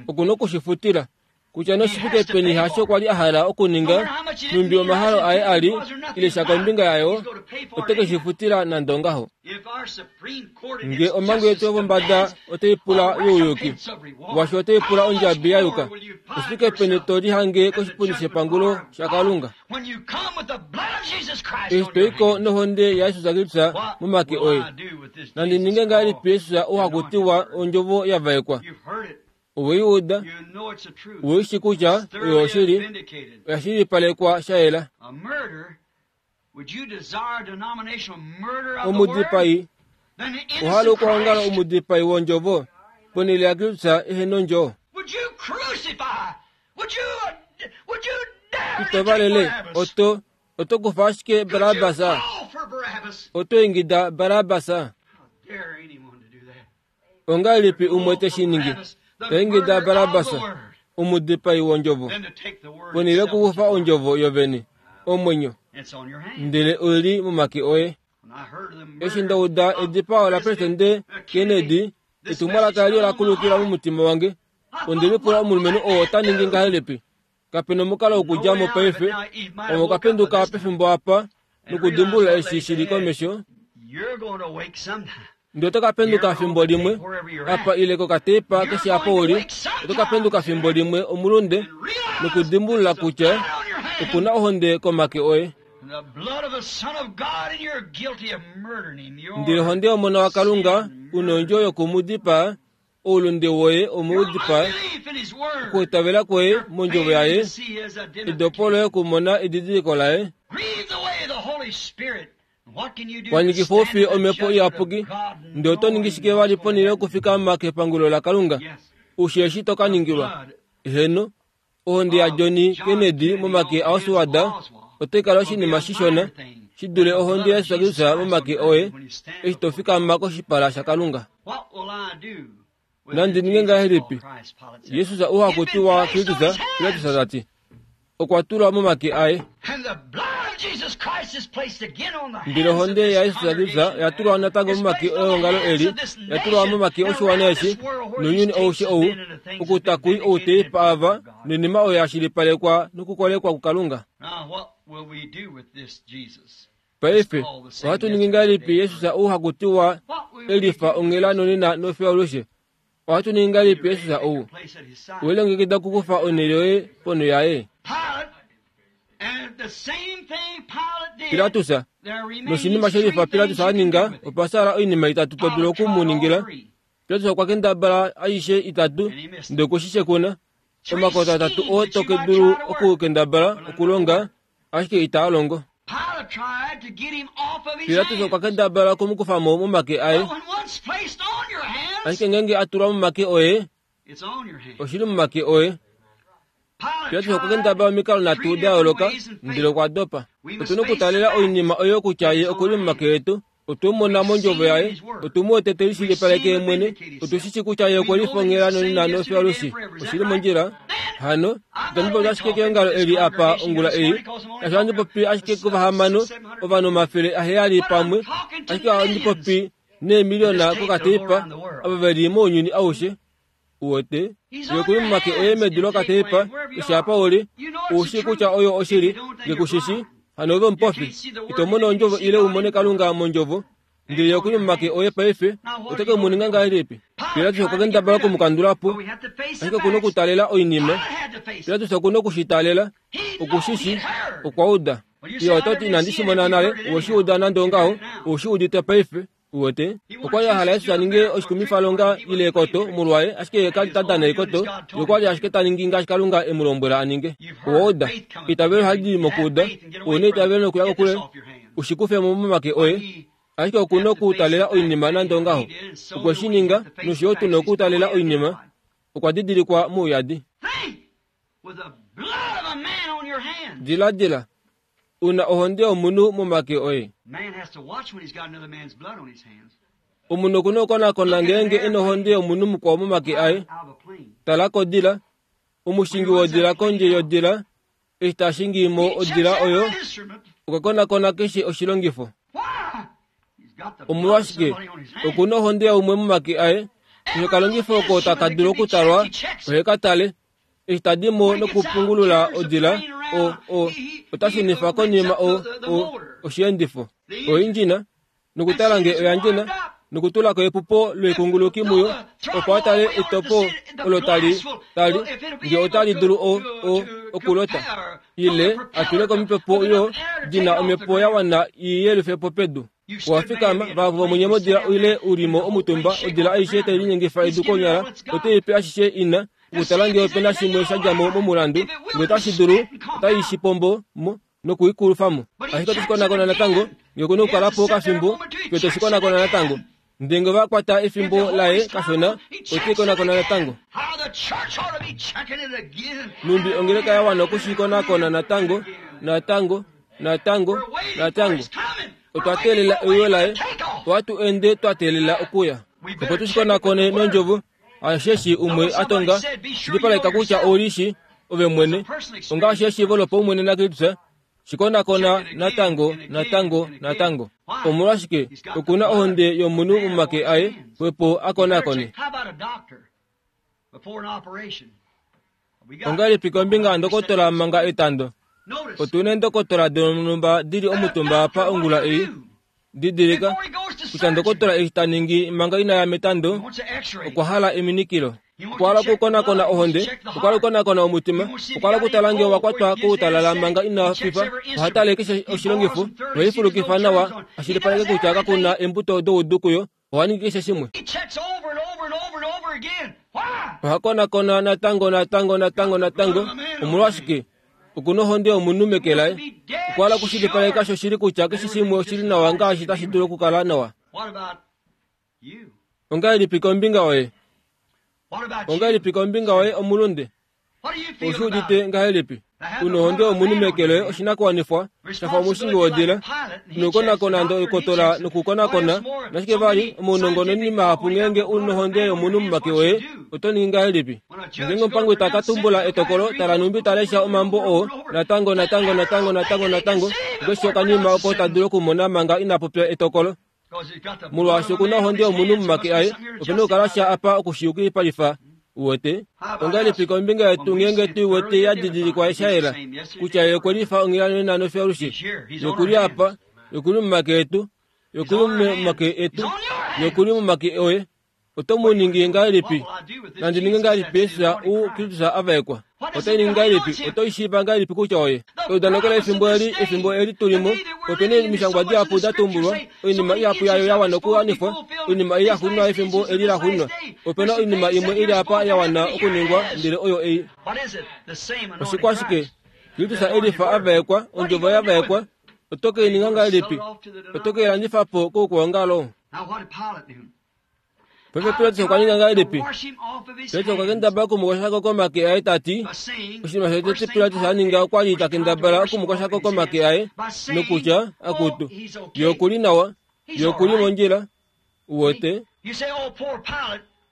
okuna okushifutila kutya noshifike peni hasho kwali a hala okuninga numbi omahalo aye ali ile sha kombinga yayo ote ke shifutila nande ongaho. Nge omhangu yetu yopombada otei pula youyuki washo otei pula ondjabi ya yuka oshifike peni to lihange koshipundi shepangulo shaKalunga. Eshi toiko nohonde yaJesus Kristus momake oye nandi ninge ngahelipi Jesus ohakutiwa ondjovo yavaekwa oweiuda uishi kutya oyo oshili oya shilipalekwa sha yela. Omudipai ohala okuhangala omudipai wondjovo ponhele yaKristus ehena ondjo. Ito valele oto oto kufa ashike Barabbas oto ingida Barabbas. Ongahelipi umwe te shi ningi to ingida Barabbas omudipai wondjovo ponhele yokukufa ondjovo yovene omwenyo ndele oili momake oye. Eshi ndauda edipao lapresidente Kennedy etumwalaka eli ola kulukila momutima wange onde lipula omulumenhu oo ota ningi ngahelipi. Kapena omukalo wokudja mo paife omo okapenduka pefimbo apa nokudimbulula eshi shili komesho. Ndi oto kapenduka fimbo limwe apa ile kokateipa keshe apa uli oto kapenduka fimbo limwe omulunde nokudimbulula kutya okuna ohonde komake oye. Ndele ohonde yOmona waKalunga una ondjo yokumudipaa, oulunde woye omudipaa, okuitavela kwoye mondjovo yaye, edopo loye okumona edidiliko laye. Wanyikifa oufi omhepo iyapuki, ndele oto ningi shike vali ponhele yokufikama kepangulo laKalunga? Ushi eshi to ka ningilwa. Heno, ohonde yaJohn Kennedy momake aOswald otai kala oshinima shishona shi dule ohonde yaJesus Kristus momake oye eshi to fikama koshipala shaKalunga. Nandi ninge ngahelipi? Jesus ou Kristus, Pilatus ta ti, okwa tulwa momake aye. Ndele ohonde yaJesus Kristus oya tulwa natango momake eongalo eli, ya tulwa momake oshiwana eshi, nounyuni aushe ou, okutakui outeipa ava noinima oyo ya shilipalekwa nokukolekwa kuKalunga. Paife, ohatu ningi ngahelipi Jesus ou hakutiwa elifa onghela nonena nofiyaalushe? Ohatu ningi ngahelipi Jesus ou? Welongekida okukufa onhele yoye ponho yaye? Pilatus, noshinima shelifa Pilatus a ninga, opa sala oinima itatu to dulu okumuningila. Pilatus okwa kendabala aishe itatu, ndele okwe shi shekuna. Omakoto atatu oo to ke dulu okukendabala okulonga, ashike itaa longo. Pilatus okwa kendabala okumukufa mo momake aye, ashike ngeenge a tulwa momake oye, oshili momake oye. Pilatus okwa kendabala omikalo nhatu da yooloka, ndele okwa dopa. Otu na okutaalela oinima oyo kutya ye okuli momake etu. Otu mona mondjovo yaye, otu mu wete te lishilipaleke ye mwene, otu shi shi kutya ye okwe lifongela nonena nofiyaalushe. Oshili mondjila. Hano, itandi popi ashike keongalo eli apa ongula ei, kashi ohandi popi ashike kovahamano, ovanhu omafele aheyali pamwe, ashike ohandi popi neemiliona kokateipa ava ve li mounyuni aushe. Uwete, ye okuli momake oye medu lokateipa, eshi apa uli, ushi kutya oyo oshili, nge kushishi, hano ove omupofi, ito mono ondjovo ile umone Kalunga mondjovo, ndele ye okuli momake oye paife, ote ke mu ninga ngahelipi? Pilatus okwa kendabala okumukandula po, ashike okuna okutaalela oinima. Pilatus okuna okushitaalela, okushishi, okwa uda. Ye ota ti inandi shi mona nale, owe shi uda nande ongaho, ou shi udite paife. Uwete, okwa li a hala Jesus a ninge oshikumifalonga ile ekoto molwaye, ashike ye ka li ta dana ekoto, ye okwa li ashike ta ningi ngaashi Kalunga e mu lombwela a ninge. Owa uda, eitavelo ohali di mokuuda, ou na eitavelo nokuya kokule, ushi kufe mo momake oye, ashike oku na okutaalela oinima nande ongaho. Okwe shi ninga, nosho yo tu na okutaalela oinima, okwa didilikwa mouyadi. Diladila, una ohonde yomunhu momake oye. Omunhu oku na okukonakona ngeenge e na ohonde yomunhu mukwao momake aye. Tala kodila, omushingi wodila kondje yodila, eshi ta shingi mo odila oyo, okwa konakona keshe oshilongifo. Omolwashike, oku na ohonde yaumwe momake aye, keshe okalongifo oko taka dulu okutalwa, ohe ka tale. Eshi tadi mo nokupungulula odila, o, o, ota shunifa konima o, o, oshiendifo, oindjina, nokutala nge oya ndjina, nokutula ko epupo loikunguluki muyo, opo a tale etopo olo tali, tali, nge otali dulu o, o, okulota, ile a tule ko omipepo oyo di na omhepo ya wana i yelufe po pedu. Owa fikama, vahapu vomunye modila ile u li mo omutumba, odila aishe tai linyengifa edu konyala, otai pe ashishe ina, okutala nge ope na shimwe sha dja mo momulandu, nge otashi dulu, otai shi pombo mo nokuikulufa mo. Ashike otashi konakona natango, nge okuna okukala po okafimbo, fiyo teshi konakona natango. Ndele nge ova kwata efimbo laye kashona, otai konakona natango. Numbi ongeleka ya wana okushi konakona natango, natango, natango, natango. Otwa teelela euyo laye, ohatu ende twa teelela okuya. Opo tushi konakone nondjovo, asheshi umwe a tonga, shilipaleka kutya ouli shi ove mwene, ongaashi eshiivo lopaumwene naKristus, shikonakona natango, natango, natango. Omolwashike, okuna ohonde yomunhu momake aye, xwepo a konakone. Ongahelipi kombinga yandokotola manga etando? Otu na eendokotola donhumba di li omutumba apa ongula ei. Didilika kutya ndokotola eshi ta ningi manga ina ya metando, okwa hala eminikilo. Okwa hala okukonakona ohonde, okwa hala okukonakona omutima, okwa hala okutala ngee owakwatwa koutalala manga ina fifa. Oha tale keshe oshilongifo, nohei fulukifa nawa ashilipaleke kutya kakuna eembuto doudu kuyo. Oha ningi keshe shimwe. Oha konakona natango natango natango natango. Omolwashike? Okuna ohonde yomunhu meke laye. Okwa hala okushilipaleka shoshili kutya keshe shimwe oshili nawa ngaashi tashi dulu okukala nawa. Ongahelipi kombinga yoye? Ongahelipi kombinga yoye omulunde? Oushi udite ngahelipi? Una ohonde yomunhu meke loye oshinakuwanifwa shafa omushingi wodila nokukonakona ndokotola nokukonakona nashike vali omaunongononi mahapu ngeenge una ohonde yomunhu momake oye oto ningi ngahelipi? Ngeenge omupangi ta ka tumbula etokolo tala numbi ta lesha omambo oo natango natango natango natango natango keshe okanima oko ta dulu okumona manga ina popya etokolo. Molwaashi okuna ohonde yomunhu momake aye, opena okukala sha apa okushiyukipalifa. Uwete? Ongahelipi kombinga yetu ngeenge tu wete ya didilikwa sha yela kutya ye okwe lifa onghela nena nofiyo-alushe? Yokuli apa, yokuli momake etu, yokuli momake etu, yokuli momake oye. Oto mu ningi ngahelipi? Nandi ninge ngahelipi Jesus u Kristus a vaekwa? Otai ningi ngahelipi? Oto ishiiva ngahelipi kutya oye? Eudaneko lefimbo eli, efimbo eli tulimo, opena omishangwa dihapu da tumbulwa, oinima ihapu yayo ya wana okuwanifwa, oinima ei yaxuuninwa yefimbo eli laxuuninwa. Opena oinima imwe ili apa ya wana okuningwa, ndele oyo ei. Oshikwashike? Kristus elifa a vaekwa, ondjovo ya vaekwa. Oto ke i ninga ngahelipi? Oto ke i landifa po koukwaongalo? Paife Pilatus okwa ninga ngahelipi? Pilatus okwa kendabala okumukoshako komake aye ta ti, oshinima shotete Pilatus a ninga okwa li ta kendabala okumukoshako komake aye nokutya, akutu, ye okuli nawa, ye okuli mondjila, uwete.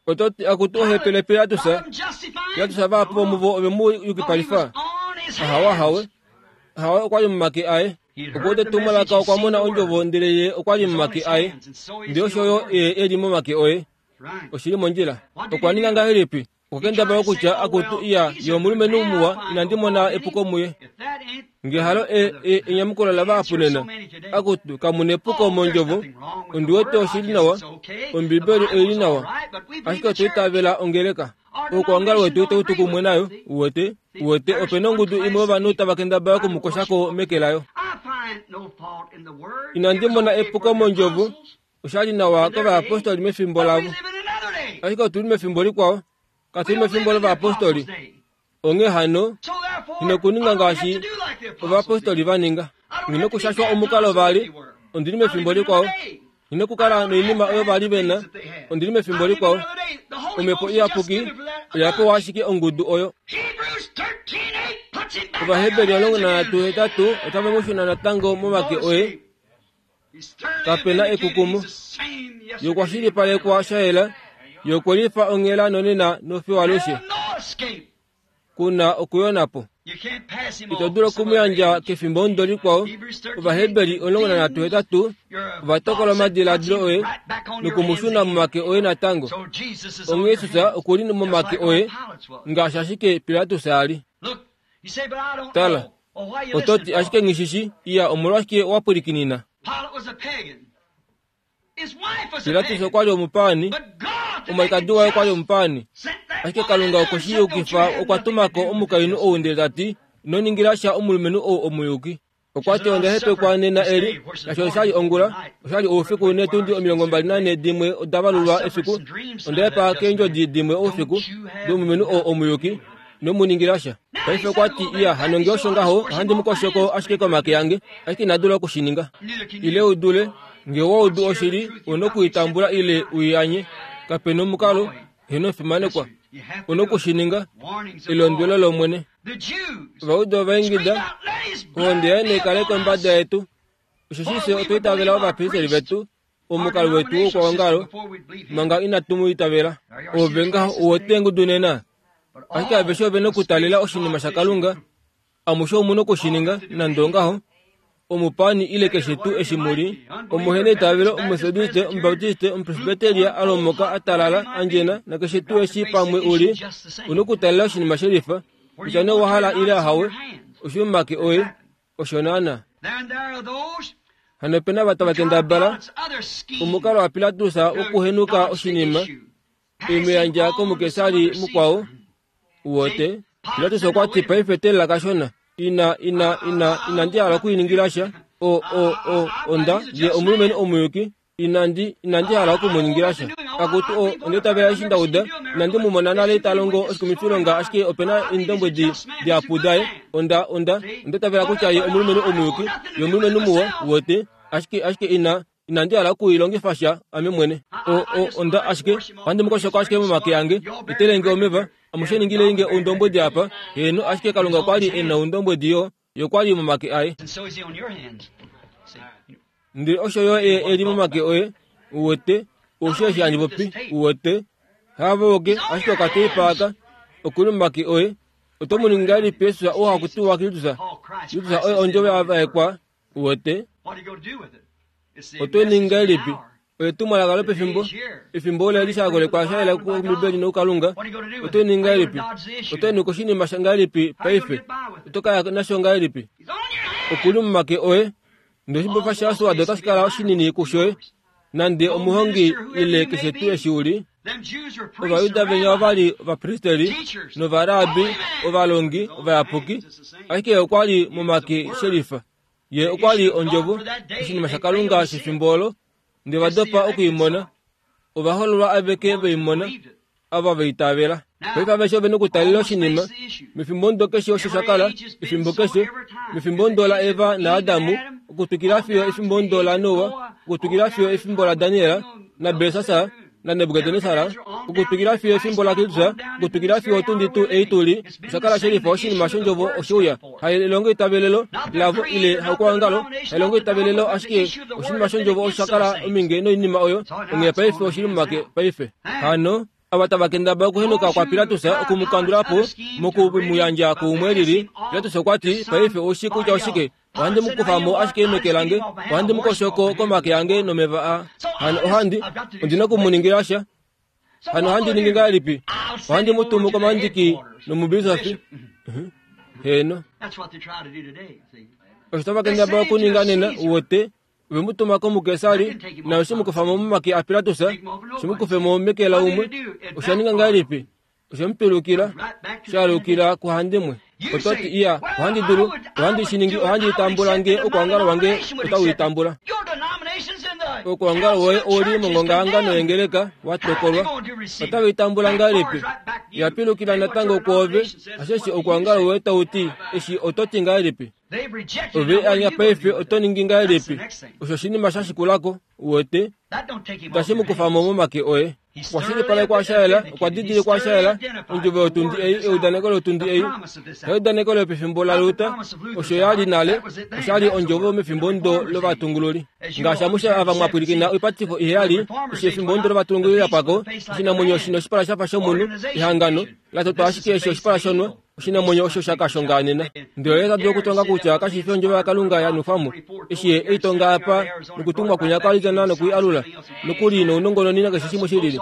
Oto ti, akutu ohepele Pilatus, Pilatus vahapu vomuvo ove mu yukipalifa. Ahawe, ahawe, ahawe okwa li momake aye. Okwa etumwalaka okwa mona ondjovo ndele ye okwa li momake aye. Ndele osho yo ye e li momake oye. Oshili mondjila. Okwa ninga ngahelipi? Okwa kendabala okutya akutu iya ye omulumenhu muwa inandi mona epuko muye. Ngehalo e, e, enyamukulo lavahapu nena. Akutu kamuna epuko mondjovo. Ondi wete oshili nawa. Ombibeli oili nawa. Ashike otwa itavela ongeleka. Oukwaongalo wetu itau tu kumwe nayo, uwete, uwete opena ongudu imwe yovanhu tava kendabala okumukoshako meke layo. Inandi mona epuko mondjovo, oshali nawa kovayapostoli mefimbo lavo. Ashike otuli mefimbo likwao, katuli mefimbo lovayapostoli. Onghee hano, ino kuninga ngaashi ovayapostoli va ninga. Ino kushashwa omukalo vali, ondili mefimbo likwao. Ino kukala noinima oyo vali vena, ondili mefimbo likwao. Omhepo iyapuki oya pewa ashike ongudu oyo. Ovaheberi omulongo nanhatu hetatu otava mu shuna natango momake oye. Kapena ekukumo. Ye okwa shilipalekwa sha yela, ye okwe lifa onghela nonena nofiyo alushe. Kuna okuyona po. Ito dulu okumuyandja kefimbo omudo likwao. Ovaheberi omulongo nanhatu hetatu ova tokola omadiladilo oye nokumushuna momake oye natango. Onghee Jesus okuli momake oye ngaashi ashike Pilatus a li. Tala, oto ti ashike nghishishi iya omolwashike wa pwilikinina? Pilatus okwa li omupaani, omwalikadi waye okwa li omupaani. Ashike Kalunga okwe shi yukifa okwa tumako omukainhu ou ndele ta ti, ino ningila sha omulumenhu ou omuyuki. Okwa ti onda hepekwa nena eli, nasho oshali ongula, oshali oufiku neetundi omilongo mbali nanhe dimwe oda valulwa efiku. Onda hepa keendjodi dimwe oufiku domulumenhu ou omuyuki, ino mu ningila sha. Paife okwa ti iya hano ngee osho ngaho ohandi mu koshoko ashike komake ange, ashike ina dula okushininga. Ile u dule, ngee wa udu oshili, una okuitambula ile uianye. Kapena omukalo, heno omufimanekwa. Una okushininga, elondwelo lOmwene. Ovaudu ovaingida, ohonde yaye naikale kombada yetu. Osheshi fye otwa itavela ovapristeli vetu, omukalo wetu woukwaongalo, manga inatu mu itavela. Ove ngaho uwete engudu nena. Ashike aveshe ove na okutalela oshinima shaKalunga. Amushe omu na okushininga, nande ongaho. Omupaani ile keshe tuu eshi mu li, omuheneitavelo, Omumetodiste, Omubaptiste, Omupresbyteria, a lomoka, a talala, a ndjena, nakeshe tuu eshi pamwe u li, u na okutalela oshinima shelifa, kutya nee owa hala ile ahawe, oshi momake oye, osho naana. Hano opena ava tava kendabala omukalo waPilatus wokuhenuka oshinima, Imuyandja komukesari mukwao uwote. Pilatus okwa ti paife telela kashona. Ina ina ina inandi hala okuiningilasha o o o onda ye omulumenhu omuyuki. Inandi inandi hala okumuningilasha. Akutu o ondetavela eshi ndauda inandi mumona nale ta longo oshikumifilonga ashike opena eendombwedi diapudaye. Onda onda ondetavela kutya ye omulumenhu omuyuki, ye omulumenhu muwa uwote. Ashike ashike ina inandi hala okuilongifa sha ame mwene. O o onda ashike ohandi mukoshoka ashike momake ange etelenge omeva amushe ningilenge oundombwedi apa. Heeno ashike Kalunga okwa li e na oundombwedi yo yokwali momake aye. Ndele osho yo e li momake oye uwete osho eshi handi popi uwete. Havoke ashike okateipa aka okuli momake oye. Oto mu ningi ngahelipi Yesus oo hakutiwa Kristus? Kristus oye ondjovo ya vaekwa uwete. Oto ningi ngahelipi? Oye tumwalaka lopefimbo. Efimbo ola li shakolekwa sha yela kOmbibeli nokuKalunga. Oto ningi ngahelipi? Oto ningi oshinima sha ngahelipi paife? Oto kaya nasho ngahelipi? Okuli momake oye. Ndele oshibofa shaSwado otashi kala oshinini kushoye nande omuhongi ile keshe tuu eshi uli. Ovayuda venya ovali ovapristeri novarabi ovalongi ovayapuki, ashike okwa li momake shelifa. Ye okwa li ondjovo, oshinima shaKalunga shefimbo olo, ndele vadopa okuimona. Ovahololwa aveke veimona, ava veitavela. Paife aveshe ove nokutalela oshinima mefimbo ndo keshe osho sha kala, efimbo keshe, mefimbo ndo la Eva naAdamu, okutwikila fiyo efimbo ndo la Noa, okutwikila fiyo efimbo la Daniel naBelsasar naNebukadnesar, okutwikila fiyo efimbo la Kristus, okutwikila fiyo otundi tuu ei tuli, osha kala shelifa oshinima shondjovo oshiuya. Hailongo itavelelo lavo ile haukwaongalo, hailongo itavelelo ashike oshinima shondjovo osha kala ominge noinima oyo. Onghee paife oshili momake paife. Hano ava tava kendabala okuhenuka kwa Pilatus okumukandulapo mokumuyandja kuumwe lili. Pilatus okwa ti paife oushi kutya oshike. Ohandi mukufamo ashike meke lange, ohandi mukoshoko komake ange nomeva a. Hano ohandi ondina okumuningila sha. Hano ohandi ningi ngahelipi? Ohandi mutumu komandiki nomubisofi. Heeno. Osho tava kendabala okuninga nena uwote. Ove mutuma komukesari naye oshimukufamo momake aPilatus, shimukufemo meke laumwe. Osha ninga ngahelipi? Oshemupilukila, shalukila kuhandimwe. Oto ti iya, ohandi dulu, ohandi shiningi, ohandi itambula nge okuongalo wange otau itambula. Okuongalo woye ouli mongongahangano yengeleka watokolwa. Otau itambula ngahelipi? Yapilukila natango kwoove, osheshi okuongalo woye tau ti, eshi oto ti ngahelipi? Ove anya paife oto ningi ngahelipi? Osho oshinima sha shikulako uwete. Itashi mukufamo momake oye. Okwa shilipalekwa sha yela, okwa didilikwa sha yela, ondjovo yotundi ei, eudaneko lotundi ei, eudaneko lopefimbo laLuther, osho ya li nale, osha li ondjovo mefimbo ndo lovatungululi. Ngaashi amushe ava mwapwilikina oipatifo iheyali, eshi efimbo ndo lovatungululi lapwako, oshinamwenyo shino oshipala shafa shomunhu, ehangano, latotwa ashike eshi oshipala shonwa, oshinamwenyo osho sha kashongaanena. Ndele ye ta dulu okutonga kutya kashi fi ondjovo yaKalunga ya nufwamo, eshi ye eitonga apa nokutumwa kunya kwalitana nokuialula, nokuli nounongononi nakeshe shimwe shilili,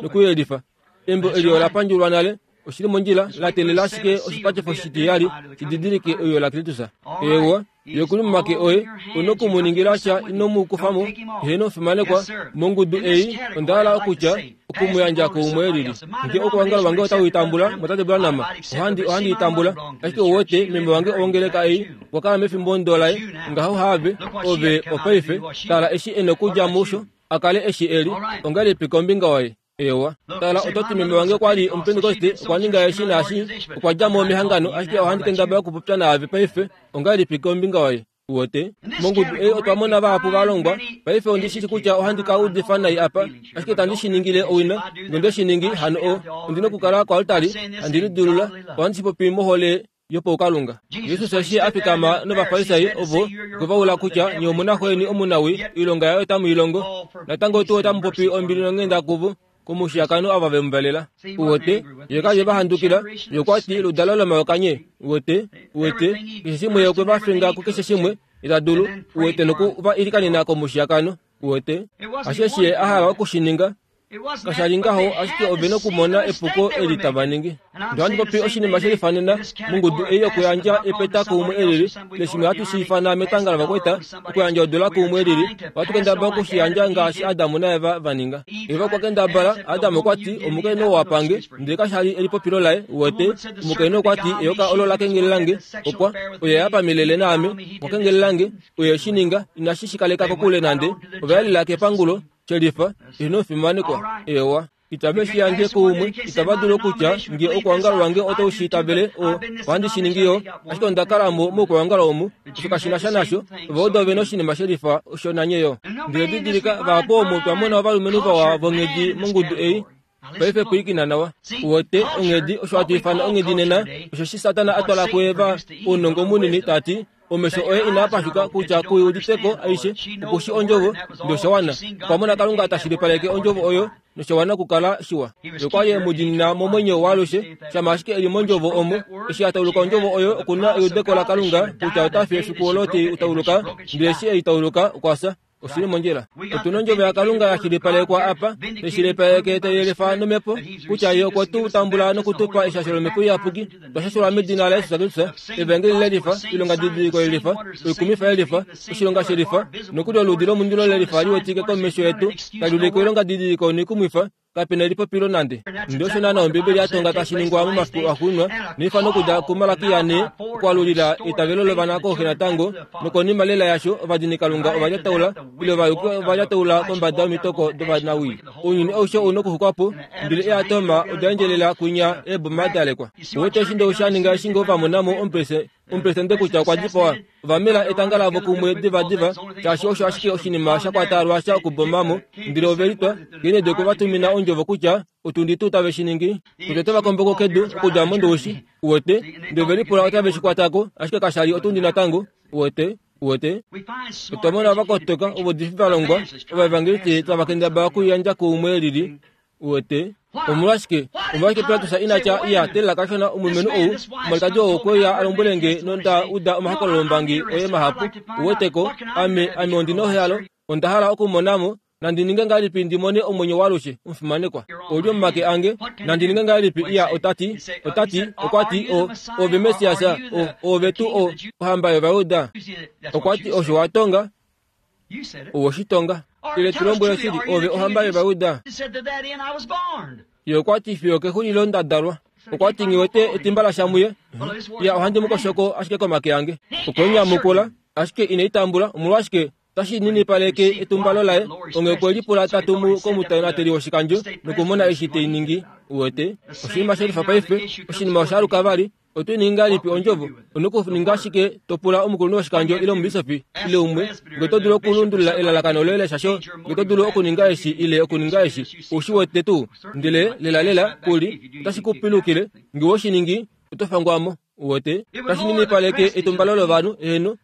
nokuyelifa. Embo eli ola pandjulwa nale, oshili mondjila, la teelela ashike oshipatifo shitiyali shididilike euyo laKristus. Eewa, ye okuli momake oye, una okumuningila sha ino mu kufamo. Heeno fimanekwa, mongudu ei onda hala okutya okumuyandja kuumwe lili. Nge okuongalo wange otau itambula, motate Branham, ohandi ohandi itambula. Ashike uwete, membo wange owongeleka ei, okwa kala mefimbo ndo laye, ngaho have, ove opaife, tala eshi e nokudja musho, akale eshi eli, ongahelipi kombinga waye? Ewa, tala oto ti meme wange okwa li omupentekoste, okwa ninga eshi naashi, okwa dja mo mehangano, ashike ohandi kendabala okupopya naave paife, ongahelipi kombinga waye? Uwete, mongudu ei otwa mona vahapu va longwa. Paife ondi shi kutya ohandi ka udifa nai apa, ashike tandi shi ningile owina. Nge shi ningi, hano o, ondina okukala koaltari, handi lidulula, ohandi shi popi mohole yopaukalunga. Jesus eshi a fikama novafarisai ovo okwe va ula kutya nye omuna xweni omunawi, oilonga yaye otamu i longo. Natango tuu otamu popi ombili nonghenda kuvo, komushiyakano ava ve mu valela. Uwete, ye ka li va handukila, ye okwa ti ludalo lomayoka nye. Uwete, uwete, keshe shimwe ye okwe va finga kukeshe shimwe, ita dulu, uwete noku va ilikanena komushiyakano. Uwete, asheshi ye a hala okushininga, Kasha li ngaho ashike ove nokumona epuko eli tava ningi. Ndele ohandi popi oshinima shelifanena mongudu ei yokuyandja epeta kuumwe elili, leshimwe hatu shi ifana metanga lovakwaita, okuyandja odula kuumwe elili, ohatu kendabala okushiyandja ngaashi Adamu naEva va ninga. Eva okwa kendabala, Adamu okwa ti, omukainhu oo wapange, ndele kasha li elipopilo laye, uwete, omukainhu okwa ti, eyoka olo la kengelelange, okwa, oye ya pamilele naame, okwa kengelelange, oye shi ninga, inashi shi kaleka kokule nande, ova yalela kepangulo, shelifa, eheno fimanekwa, ewa. Itave shi yandje kuumwe, itava dulu okutya nge okuongalo wange otau shi itavele, o, ohandi shi ningi yo, ashike onda kala mo mokuongalo omu, osho kashi na sha nasho, ova ove noshinima shelifa osho nanye yo. Ndele didilika, vahapu omu twa mona ovalumenhu vawa vonghedi mongudu ei, paife pwiikina nawa. Uwete, onghedi, osho hatu ifana onghedi nena, osho shi Satana a twala kuEva ounongo munini, ta ti, omesho oye inaa pashuka kutya kuiuditeko aishe, okushi ondjovo, ndoshawana. Okwa mona Kalunga tashilipaleke ondjovo oyo, noshawana okukala shiwa. Okwa li e mu diinina momwenyo waalushe, shama ashike e li mondjovo omo, eshi a tauluka ondjovo oyo okuna eudeko laKalunga kutya ota fi efiku olo te i tauluka, ndele eshi e i tauluka okwa fya. Oshili mondjila. Otuna ondjovo yaKalunga ya shilipalekwa apa, teshilipaleke teyelifa nomhepo, kutya ye okwe tu tambula nokutupa eshasho lomhepo iyapuki, twa shashelwa medina laJesus Kristus, evangeli lelifa, ilongadidiliko lelifa, oikumifa yelifa, oshilonga shelifa, nokuli oludi lomundilo lelifa liwetike komesho yetu, tali ulike oilongadidiliko noikumwifa, kapena elipopilo nande. Ndele osho naana Ombibeli ya tonga tashi ningwa momafiku axuuninwa, neifano okudja kuMalaki yane, okwaalulila eitavelo lovana kooxe natango, nokonima lela yasho ovadinikalunga ova lyataula, ile ovayuki ova lyataula kombada yomitoko dovanawii. Ounyuni aushe ou nokuxukwa po, ndele eatoma oda endjelela kwinya eeboma da lekwa. Uwete eshi ndou sha ninga eshi ngoo va mona mo omupresidente kutya okwa dipawa, ova mela etanga lavo kumwe divadiva, shaashi osho ashike oshinima sha kwata lwasha okuboma mo, ndele ove litwa, Kennedy okwe va tumina ondjovo kutya otundi tuu tave shi ningi, kutya otava komboko kedu okudja mondoushi, uwete, ndele ove lipula otave shi kwatako, ashike kasha li otundi natango, uwete, uwete. Otwa mona vakotoka ovaudifi va longwa, ovaevangelisti tava kendabala okuyandja kuumwe lili, uwete. Omolwashike omolwashike Pilatus ina tya iya telela kashona omulumenhu ou, omwalikadi ou okwe uya a lombwele nge nonda uda omahokololombangi oye mahapu, uweteko, ame ame ondi nohalo, onda hala okumona mo, nandi ninge ngahelipi ndi mone omwenyo waalushe, omufimanekwa. Ouli momake ange, nandi ninge ngahelipi iya otati, otati, okwa ti, o, ove Messias, o, ove tuu o, ohamba yOvayuda. Okwa ti osho wa tonga, owoshitonga. Ile tu lombwele shili, ove ohamba yOvayuda. Ye okwa ti fiyo kexulilo nda dalwa. Okwa ti nghiwete etimba lasha muye, iya ohandi mu koshoko ashike komake ange. Okwe nyamukula, ashike ine i tambula, omolwashike tashi ninipaleke etumbalo laye, onge okwe lipula ta tumu komutonateli woshikandjo nokumona eshi tei ningi, uwete. Oshinima shelifa paife, oshinima osha aluka vali, oto ningi ngahelipi ondjovo, onokuninga ashike to pula omukulunhu woshikandjo ile omubisofi ile umwe, nge oto dulu okulundulula elalakano loye leshasho, nge oto dulu okuninga eshi ile okuninga eshi, oushi wete tuu, ndele lelalela kuli, otashi ku pilukile, nge we shi ningi, oto fangwa mo, uwete. Tashi ninipaleke etumbalo lovanhu, eheno,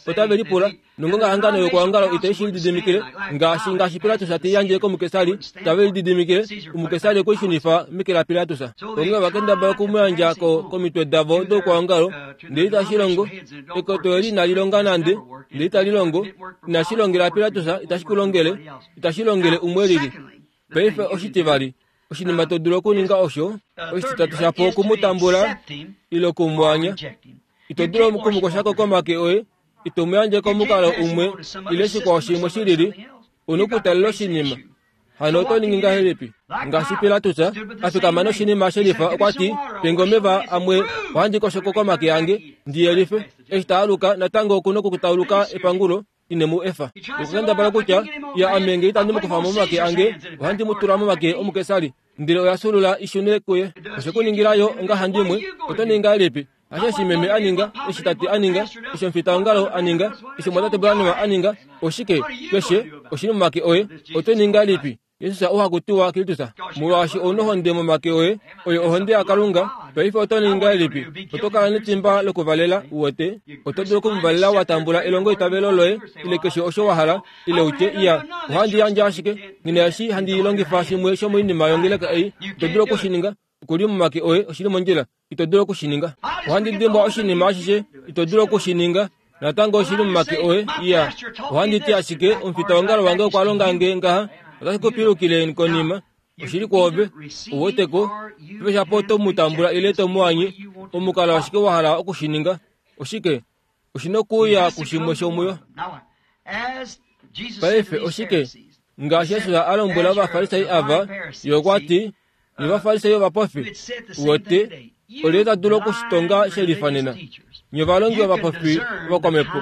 otave lipula, nongonga hangano yokuongalo itai shi lididimikile, ngaashi ngaashi Pilatus te yandje komukesari, tave lididimikile, omukesari okwe shunifa meke laPilatus. Onghee ova kendabala okumuyandja ko komitwe davo dokuongalo, ndele itashi longo, ekoto eli inali longa nande, ndele itali longo, inashi longela Pilatus, itashi ku longele, itashi longele umwe lili. Paife oshitivali, oshinima to dulu okuninga osho, oshititatu shapo okumutambula ile okumwanya. Ito dulu okumukoshako komake oye, ito mu yandje komukalo umwe ile shikwao shimwe shilili, onokutalila oshinima. Hano oto ningi ngahelipi? Ngaashi Pilatus a fikama noshinima shelifa, okwa ti, penge omeva amwe ohandi koshoko komake ange, ndi yelife. Eshi ta aluka natango okuna okutauluka epangulo, ine mu efa. Okukendabala kutya, iya ame nge itandi mu kufa momake ange, ohandi mu tula momake omukesari, ndele oya sulula ishune kuye. Oshe ku ningilayo ongahandimwe, oto ningi ngahelipi? Hasho eshi meme a ninga, eshi tate a ninga, eshi omufitaongalo a ninga, eshi omwatate Branham a ninga, oshike keshe oshili momake oye, oto ningi ngahelipi? Jesus oha kutiwa Kristus, molwaashi ouna ohonde momake oye, oyo ohonde yaKalunga. Paife oto ningi ngahelipi? Oto kala netimba lokuvalela, uwete. Oto dulu okumuvalela wa tambula elongo itavelo loye, ile keshe osho wa hala, ile utye, iya, ohandi yandje ashike, ngina eshi handi longifa shimwe shomoinima yongeleka ei, ito dulu okushininga, okuli momake oye, oshili mondjila, ito dulu okushininga. Ohandi dimbwa oshinima ashishe, ito dulu okushininga, natango oshili momake oye, iya, ohandi ti ashike, omufitaongalo wange okwa longa nge ngaha, otashi ku pilukile konima, Oshili kwoove, uweteko, pefeshapo oto mu tambula ile to mu anye, omukalo ashike wa hala okushininga. Oshike? Oshina okuuya kushimwe shomuyo. Paife oshike? Ngaashi Jesus a lombwela Ovafarisai ava, ye okwa ti, nye Ovafarisai ovapofi, uwete, olye ta dulu okushitonga she lifanena? Nye ovalongi ovapofi vokomhepo,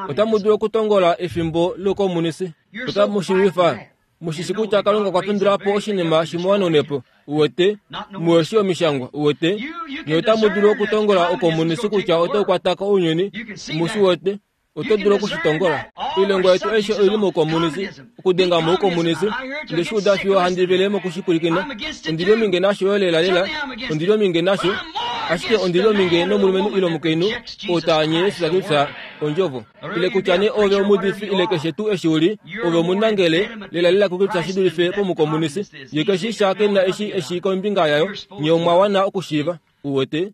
otamu dulu okutongola efimbo loukomunisi. Otamu shi lwifa. Mushishi kutya Kalunga okwa pendula po oshinima shimwe uwete, muweshi omishangwa, uwete, nye otamu dulu okutongola oukomunisi kutya otau kwata ko ounyuni, mushi uwete, oto dulu okushitongola. Oilongo yetu aishe oili moukomunisi, okudenga moukomunisi, nde shi uda fiyo handi vele mokushipwilikina. Ondili ominge nasho yo lela lela, ondili ominge nasho, ashike ondili ominge nomulumenhu ile omukainhu oo ta anye Jesus Kristus ondjovo. Ile kutya nee ove omuudifi ile keshe tuu eshi uli, ove omunangele lela lela kuKristus shi dulife pomukomunisi. Ye keshi sha kena eshi eshi kombinga yayo, nye omwa wana okushiiva. Uwete,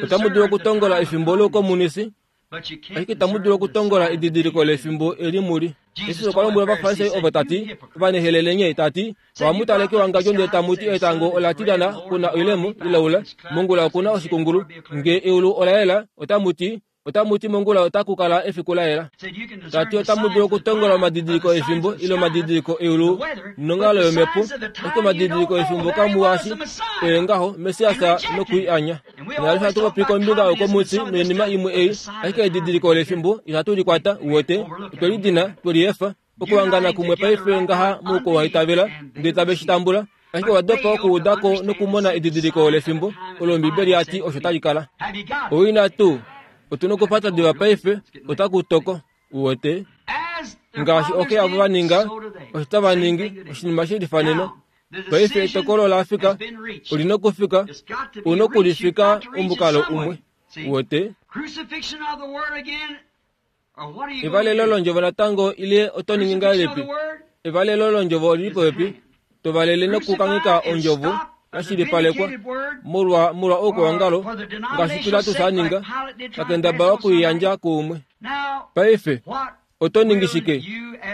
otamu dulu okutongola efimbo loukomunisi, ashike itamu dulu okutongola edidiliko lefimbo eli muli. Jesus okwa lombwela Ovafarisai ovo ta ti, ovanehelele nye, ta ti, ohamu tale kewangadjo ndele tamu ti etango ola tilyana kuna oilemo ilaula, mongula okuna oshikungulu. Nge eulu ola yela, otamu ti, otamu ti mongula otaku kala efiku la yela. Ta ti otamu dulu okutongola omadidiliko efimbo ile omadidiliko eulu nonghalo yomhepo, ashike omadidiliko efimbo kamuashi oye ngaho Messias nokwiianya. Naalushe hatu popi kombinga youkomunisi noinima imwe ei, ashike edidiliko lefimbo ihatu likwata, uwete, otwe lidina, twe liefa. Okuhangana kumwe paife ngaha moukowaitavela ndele tave shi tambula, ashike owa dopa okuudako nokumona edidiliko lefimbo olo Ombibeli ya ti osho tali kala. Owina tuu, otuna okupata diva paife, otaku toko, uwete. Ngaashi oke avo va ninga, osho tava ningi, oshinima she lifanena. Paife etokolo la fika, olina okufika, una okulifika omukalo umwe, uwete. Evalelo londjovo natango ile oto ningi ngahelipi? Evalelo londjovo olili popepi, tovalele nokukangeka ondjovo yashilipalekwa molwa molwa oukwawangalo ngaashi Pilatus a ninga, takendabala okuiyandja kuumwe. Paife oto ningi shike?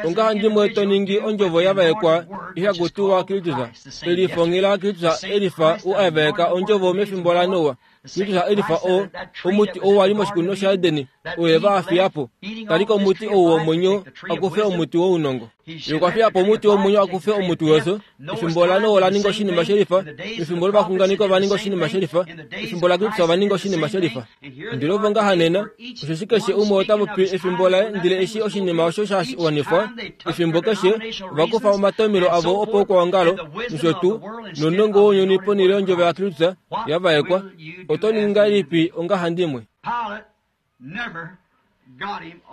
Ongahandimwe to ningi ondjovo yavaekwa ihakutiwa Kristus, elifongela Kristus elifa u avaeka ondjovo mefimbo la Noa. Kristus elifa o omuti ou wali moshikunino shaEdeni, oye va afiyapo. Talika omuti ou womwenyo akufe omuti wounongo. Ye okwa fiyapo omuti womwenyo akufe omuti wefyo. Efimbo la Noa ola ninga oshinima shelifa, efimbo lovaxunganeki ova ninga oshinima shelifa, efimbo laKristus ova ninga oshinima shelifa. Ndele ovo ngaha nena, osheshi keshe umwe ota popi efimbo laye, ndele eshi oshinima osho sha wanifwa, efimbo keshe ova kufa omatomelo avo opoukwawangalo nosho tuu nounongo wounyuni ponhele yondjovo yaKristus yavaekwa. Oto ningi ngahelipi ongahandimwe?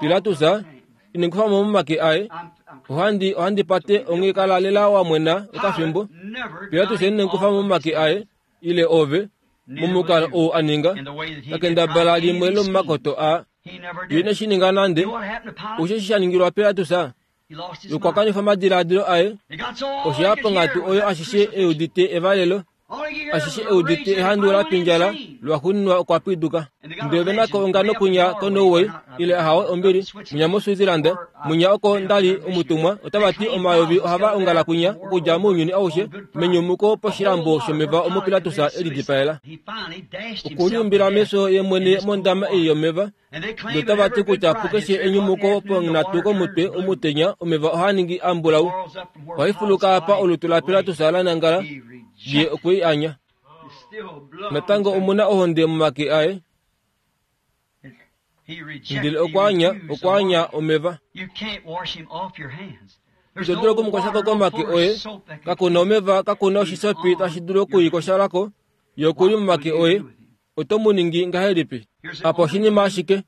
Pilatus ine kufa mo momake aye, ohandi ohandi pate onghee kala lela wa mwena okafimbo. Pilatus ine kufa mo momake aye ile ove momukalo ou a ninga, takendabala limwe lomomakoto a ye ine shi ninga nande. Osho eshi sha ningilwa Pilatus, okwa kanifa omadiladilo aye, oshe ponghatu oyo ashishe eudite evalelo, ashishe eudite ehandu la pindjala, lwaxuuninwa okwa piduka. Ndele ove nako ongano kunya koNorway ile ahawe ombili, munya moSwitzerland, munya oko ndali omutumwa, otava ti omayovi ohava ongala kunya okudja mounyuni aushe menyumuko poshilambo shomeva omo Pilatus elidipaela. Okuliumbila meso ye mwene mondama ei yomeva, ndele otava ti kutya pukeshe enyumuko ponghatu komutwe omutenya omeva ohaa ningi ambulau. Ohaifuluka apa olutu laPilatus la nangala, ye okwe i anya. Natango omuna ohonde momake aye, ndele okwa anya, okwa anya omeva. Ito dulu okumukoshako komake oye, kakuna omeva, kakuna oshisopi tashi dulu okuikoshalako, ye okuli momake oye. Oto mu ningi ngahelipi? Apa oshinima ashike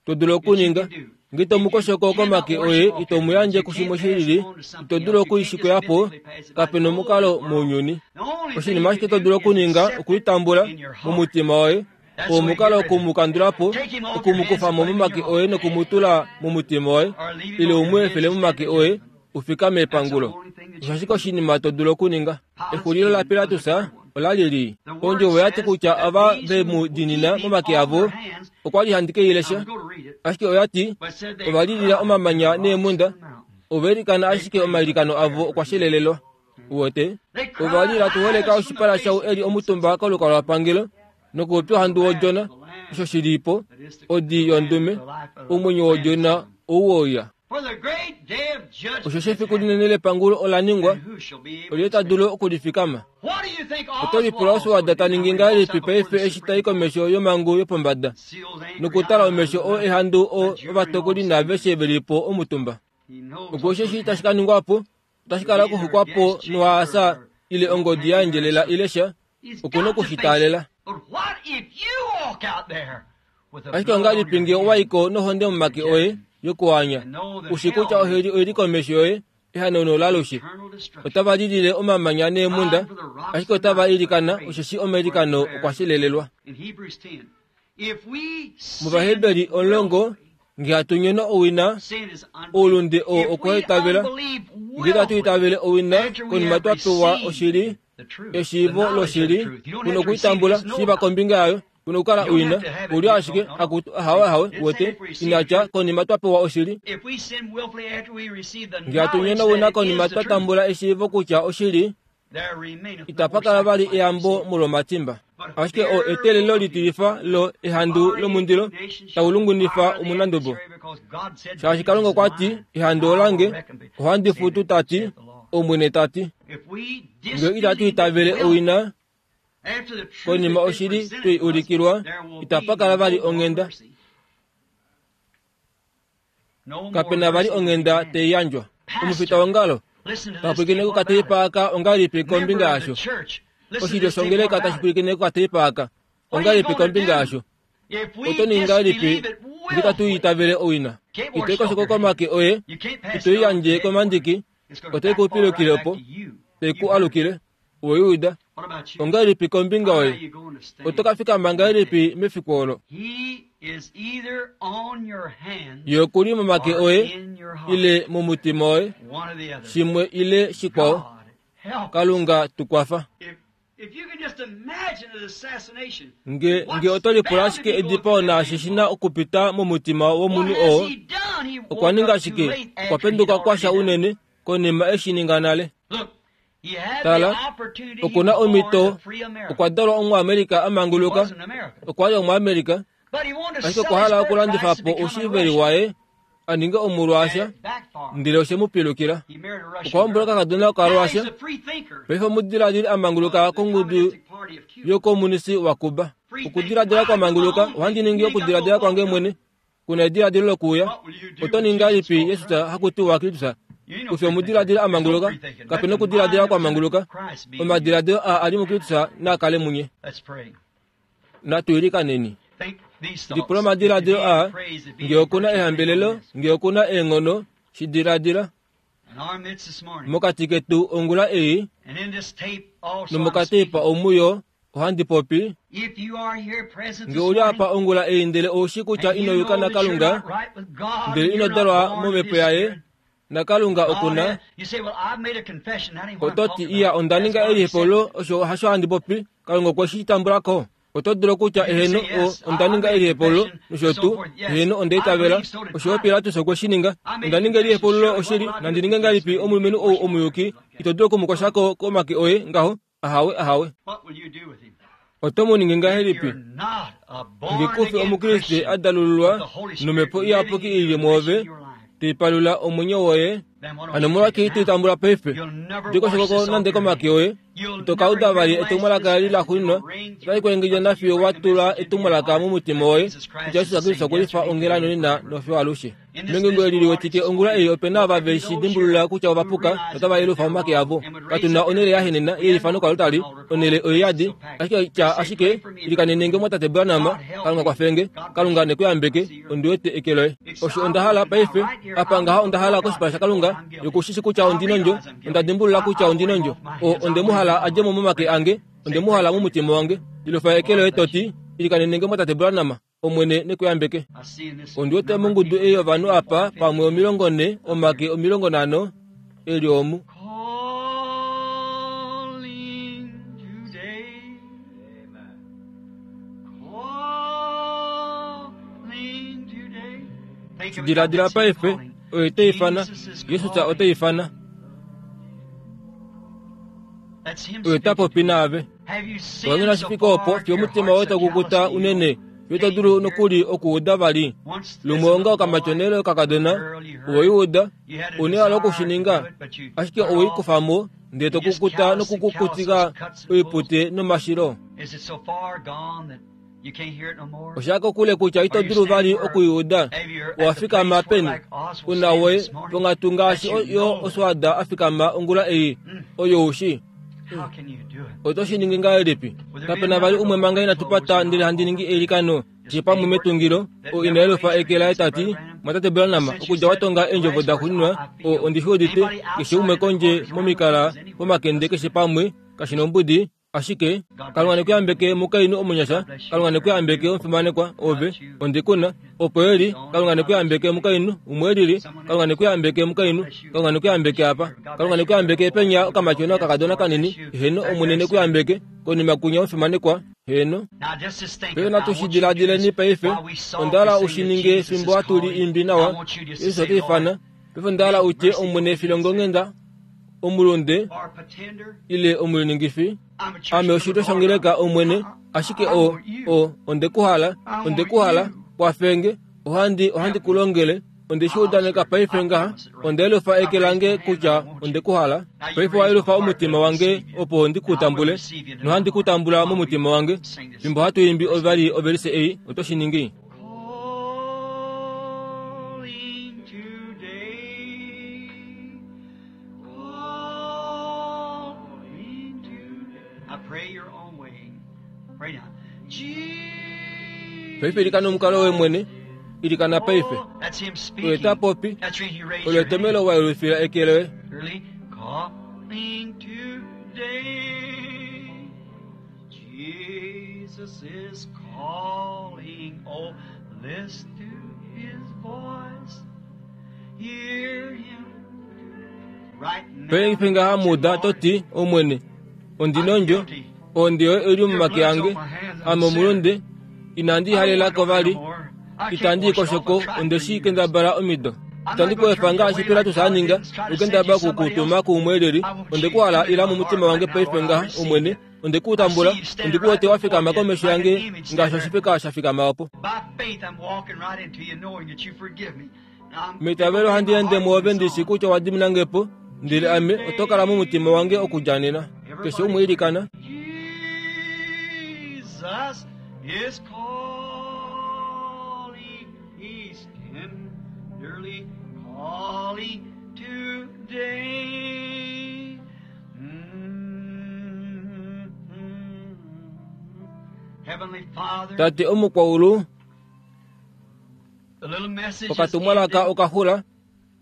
to dulu okuninga. Nge ito mu koshoko komake oye, ito mu yandje kushimwe shilili, ito dulu okuishikoyapo, kapena omukalo mounyuni. Oshinima ashike to dulu okuninga okuitambula momutima woye, omukalo okumukandulapo, okumukufa mo momake oye nokumutula momutima woye, ile umwe efele momake oye, ufikame epangulo. Osho ashike oshinima to dulu okuninga. Exulilo laPilatus ola li lii. Ondjovo ya ti kutya ava ve mu dinina momake avo, okwa li handi ke i lesha, ashike oya ti ova lilila omamanya neemhunda, ova ilikana ashike omailikano avo okwa shelelelwa. Uwete ova li latuholeka oshipala shau eli omutumba kolukalwapangelo nokuupya ohandu wodjona osho shilipo odi yondume omwenyo wodjona ouwoya. Osho shefiku linene lepangulo ola ningwa olye ta dulu okulifikama. Oto lipula Oswald ta ningi ngahelipi paife eshi tai komesho yomangu yopombada nokutala omesho o ehandu o ovatokoli naaveshe velipo omutumba. Opo osheshi tashi ka ningwapo otashi kala okuxukwapo nohaasa ile ongodi ya endjelela ile sha okuna okushitaalela. Ashike ongahelipi ngee owaiko nohonde momake oye yokuanya ushi kutya oheli oili komesho yoye ehanauno lalushe. Otava lilile omamanya neemhunda ashike otava ilikana osheshi omailikano okwa shelelelwa. Muvaheberi omulongo ngee hatu nyono owina oulunde oo okwaitavela ngee tatu itavele owina konima twa pewa oshili eshiivo loshili kuna okuitambula shiiva kombinga yayo kuna okukala owina uli ashike akutu ahawe ahawe wete inatya konima twa pewa oshili. Ngee hatu nyono owina konima twa tambula eshiivo kutya oshili itapa kala vali eyambo molwomatimba. Ashike o eteelelo litilifa lo ehandu lomundilo taulungunifa omunandubo. Shaashi Kalunga okwa ti ehandu olange ohandi futu tati Omwene tati. Ngee itatu itavele owina konima oshili twei ulikilwa itapa kala vali onghenda. Kapena vali onghenda teiyandjwa. Omufita wongalo tapwilikine kokateipaaka ongahelipi kombinga yasho. Oshilyo shongeleka tashi pwilikine kokateipaaka ongahelipi kombinga yasho. Oto ningi ngahelipi ngee tatu itavele owina. Itoikoshoko komake oye itoiyandje komandiki otoikuupilukile opo teiku alukile oweyuuda. Ongahelipi kombinga oye oto ka fikama ngahelipi mefiku olo. Ye okuli momake oye ile momutima woye shimwe ile shikwao. Kalunga tukwafa. Nge nge oto lipula ashike edipao naashi shina okupita momutima womunhu oo okwa ninga ashike okwa penduka kwasha unene konima eshi ninga nale. Tala okuna omhito okwa dalwa Omuamerika amanguluka okwa li Omuamerika ashike okwa hala okulandifa po oushiveli waye a ninge omulwaasha ndele oshe mu pilukila. Okwa hombola okakadona okaRussia paife omudiladili amanguluka kongudu yokomunisi waCuba. Okudiladila kwamanguluka ohandi ningi okudiladila kwange mwene kuna ediladilo lokuuya. Oto ningi ngahelipi Jesus hakutiwa Kristus kufye omudiladilo amanguluka kapena okudiladila kwamanguluka omadiladilo a ali muKristus naakale munye. Natu ilikaneni. Lipula omadiladilo a ngee okuna ehambelelo ngee okuna eenghono shidiladila mokati ketu ongula ei nomokateipa omuyo ohandi popi. Ngee uli apa ongula ei ndele oushi kutya ino yuka naKalunga ndele ino dalwa momhepo yaye naKalunga okuna ototi iya onda ninga elihepolo osho hasho handi popi Kalunga okwe shi tambulako. Oto dulu kutya eheno o onda ninga elihepolo nosho tuu eheno onda itavela osho Pilatus okwe shi ninga onda ninga elihepolo oshili nandi ninge ngahelipi omulumenhu ou omuyuki ito dulu okumukwashako komake oye ngaho ahawe ahawe. Oto mu ningi ngahelipi ngee kufi omukriste a dalululwa nomhepo iyapuki ili mwoove teipalula omwenyo woye hano molwake ito itambula paife ndikoshokoko nande komake oye ito kauda vali etumwalaka li laxuuninwa otali kuengedja nafiyo wa tula etumwalaka momutima woye kutya Jesus Kristus okwe lifa onghela nonena nofiyo alushe. Mengungo eli liwetike ongula ei opena ava veshi dimbulula kutya ovapuka notava yelufa omake avo. Katuna onhele yahenena yelifa nokalutali onhele oiyadi ashike tya ashike ilikanene mwatate Branham Kalunga kwafenge Kalunga nekuyambeke ondiwete eke loye. Osho onda hala paife apa ngaha onda hala koshipala shaKalunga yokushishi kutya ondinondjo onda dimbulula kutya ondinondjo o onde mu hala adje mo momake ange onde mu hala momutima wange ilofa eke loye toti ilikanene mwatate Branham Omwene nekuyambeke. Ondiwete mongudu ei yovanhu apa pamwe omilongo nhe omake omilongo nhano eli omu. Diladila paife oye teifana Jesus oteifana. Oye ta popi naave. Owanyona shi fike opo fiyo omutima woye takukuta unene fiyo to dulu nokuli okuuda vali. Lumwe onga okamatyonelo kakadona, oweiuda, une hala okushininga, ashike oweikufamo ndele to kukuta nokukukutika oipute nomashilo. Osha kokule kutya ito dulu vali okuiuda. Owafikama peni? Una woye ponghatu ngaashi yo oswada afikama ongula ei, oyo ushi. Oto shi ningi ngahelipi? Kapena vali umwe manga inatu pata ndele handi ningi eilikano keshe pamwe metungilo, oo ina yelufa eke laye tati, Mwatate Branham, okudja watonga eendjovo daxuuninwa, oo ondi shi udite, keshe umwe kondje momikala pomakende keshe pamwe, kashi nombudi, ashike Kalunga nekuyambeke mukainhu omunyasha, Kalunga nekuyambeke omufimanekwa ove, ondikuna, opo eli, Kalunga nekuyambeke mukainhu, umwe elili, Kalunga nekuyambeke mukainhu, Kalunga nekuyambeke apa, Kalunga nekuyambeke penya okamatyona okakadona kanini, heno Omwene nekuyambeke, konima kunya omufimanekwa, heno. Paife natu shi diladileni paife, onda hala u shi ninge fimbo hatu li imbi nawa, Jesus ota ifana, paife onda hala utye Omwene filongonghenda, omulunde ile omuliningifi, ame oshilyo shongeleka Omwene, ashike o o ondekuhala, ondekuhala, kwafenge, ohandi ohandi ku longele, onde shi udaneka paife ngaha, onda yelufa eke lange kutya ondekuhala, paife wayelufa omutima wange opo ndi ku tambule, nohandi ku tambula momutima wange, fimbo hatu imbi ovali ovelise ei, oto shi ningi. Calling today, calling today. I pray your own way. Pray now. Jesus. Paife ilikana omukalo woye mwene, ilikana paife. That's him Oye speaking. ta popi, That's reason you raise olyo your hand. etomelo wayelufila eke loye. Early calling today. Jesus is calling. Oh, listen to his voice. Hear him right now. Paife ngaha muda toti Omwene, ondina ondjo, ohonde yoye oi li momake ange, ame omulunde, inandi halelako vali, itandi ikoshoko onde shi kendabala omido. Itandi ku efa ngaashi Pilatus a ninga, okukendabala okukutuma kuumwe elili, onde ku hala ila momutima wange paife ngaha, Omwene, onde ku tambula, onde ku wete wafikama komesho yange ngaashi oshifeka sha fikama opo. By faith, I'm walking right into you, knowing that you forgive me. Now, I'm Meitavelo handi ende mwoove ndishi kutya wadimina po, ndele ame oto kala momutima wange okudja nena. Keshe umwe ilikana. Jesus is calling. He's tenderly calling today. Mm-hmm. Heavenly Father, Tate omukwaulu, the little message is okatumwalaka ended, okaxula,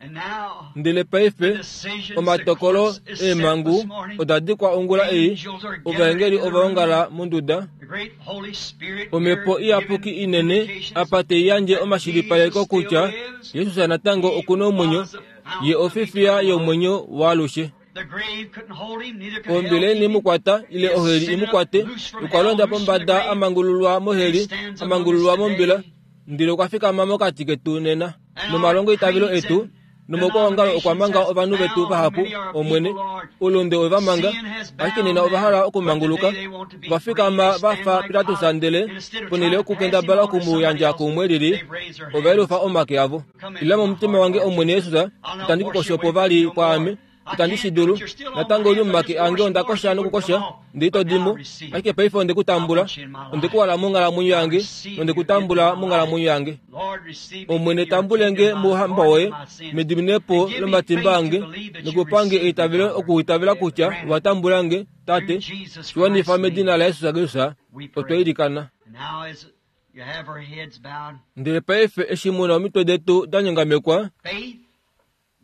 and now ndele paife the decisions, the omatokolo courts is set eemhangu this morning. oda dikwa ongula ei, Angels are gathered ovaengeli in the ova room. ongala monduda, The great Holy Spirit omhepo here iyapuki giving inene indications apa tei yandje that omashilipaleko Jesus still kutya lives. Jesus natango okuna omwenyo, was the ye fountain of ofifiya eternal life. yomwenyo waalushe. The grave couldn't hold him, neither could hell Ombila keep ini him. mukwata ile He oheli ascended up, imukwate, loose from okwa hell, londa loose from the pombada grave. amangululwa He moheli, stands among us amangululwa mombila, today. ndele okwa fikama mokati ketu nena. And our Nomalongo itavelo creeds etu, and nomokwaongalo okwa manga denominations has ovanhu vetu bound vahapu, many our Omwene, people, Lord. ulunde ove manga, Sin has ashike bound nena ova them, hala but today okumanguluka, they want to be va free. fikama They va stand fa like Pilatus Pilate, ndele and instead of ponhele trying to pass him yokukendabala on to okumu somebody yandja else, kuumwe elili, they've raised their ova hands. yelufa omake avo. Come Ila into my momutima heart, wange Lord Omwene Jesus. Jesus, I'll not itandi wash you kukosha away opo from vali you no kwaame, more. I itandi can't shi do dulu, it. You're still on my natango oli hands. I momake just ange wash onda more if kosha you wouldn't nokukosha, come off. ndele ito But now dimo, receive. ashike paife onde ku I tambula, want you in my onde ku life. hala monghalamwenyo I yange, receive nonde ku you into tambula my life. monghalamwenyo yange. Lord, receive me Omwene into your tambulenge kingdom by mouhamba pardon woye, my sins. mediminepo And give me lomatimba faith to ange, believe that you nokupange receive me, eitavelo Father. okuitavela kutya Grant it. watambulange, Through Tate, Jesus shiwanifa Christ's medina name la Yesus Kristus, we otwa pray. ilikana. And now as you have our heads bowed, Ndele paife eshi muna omitwe detu da nyongamekwa, faith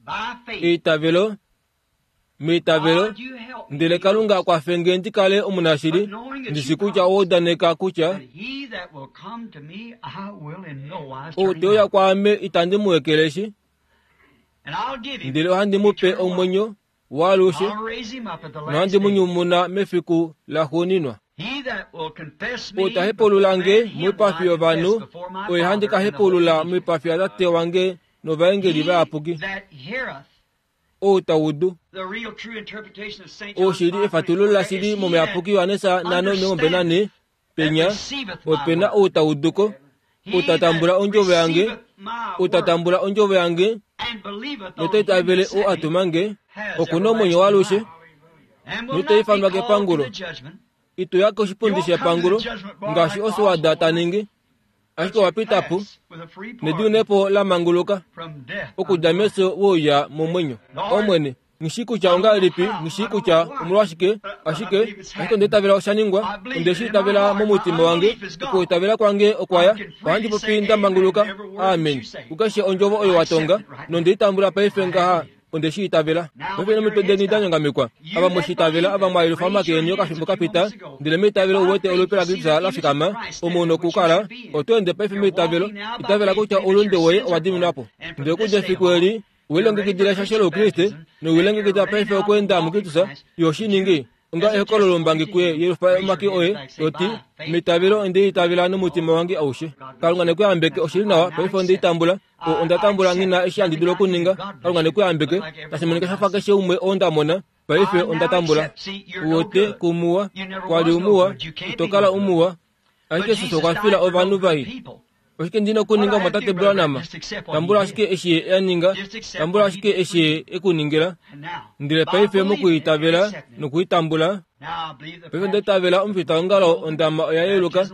by faith. eitavelo, meitavelo, God, you help me ndele be Kalunga honest. kwafenge ndi kale omunashili, But knowing that ndishi you kutya promised owaudaneka kutya that he that will come to me, I will in no wise turn ou him te uya out. kwaame itandi mu ekeleshi, And I'll give him ndele ohandi mu pe eternal life. omwenyo waalushe, I'll raise him up at the last nohandi mu day. nyumuna mefiku laxuuninwa. He that will confess me Ou ta before hepulula nge man, him will I moipafi confess yovanhu, before my oye handi Father ka and the holy hepulula angels. moipafi yatate wange novaengeli He vayapuki. that heareth Ou taudu oshili efatululo lashili momuyapuki Yohanesa nhano omilongo mbali nanhe penya opena ou tauduko outatambula ondjovo yange outatambula ondjovo yange notaitavele ou atumange okuna omwenyo waalushe notaifanwa kepangulo itoya koshipundi shepangulo ngaashi oswada taningi ashike wapitapo nediunepo lamanguluka okudja meso wouya momwenyo omwene ngishi kutya ongahelipi ngishi kutya omolwashike ashike ashike ondeitavela oshaningwa ondeshiitavela momutima wange okuitavela kwange okwaya ohandi popi ndamanguluka amen kukeshe ondjovo oyo watonga nondeitambula paife ngaha ondeshiitavela paife nomitwe deni danyongamikwa ava mweshiitavela ava mwayelufa omake eni okafimbo kapita ndele meitavelo uwete olupe laKristus lafikama omu nokukala oto ende paife meitavelo itavela kutya oulunde woye owa diminwapo ndele okudja efiku eli welongekidila eshasho loukriste nowilongekidila paife okweenda muKristus yoshiningi onga ehokololo lombangi kuye yelufa omake oye toti meitavelo ondeitavela nomutima wange aushe Kalunga nekuyambeke oshili nawa paife ondeitambula onda tambula ngina eshi handi dulu okuninga Kalunga nekuyambeke tashi monika shafa keshe umwe oo ndamona paife onda tambula uwote kumuwa kwali umuwa itokala umuwa ashike Jesus okwa fila ovanhu vai oshike ndina okuninga mwatate Branham tambula ashike eshi ye aninga tambula ashike eshi ye ekuningila ndele paife mokuitavela nokuitambula paife ndeitavela omufitaongalo ondama oya yeluka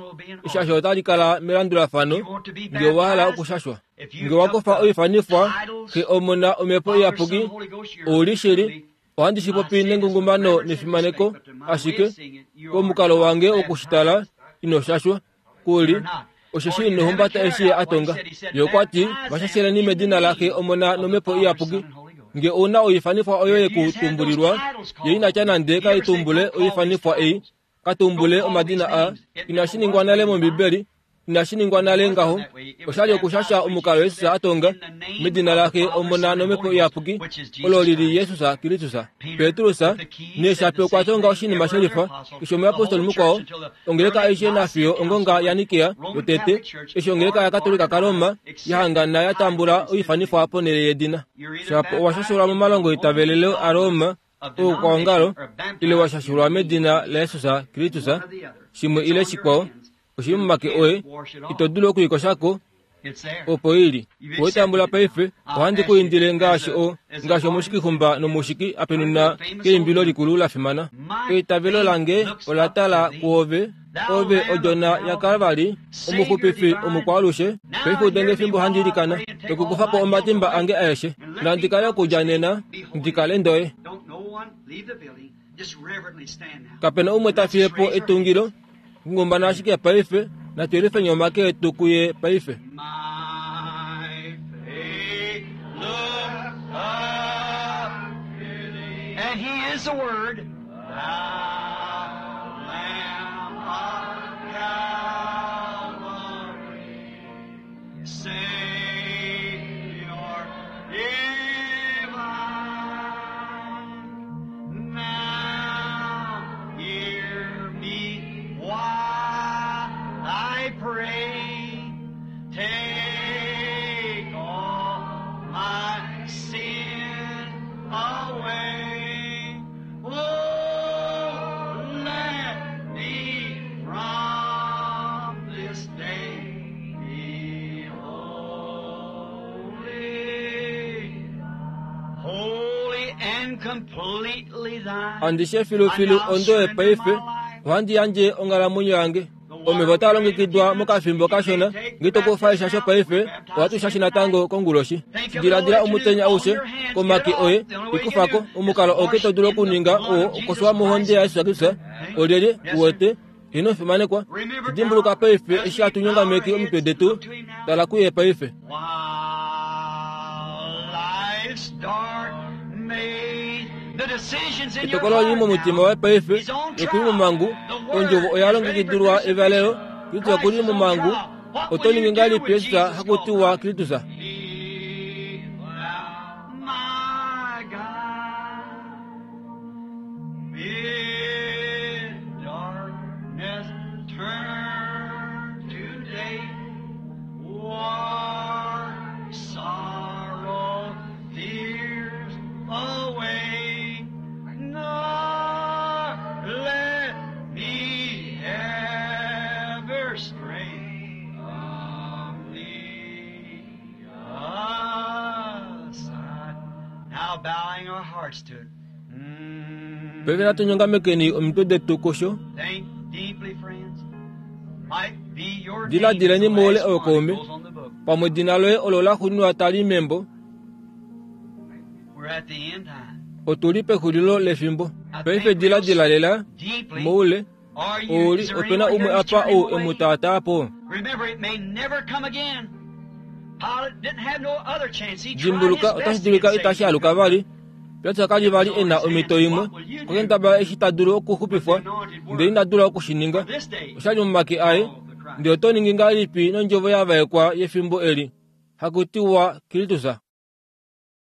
eshasho otali kala melandulafano nge owa hala okushashwa nge wakufa oifanifwa xe omona omhepo iyapuki ouli shili ohandi shipopi nengungumano nefimaneko ashike komukalo wange wokushitala ino shashwa kuli osheshi inohumbata eshi ye atonga ye okwati vashasheleni medina laxe omona nomhepo iyapuki nge ouna oifanifwa oyo yekutumbulilwa ye inatya nande kaitumbule oifanifwa ei katumbule omadina a inashi ningwa nale mombibeli inashi ningwa nale ngaho oshali okushasha omukalo Jesus atonga medina laxe omona nomhepo iyapuki olo lili Jesus Kristus Petrus neshape okwa tonga oshinima shelifa keshe omuyapostoli mukwao ongeleka aishe nafiyo ongonga yaNikea yotete eshi ongeleka yaKatolika kaRoma yahangana yatambula oifanifwa ponhele yedina shapo owashashulwa momalongo itavelelo aRoma oukwaongalo ile washashulwa medina laJesus Kristus shimwe ile shikwao oshili momake oye ito dulu okuikoshako opo ili wetambula paife ohandi kuindile ngaashi o ngaashi omushikixumba nomushiki apenuna keimbilo likulu lafimana eitavelo lange ola tala kuove ove odjona yaKalvari omuxupifi omukwaalushe paife udenge efimbo handi ilikana nokukufapo omatimba ange aeshe nandikale okudja nena ndikale ndoye kapena umwe tafiyepo etungilo ngumbana ashike paife natwelifeni omake etu kuye paife And he is the Word, thou Lamb of Calvary, Savior divine. Now hear me while I pray. Take all my sin away. Oh, let me from this day be holy, holy and completely thine. Andishe filufilu ondoye paife ohandi yandje onghalamwenyo yange omeva otaa longekidwa mokafimbo kashona ngitokufa eshasho paife ohatu shashi natango konguloshi diladila omutenya aushe komake oye ikufako omukalo oke to dulu okuninga oo okoswa mohonde yaJesus Kristus olyelye uwete ino fimanekwa dimbuluka paife eshi hatu nyongameki omitwe detu tala kuye paife While life's dark maze, the decisions in your etokolo lili heart momutima now waye paife is on okuli trial. momangu The word ondjovo oya is ready for longekidilwa evalelo crucifixion. Kristu okuli Christ is on momangu trial. What oto will you ningi do ngahelipi with Jesus Jesus hakutiwa called Kristus Be thou my guide. Bid darkness turn to day. War, sorrow, fears away. bowing our hearts to it. Mm. Paife natu nyongamekeni omitwe detu kusho. Think deeply, friends. Might be your name Diladileni is the moule last one that ookaume. goes on the book. Pamwe edina loye olo la xuuninwa tali membo. We're at the end time. Otuli pexulilo lefimbo. Paife diladila lela Deeply. moule. Are you, Ouli is there opena anyone umwe here who's apa turning ou away? emu taataa po. Remember, it may never come again. Pilate didn't have no other chance. He tried his Dimbuluka best otashi to dulika get itashi saved. aluka vali. Pilatus ka li vali e na omhito imwe. Okendabala eshi ta dulu okuxupifwa, ndele ina dula oku shi ninga. This day, Oshali momake aye, ndele oto ningi ngahelipi nondjovo ya vaekwa yefimbo eli? Hakutiwa Kristus.